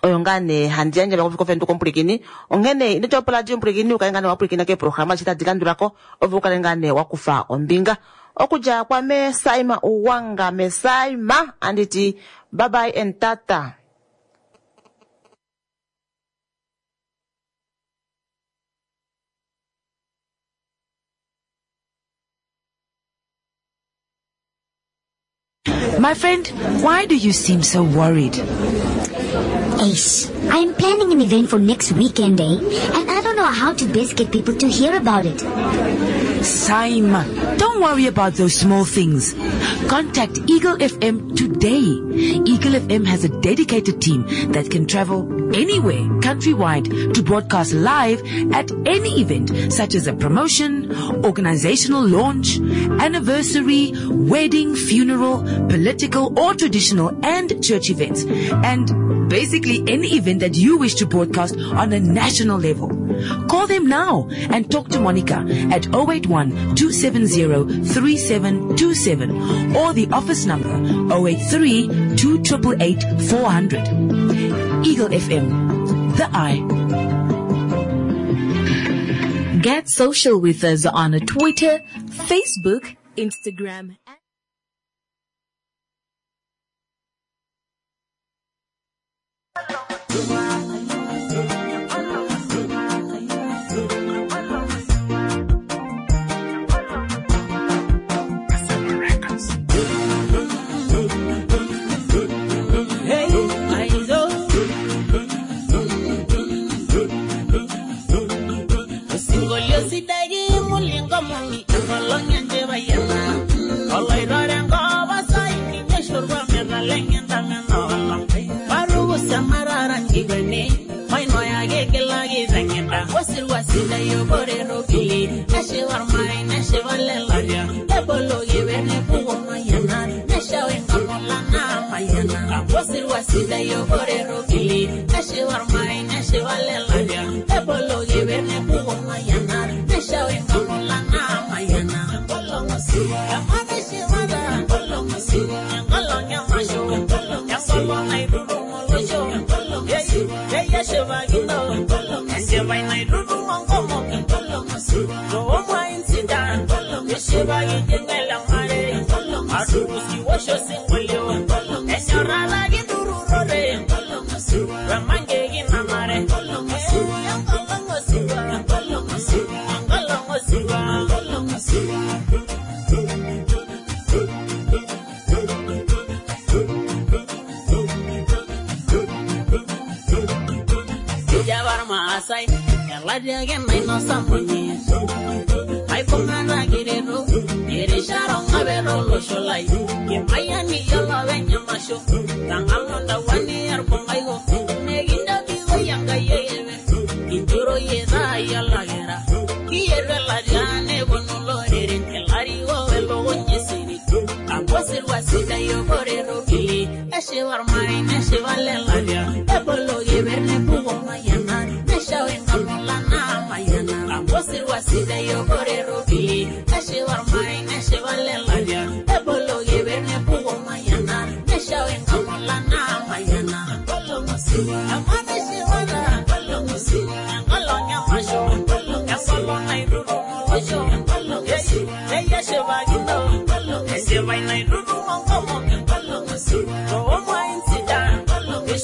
Oyo ngaa ne handi yandje mbako kovenduka omupulikini. Onghene ino tya poladio omupulikini ukale ngaa ne wapulikina keprograma eshi tadi landulako ove ukale ngaa ne wakufa ombinga. Okudja kwame Saima Uwanga me Saima anditi bye bye and tata. My friend, why do you seem so worried? Ace, I'm planning an event for next weekend, eh? And I don't know how to best get people to hear about it. Saima, don't worry about those small things. Contact Eagle FM today. Eagle FM has a dedicated team that can travel anywhere, countrywide, to broadcast live at any event, such as a promotion, organizational launch, anniversary, wedding, funeral, political or traditional and church events, and basically any event that you wish to broadcast on a national level. Call them now and talk to Monica at 081 270 3727 or the office number 083 288 400. Eagle FM, the eye. Get social with us on Twitter, Facebook, Instagram.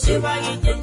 Shiva